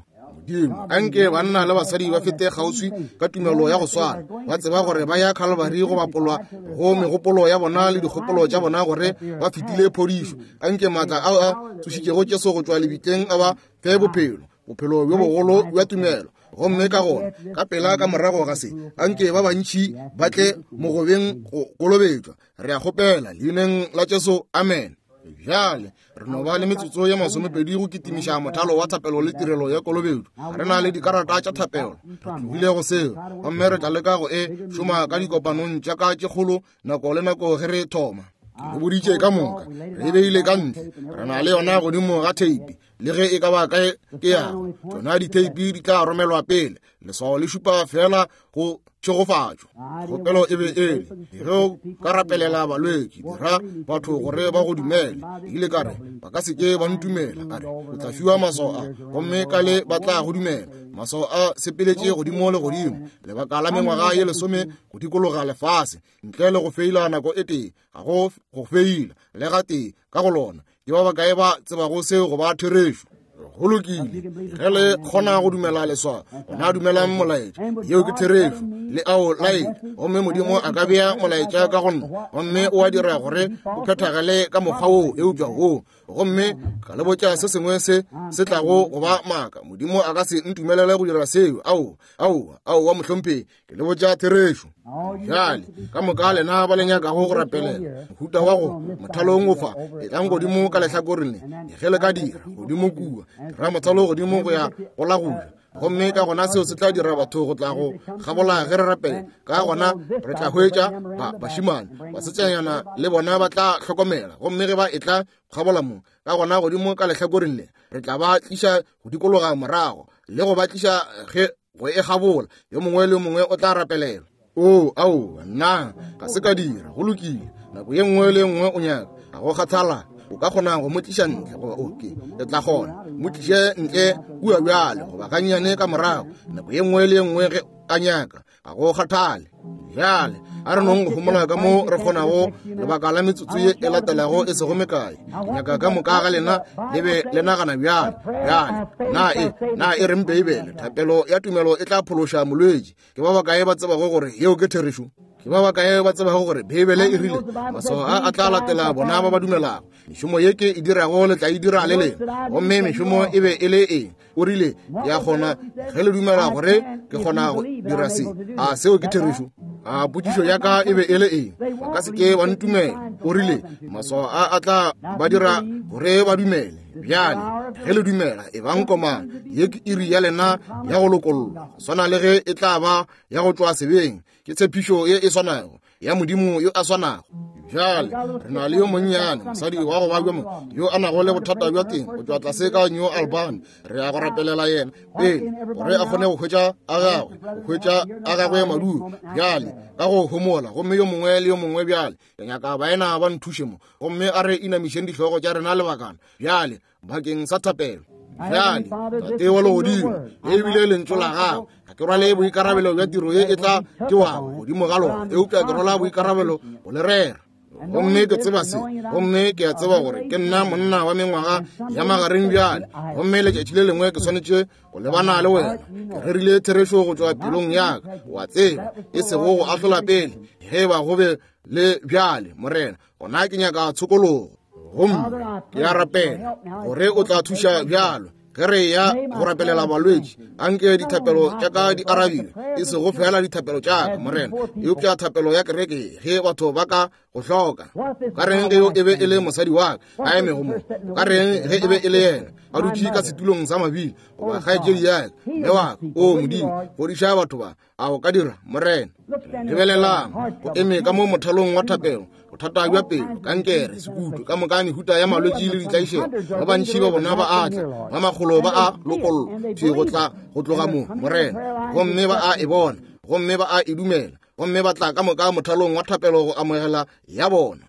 Modimo, anke banna le basadi ba fete kgauswi ka tumelo ya go swana, ba tseba gore ba ya Calvary go bapolwa go megopolo ya bona le dikgopolo tša bona gore ba fetile phodišo. Anke maatla ao a tsošitšego Jesu go tšwa lebitleng a ba fe bophelo, bophelo bjo bogolo bja tumelo. Gomme ka gona ka pela ka morago ga se, anke ba bantši ba tle mogobeng go kolobetšwa. Re a kgopela leineng la Jesu, amen. Bjale re no ba le metsotso ye masomepedi go kitimiša mothalo wa thapelo le tirelo ya kolobetšo. Re na le dikarata tša thapelo, re tlogile go seo, gomme re tla leka go e šoma ka dikopanong tša ka tše kgolo nako le nako ge re thoma. Ke le boditše ka moka, re beile ka ntle, re na le yona godimo ga theipi, le ge e ka ba kae ke yago. Tšona ditheipi di tla romelwa pele. Leswao le šupa fela go tšhegofatšo. Kgopelo e be ele ge o ka rapelela balwetši, dira batho gore ba go dumele. Ile ka re ba ka se ke ba ntumela, a re o tla fiwa maswao a, gomme ka le ba tla go dumela. Maswao a sepeletše godimo le godimo lebaka la mengwaga ye lesome go dikologa lefase, ntle le go feila nako e tee. Ga go go feila le ga tee ka go lona. Ke ba bakae ba tsebago seo go ba therešo? Go lokile, ge le kgona go dumela leswao, gona dumelang molaetša. Yeo ke therešo, le ao laetša, gomme Modimo a ka bea molaetša ka go nna, gomme o a dira gore o phethagale ka mokgwa woo, eupša woo. Gomme ka le botša se sengwe se se tlago go ba maaka. Modimo a ka se ntumelele go dira seo. Ao, ao, ao wa mohlomphegi, ke le botša therešo. Bjale ka moka lena ba le nyakago go rapelela mohuta wa go mothalong o fa, etlang godimo ka lehlakoreng le, ge le ka dira godimo kua, dira mothalo godimo go ya go la go ja. Gomme ka gona seo se tla dira batho go tla go kgabola ge re rapela. Ka gona re tla hwetša ba bašimane, basetsanyana le bona ba tla hlokomela. Gomme ge ba etla kgabola mo, ka gona godimo ka lehlakoreng le, re tla ba tliša go dikologa morago le go ba tliša ge go e kgabola. Yo mongwe le yo mongwe o tla rapelela. O, ao, nna ga se ka dira. Go lokile, nako ye nngwe le ye nngwe o nyaka, ga go kgathala, o ka kgona go mo tliša ntle, goba oke, re tla kgona mo tliše ntle kua bjale, goba gannyane ka morago, nako ye nngwe le ye nngwe ge a nyaka, ga go kgathale. Bjale a re nong go homola ka mo re kgonago lebaka la metsotso ye e latelago e sego mekae. Ke nyaka ka moka ga lena le be le nagana bjale. Bjale na e na e reng Beibele? Thapelo ya tumelo e tla phološa molwetši. Ke ba bakae ba tsebago gore yeo ke therešo? Ke ba bakae ba tsebago gore Beibele e rile maswao a a tla latela bona ba ba dumelago? Mešomo ye ke e dirago le tla e dira le lena. Gomme mešomo e be e le eng? O rile, ke a kgona ge le dumela gore ke kgona go dira se. A seo ke therešo? A potšišo ya ka e be e le eng? Ba ka se ke ba ntumela. O rile maswao a a tla ba dira gore ba dumele. Bjale ge le dumela, e bang komana. Ye ke iri ya lena ya go lokollwa, go swana le ge e tla ba ya go tšwa sebeng. Ke tshepišo ye e swanago ya Modimo yo a swanago. Bjale re na le yo monnyane mosadi wa go babja mo, yo a nago le bothata bja teng go tšwa tlase ka New Albany. Re ya go rapelela yena pele gore a kgone go hwetša a gagwe, go hwetša a gagwe madulo. Bjale ka go homola, gomme yo mongwe le yo mongwe bjale ke nyaka baena ba nthuše mo, gomme a re inamišeng dihlogo tša rena lebakana bjale bakeng sa thapelo. Bjale Tate wa legodimo, le ebile lentšu la gago, ga ke rwale boikarabelo bja tiro ye e tla tšewago godimo ga lona, eupša ke rwala boikarabelo go le rera. Gomme ke tseba se, gomme ke a tseba gore ke nna monna wa mengwaga ya magareng bjale, gomme letšatši le lengwe ke swanetše go lebana le wena. Ke rerile therešo go tšwa pelong ya ka, wa tseba, e sego go ahlola pele. Ge ba go be le bjale, Morena, gona ke nyaka tshokologo. Gomme ke a rapela gore o tla thuša bjalo ge re ya go rapelela balwetši. Anke dithapelo tša ka di arabiwe, e sego fela dithapelo tša ka, Morena, eupša thapelo ya kereke ge batho ba ka go hloka. Ka reng ge yo e be e le mosadi wa ka a emego mo? Ka reng ge e be e le yena a dutše ka setulong sa mabili, goba kgaetšedi ya ka, mme wa ka? O Modimo, fodiša batho ba. A o ka dira, Morena? Lebelelang, go eme ka mo mothalong wa thapelo, bothata bja pelo, kankere, sekutu, ka moka mehuta ya malwetši le ditlaišego. Ba bantši ba bona ba a tla, ba makgolo ba a lokollwa thwi go tla go tloga mo, Morena, gomme ba a e bona, gomme ba a e dumela, gomme ba tla ka moka mothalong wa thapelo go amogela ya bona.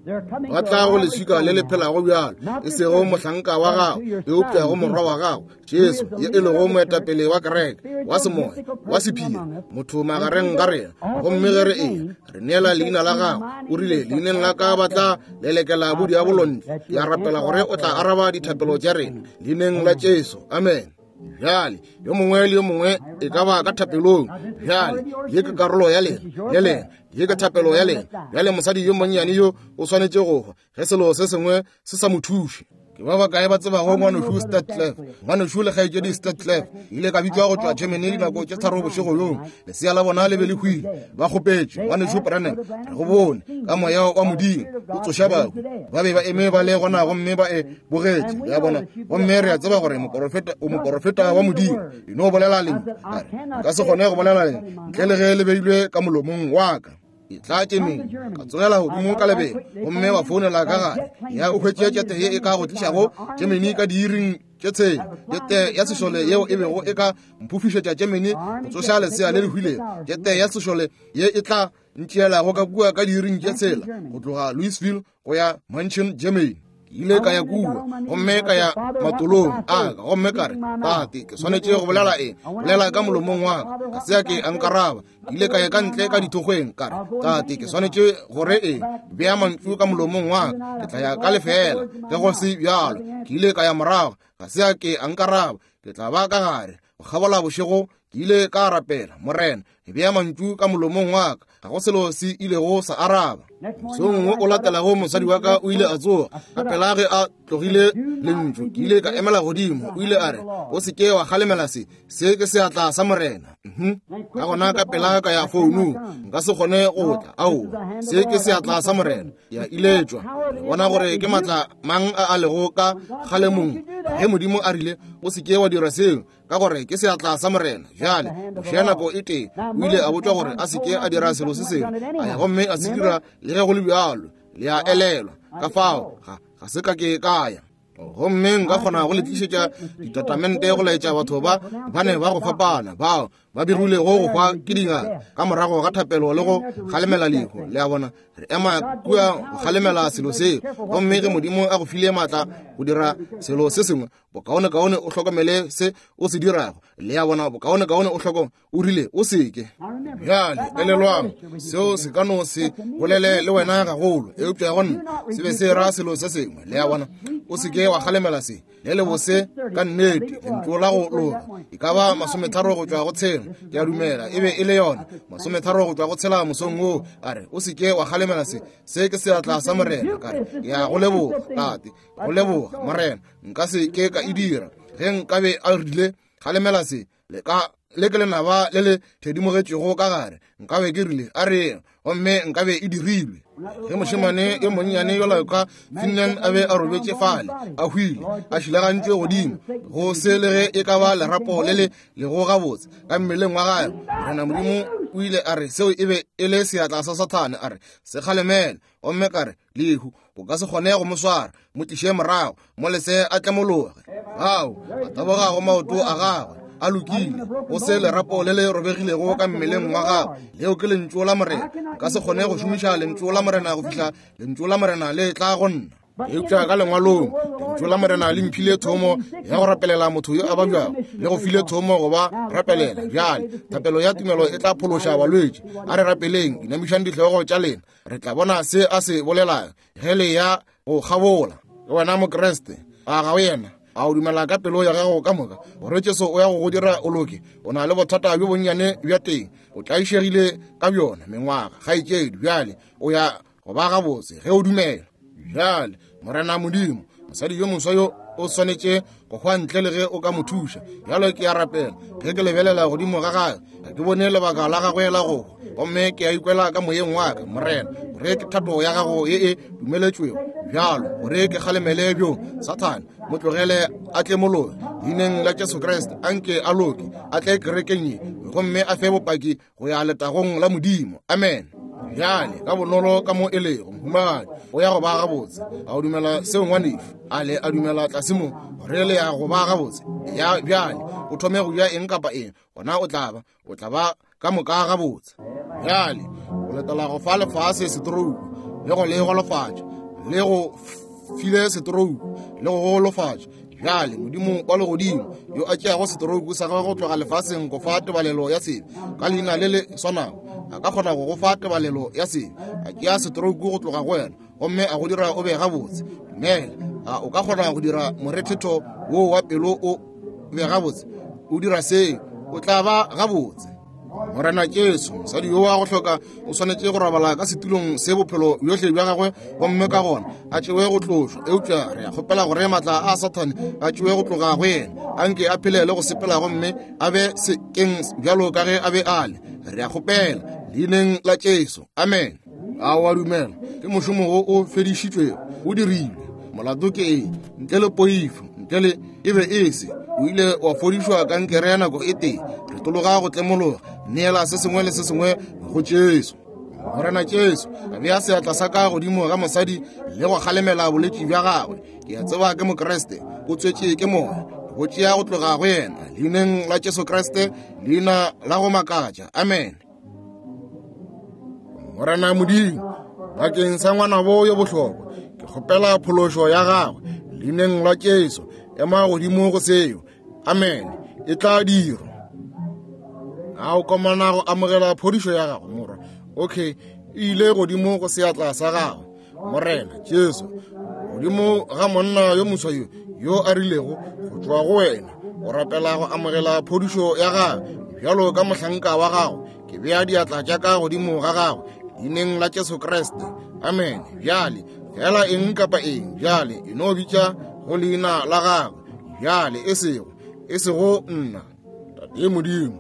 Ba tla go leswika le le phelago bjalo, e sego mohlanka wa gago, eupša go morwa wa gago Jesu, ye e lego moetapele wa kereke, wa semoya, wa sephiri, motho magareng ga rena. Gomme ge re eya re neela leina la gago, o rile, leineng la ka ba tla lelekela bodiabolo ntle. Ke a rapela gore o tla araba dithapelo tša rena leineng la Jesu. Amen. Bjale yo mongwe le yo mongwe e ka ba ka thapelong. Bjale ye ke karolo ya lena, le lena, ye ke thapelo ya lena. Bjale mosadi yo monnyane yo o swanetše go hwa ge selo se sengwe se sa mo thuše. Ke ba bakae ba tsebago ngwanešu Statclef? Ngwanešu le kgaetšedi Statclef ile ka bitšwa go tšwa Germany dinako tše tharo bošego bjoo. Lesea la bona le be le hwile. Ba kgopetše ngwanešu Branham, re go bone ka moya wa Modimo o tsoša bahu. Ba be ba eme ba le gona gomme ba e bogetše ya bona. Gomme re a tseba gore moporofeta o moporofeta wa Modimo. E no bolela lentšu, ka re nka se kgone go bolela lentšu ntle le ge le beilwe ka molomong wa ka. E tla tšemeng ka tsogela godimo ka lebelo, gomme wa founela ka gae ya o hwetše tšete ye e ka go tlišago Germany ka diiring tše tshela, tšete ya sešole yeo e bego e ka mphofišetša Germany go tsoša lesea le le hwilego, tšete ya sešole ye e tla ntšeelago ka kua ka diiring tše tshela go tloga Louisville go ya München, Germany. Ke ile ka ya kua gomme ka ya matolong a ka, gomme ka re, Tate, ke swanetše go bolela eng? Bolela ka molomong wa ka. Ga se ya ke a nkaraba. Ke ile ka ya ka ntle ka dithokgweng, ka re, Tate, ke swanetše gore eng? Bea mantšu ka molomong wa ka, ke tla ya ka lefela ge go se bjalo. Ke ile ka ya morago, ga se ya ke a nkaraba. Ke tla ba ka gare go kgabola bošego. Ke ile ka rapela, Morena, bea mantšu ka molomong wa ka. Ga go selo se ilego sa araba. Mosong wo o latelago mosadi wa ka o ile a tsoga ka pela ge a tlogile lentšu. Ke ile ka emela godimo. O ile a re, o se ke wa kgalemela se, se ke seatla sa Morena. Ka gona ka pela ka ya founung, nka se kgone go tla. Aowa, se ke seatla sa Morena. Ya iletšwa. Le bona gore ke matla mang a a lego ka kgalemong. Ge Modimo a rile, o se ke wa dira seo, ka gore ke seatla sa Morena. Bjale Moshe nako e tee o ile a botšwa gore a se ke a dira selo se sengwe, a ya gomme a se dira le ge go le bjalo. Le a elelwa ka fao ga ga se ka ke ka ya. Gomme nka kgona go le tlišetša ditatamente go laetša batho ba ba ne ba go fapana bao ba begilego go hwa ke dingaka ka morago ga thapelo le go kgalemela lehu. Le a bona, re ema kua go kgalemela selo seo. Gomme ge Modimo a go file maatla go dira selo se sengwe, bokaonekaone o hlokomele se o se dirago. Le a bona, bokaonekaone o hlokomele. O rile o seke. Bjale elelwang, seo se ka no se bolele le wena gagolo, eupša go nna se be se ra selo se sengwe. Le a bona, o seke wa kgalemela se le le bose ka nnete. Lentšu la go loka e ka ba masometharo go tšwa go tshela, ke a dumela e be e le yona masometharo go tšwa go tshela mosong woo. A re, o seke wa kgalemela se, se ke seatla sa Morena. Ka re, ke ya go leboga Tate, go leboga Morena, nka se ke ka e dira. Ge nkabe a rile kgalemela se, le ka le ke lenaba le le thedimogetšego ka gare, nkabe ke rile a re, gomme nkabe e dirilwe. Ge mošemane yo monnyane yola ka Finland a be a robetše fale a hwile, a šilagantšwe godimo go se le ge e ka ba lerapo le le lego gabotse ka mmeleng wa gagwe, Morena Modimo o ile a re seo e be e le seatla sa Sathane. A re, se kgalemele. Gomme ka re, lehu o ka se kgone go mo swara, mo tliše morago, mo lese a tlemologe. Ao a taboga go maoto a gagwe a lokile, go se lerapo le le robegilego ka mmeleng wa gagwe. Leo ke lentšu la Morena. Ka se kgone go šomiša lentšu la Morena go fihla lentšu la Morena le tla go nna. Eupša ka lengwalong, Lentšu la Morena le mphile thomo ya go rapelela motho yo a babjago, le go file thomo go ba rapelela. Bjale thapelo ya tumelo e tla phološa balwetši. A re rapeleng, inamišang dihlogo tša lena, re tla bona se a se bolelago ge le ya go kgabola. Ke wena Mokriste, a ga o yena? A o dumela ka pelo ya gago ka moka gore Jesu o ya go go dira o loke? O na le bothata bjo bonnyane bja teng, o tlaišegile ka bjona mengwaga, kgaetšedi. Bjale o ya go ba gabotse ge o dumela. Bjale Morena Modimo, mosadi yo moswa yo o swanetše go hwa ntle le ge o ka mo thuša. Bjalo ke a rapela, ge ke lebelela godimo ga gagwe, ga ke bone lebaka la gagwe la go hwa, gomme ke a ikwela ka moyeng wa ka, Morena, gore ke thato ya gago ye e dumeletšwego bjalo, gore ke kgalemele bjo Sathane, mo tlogele a tle mologe leineng la Jesu Kriste. Anke a loke, a tle kerekeng ye, gomme a fe bopaki go ya letagong la Modimo. Amen. Bjale ka bonolo ka mo e lego, mohumagadi, o ya go ba gabotse. A o dumela seo, ngwanešu? A le a dumela tlase mo gore le ya go ba gabotse? Ya bjale o thome go ja eng kapa eng, gona o tla ba o tla ba ka moka gabotse. Bjale o letela go fa lefase setorouku le go le golofatša, le go file setorouku le go golofatša. Bjale Modimo wa legodimo yo a tšeago setorouku sa gagwe go tloga lefaseng go fa tebalelo ya sebe ka leina le le swanago, a ka kgona go go fa tebalelo ya sebe, a tšea setorouku go tloga go wena gomme a go dira o be gabotse. Dumela, a o ka kgona go dira morethetho wo wa pelo o be gabotse? O dira seo, o tla ba gabotse. Morena Jesu, mosadi yo wa go hloka o swanetše go robala ka setulong se bophelo bjohle bja gagwe, gomme ka gona a tšewe go tlošwa. Eupša re a kgopela gore maatla a Sathane a tšewe go tloga go yena, anke a phele le go sepela gomme a be sekeng bjalo ka ge a be a le. Re a kgopela leineng la Jesu. Amen. A o a dumela? Ke mošomo wo o fedišitšwego, o dirilwe. Molato ke eng? Ntle le poifo, ntle le e be e se. O ile wa fodišwa kankere ya nako e tee. Re tologa go tlemologa, neela se sengwe le se sengwe go Jesu. Morena Jesu, a bea seatla sa ka godimo ga mosadi le go kgalemela bolwetši bja gagwe. Ke a tseba ke Mokriste, o tswetše ke moya, go tšea go tloga go yena leineng la Jesu Kriste, leina la go makatša. Amen. Morena Modimo, bakeng sa ngwanabo yo bohlokwa, ke kgopela phološo ya gagwe leineng la Jesu. Ema godimo go seo. Amen. E tla dirwa. A o komana go amogela phodišo ya gago, morwa? Okay, e ile godimo go seatla sa gago. Morena Jesu, godimo ga monna yo moswa yo yo a rilego go tšwa go wena, o rapela go amogela phodišo ya gagwe bjalo ka mohlanka wa gago. Ke bea diatla tša ka godimo ga gagwe leineng la Jesu Kriste. Amen. Bjale fela eng kapa eng, bjale e no bitša go leina la gagwe. Bjale e sego e sego nna, Tate Modimo,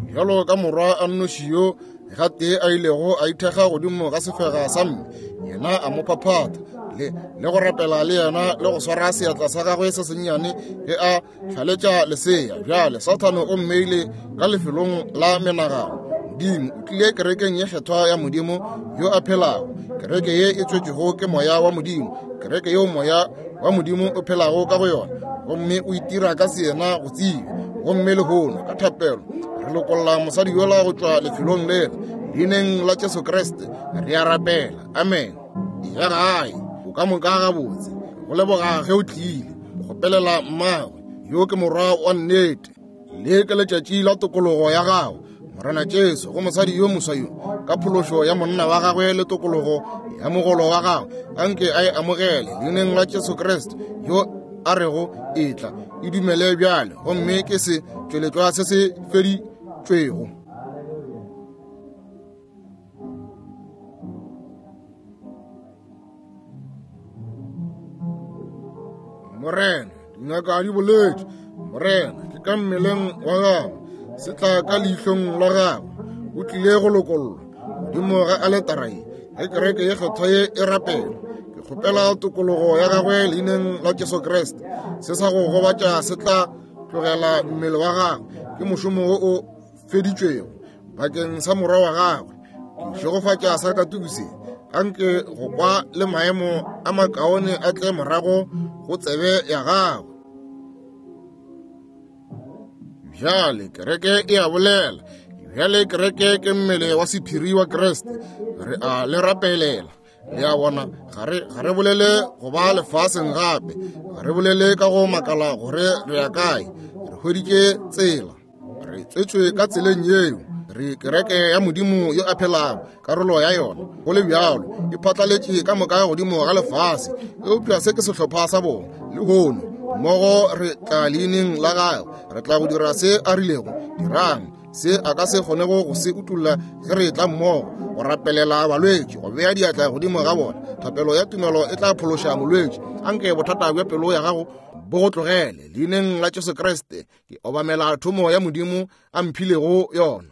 bjalo ka morwa a nnoši yo gatee a ilego a ithekga godimo ga sefega sa mme, yena a mo phaphatha le le go rapela le yena le go swara seatla sa gagwe se sennyane ge a hlaletša lesea. Bjale Sathane o mmeile ka lefelong la menagano. Modimo o tlile kerekeng ye kgethwa ya Modimo yo a phelago, kereke ye e tswetšwego ke moya wa Modimo, kereke yeo moya wa Modimo o phelago ka go yona, gomme o itira ka seyena go tseba. Gomme lehono ka thapelo re lokolla mosadi yola go tšwa lefelong lela leineng la Jesu Kriste. Re a rapela. Amen. Ya gae, o ka moka gabotse. Go leboga ge o tlile. O kgopelela mmagwe yo ke morwa wa nnete. Le ke letšatši la tokologo ya gago, Morena Jesu, go mosadi yo moswa yo, ka phološo ya monna wa gagwe le tokologo ya mogolo wa gagwe, anke a e amogele leineng la Jesu Kriste yo a rego etla, e dumele bjale, gomme ke se tšweletšwa se se feditšwego. Morena, dingaka di boletše, Morena, ke ka mmeleng wa gago, se tla ka leihlong la gagwe, o tlile go lokollwa godimo ga aletara ye ge kereke ye kgethwa ye e rapela. Ke kgopela tokologo ya gagwe leineng la Jesu Kriste. Se sa go gobatša se tla tlogela mmele wa gagwe, ke mošomo wo o feditšwego bakeng sa morwa wa gagwe. Ke šegofatša sa katuku se, anke go kwa le maemo a makaone a tle morago go tsebe ya gagwe. Bjale kereke e a bolela. Bjale kereke ke mmele wa sephiri wa Kriste. Re a le rapelela. Le a bona, ga re, ga re bolele go ba lefaseng gape. Ga re bolele ka go makala gore re ya kae. Re hweditše tsela. Re tswetšwe ka tseleng yeo. Re kereke ya Modimo yo a phelago, karolo ya yona. Go le bjalo, e phatlaletše ka moka godimo ga lefase. Eupša se ke sehlopha sa bona lehono. Mmogo re tla leineng la gagwe, re tla go dira se a rilego dirang, se a ka se kgonego go se utolla ge re tla mmogo go rapelela balwetši, go bea diatla godimo ga bona. Thapelo ya tumelo e tla phološa molwetši. Anke bothata bja pelo ya gago bo go tlogele. Leineng la Jesu Kriste ke obamela thomo ya Modimo a mphilego yona.